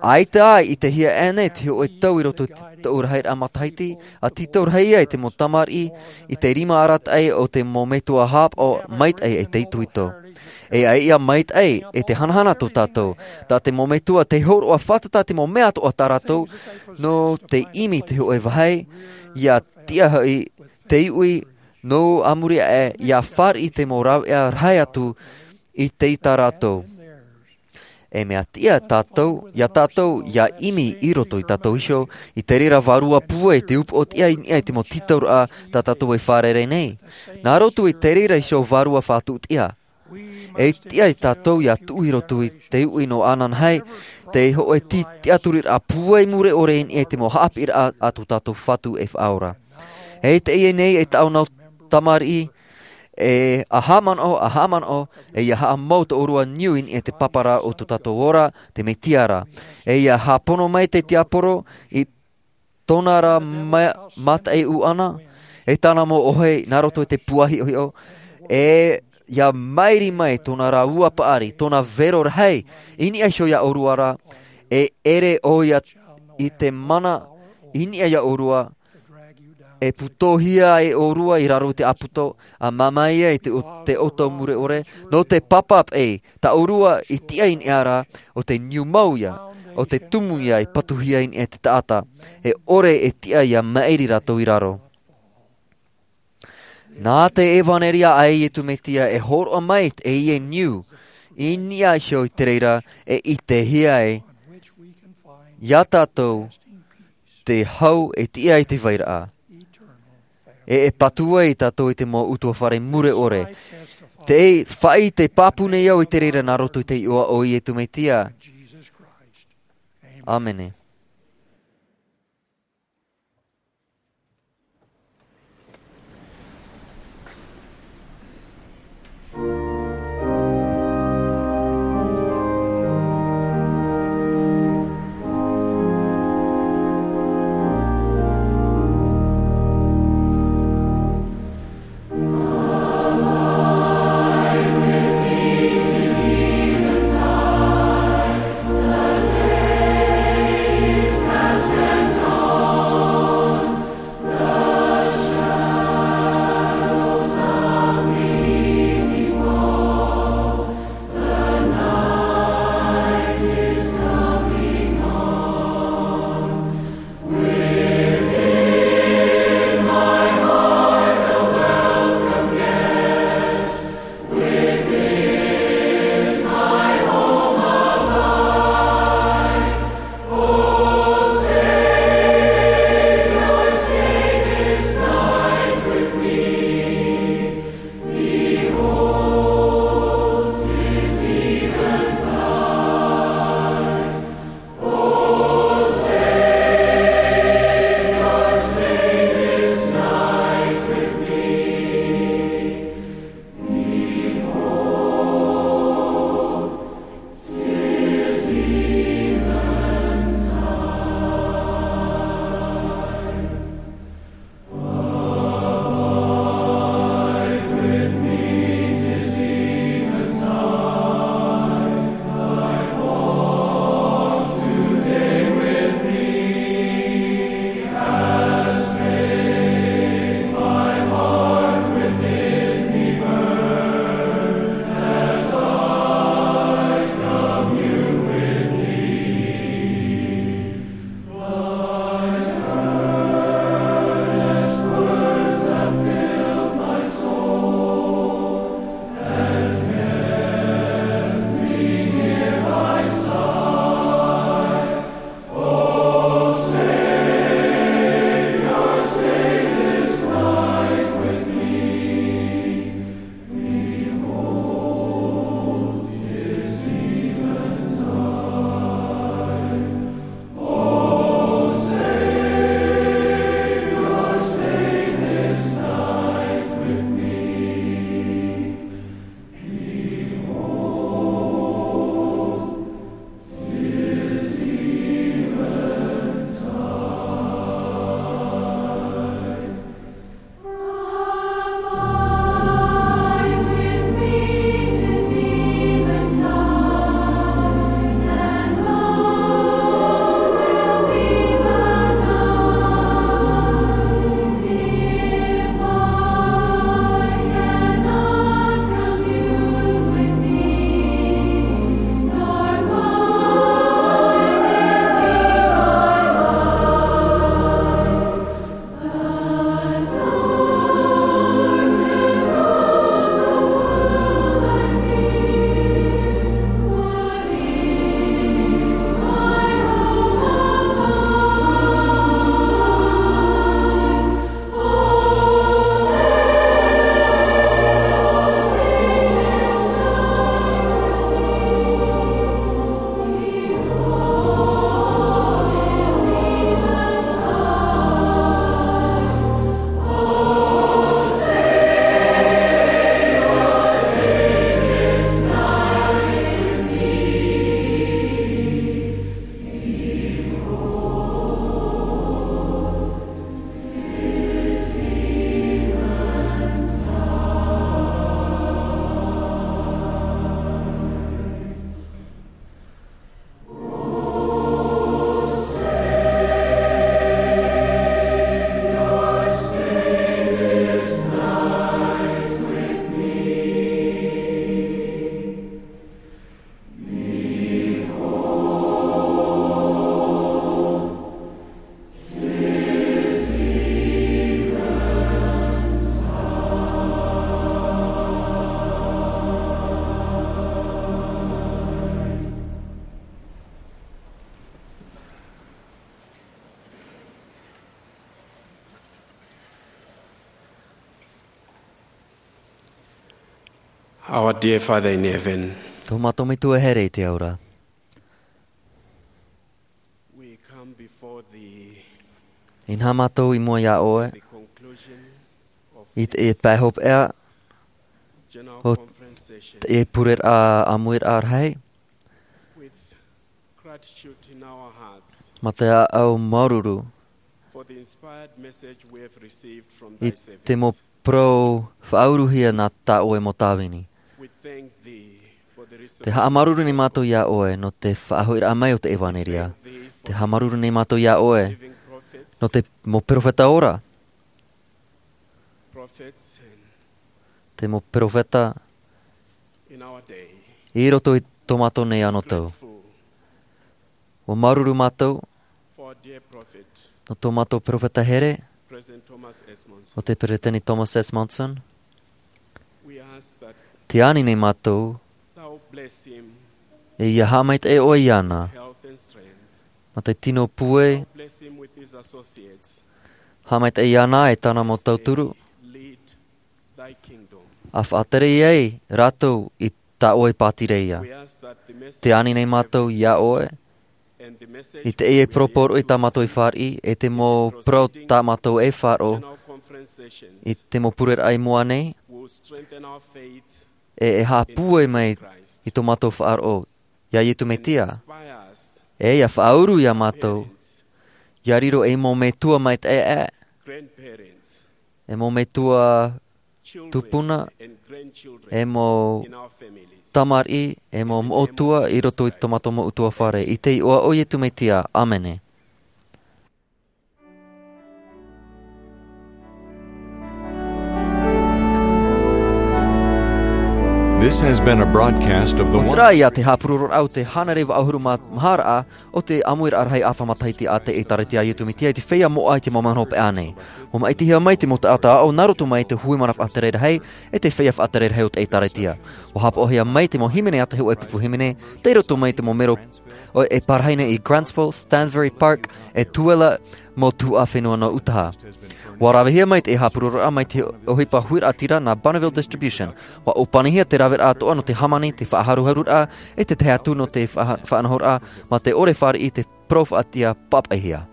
ʻaita ā i ʻitehia aʻenei te hōʻē tau i roto i tōʻu rahiraʻa matahiti, ʻa tītau rahi ai te mau tamariʻi i te rima arataʻi o te mau metua haʻapaʻo maitaʻi e te itoito. E ʻia maitaʻi e te hanahana tō tātou, tā te mau metua tei hōroʻa fātata te mau mea atoʻa tā rātou, nō te ʻimi te hōʻē vāhi, ʻia tiʻa hoʻi te iʻoiʻo, nō a muri aʻe, ʻia fāriʻi te mau rāveʻa rahi atu i te ʻita rātou. E mea tiʻa tātou, ia tātou, ʻia ʻimi i roto ia tātou iho, i te reira vārua pūai te upoʻotiʻa i niʻa i te mau tītauraʻa tā tātou e fārerei nei. Nā roto i te reira iho vārua fātuʻutiʻa. E tiʻa ia tātou ʻia tuʻu i roto i te uʻi nō ananahi, te hōʻē ti-, tiʻaturiraʻa pūai mure ʻore i niʻa i te mau haʻapiʻiraʻa a tō tātou Fatu e Faʻaora. E teie nei e tāʻu nau tamariʻi, e ʻa haʻamanaʻo, ʻa haʻamanaʻo, e ʻia haʻamau tō ʻōrua niu i niʻa i te pāpara o tō tātou ora, te Mesia ra. E ʻia haʻapono mai te tiaporo i tōna ra ma-, mataʻi ʻuʻana, e tāna mau ʻohi, nā roto i te pūai hiʻohiʻo, e ʻia mairi mai tōna ra ua paʻari, tōna vero rahi, i niʻa iho ia ʻōrua ra, e ʻere ʻoia i te mana, i niʻa ia ʻōrua, e putohia e ʻōrua i raro i te ʻāputa, ʻa māmā ia i te o-, te ʻoto mure ʻore, nō te papa paʻi, tā ʻōrua i tiʻa i niʻa ra, ʻo te niu mau ia, ʻo te tumu ia i patuhia i niʻa i te taʻata, e ʻore e tiʻa ʻia mairi rātou i raro. Nā te ʻevanelia a Iesu Mesia e hōroʻa mai teie niu, i niʻa iho i te reira e ʻitehia ai, ia tātou, te hau e tiʻa i te vairaʻa. E, e patu ai tātou i te mau ʻutuāfare mure ʻore. Te faʻaʻite pāpū nei au i te reira nā roto i te iʻoa o Iesu Mesia. ʻĀmene. Our dear Father in heaven, Tō mātou Metua e here i te ao ra. We come before thee I nā mātou i mua iā ʻoe, the conclusion of i te, i te pae hopeʻa, General o Conference session te pureraʻa ʻāmuiraʻa rahi. With gratitude in our hearts Mā te ʻāʻau māuruuru for the inspired message we have received from i thy te mau servants. Parau faʻauruhia nā tā ʻoe mau tāvini. We thank thee for the restoration Te haʻamāuruuru nei mātou iā ʻoe nō te faʻahoʻiraʻa mai o te ʻevanelia. Te haʻamāuruuru nei mātou iā ʻoe living prophets, nō te mau perofeta ora. Prophets and te mau perofeta in our day. I roto i tō mātou nei anotau. Grateful. ʻUa māuruuru mātou For our dear prophet, nō tō mātou perofeta here, President Thomas S. Monson. ʻO te Peresideni Thomas S. Monson. We ask that Te ani nei mātou, thou bless him, e ia haʻamaitaʻi ʻoe iāna, health and strength. Mā te tino pūai, Bless him with his associates. Haʻamaitaʻi iāna e tāna mau tauturu, Lead thy kingdom. A faʻatere ai rātou i tā ʻoe pātireia. We ask that the message Te ani nei mātou iā ʻoe, and the message i te ia e poroporoʻi tā mātou i fāriʻi, e te mau parau tā mātou e faʻaroʻo, General Conference sessions i te mau pureraʻa i mua nei, will strengthen our faith e, e haʻapūai mai Christ. I tō mātou faʻaroʻo iā Iesu Mesia. Inspire us, E ia faʻauru iā mātou, parents, ia riro ei mau metua maitaʻi, grandparents, e mau metua children, tupuna, and grandchildren e mau in our families. Tamariʻi, e mau moʻotua i roto i tō mātou mau ʻutuāfare. I te iʻoa o Iesu Mesia. ʻĀmene. This has been a broadcast of the Terā ia te haʻapurororaʻa o te hānere vaʻu ʻahuru mā maha raʻa o te ʻāmuiraʻa rahi ʻāfa matahiti a te ʻĒtārētia a Iesu Mesia i te feiā moʻa i te mau mahana hopeʻa nei. ʻUa māʻitihia mai te mau taʻata aʻo nā roto mai i te hui mana faʻatere rahi, e te feiā faʻatere rahi o te ʻĒtārētia. ʻUa haʻapaʻohia mai te mau hīmene ʻātahi ʻoe pupu hīmene, tei roto mai i te mau mero ʻoe e parahi nei i Grantsville, Stansbury Park, e Tooele, mau tuhaʻa fenua nō ʻĪtaha. ʻUa ravehia mai te haʻapurororaʻa mai te ʻohipa huiraʻatira nā Bonneville Distribution. ʻUa ʻōpanihia te raveraʻa atoʻa nō te hāmani, te faʻaharuharuraʻa, e te tahi atu nō te faʻa-, faʻanahoraʻa, mā te ʻore fāriʻi i te parau faʻatiʻa pāpaʻihia.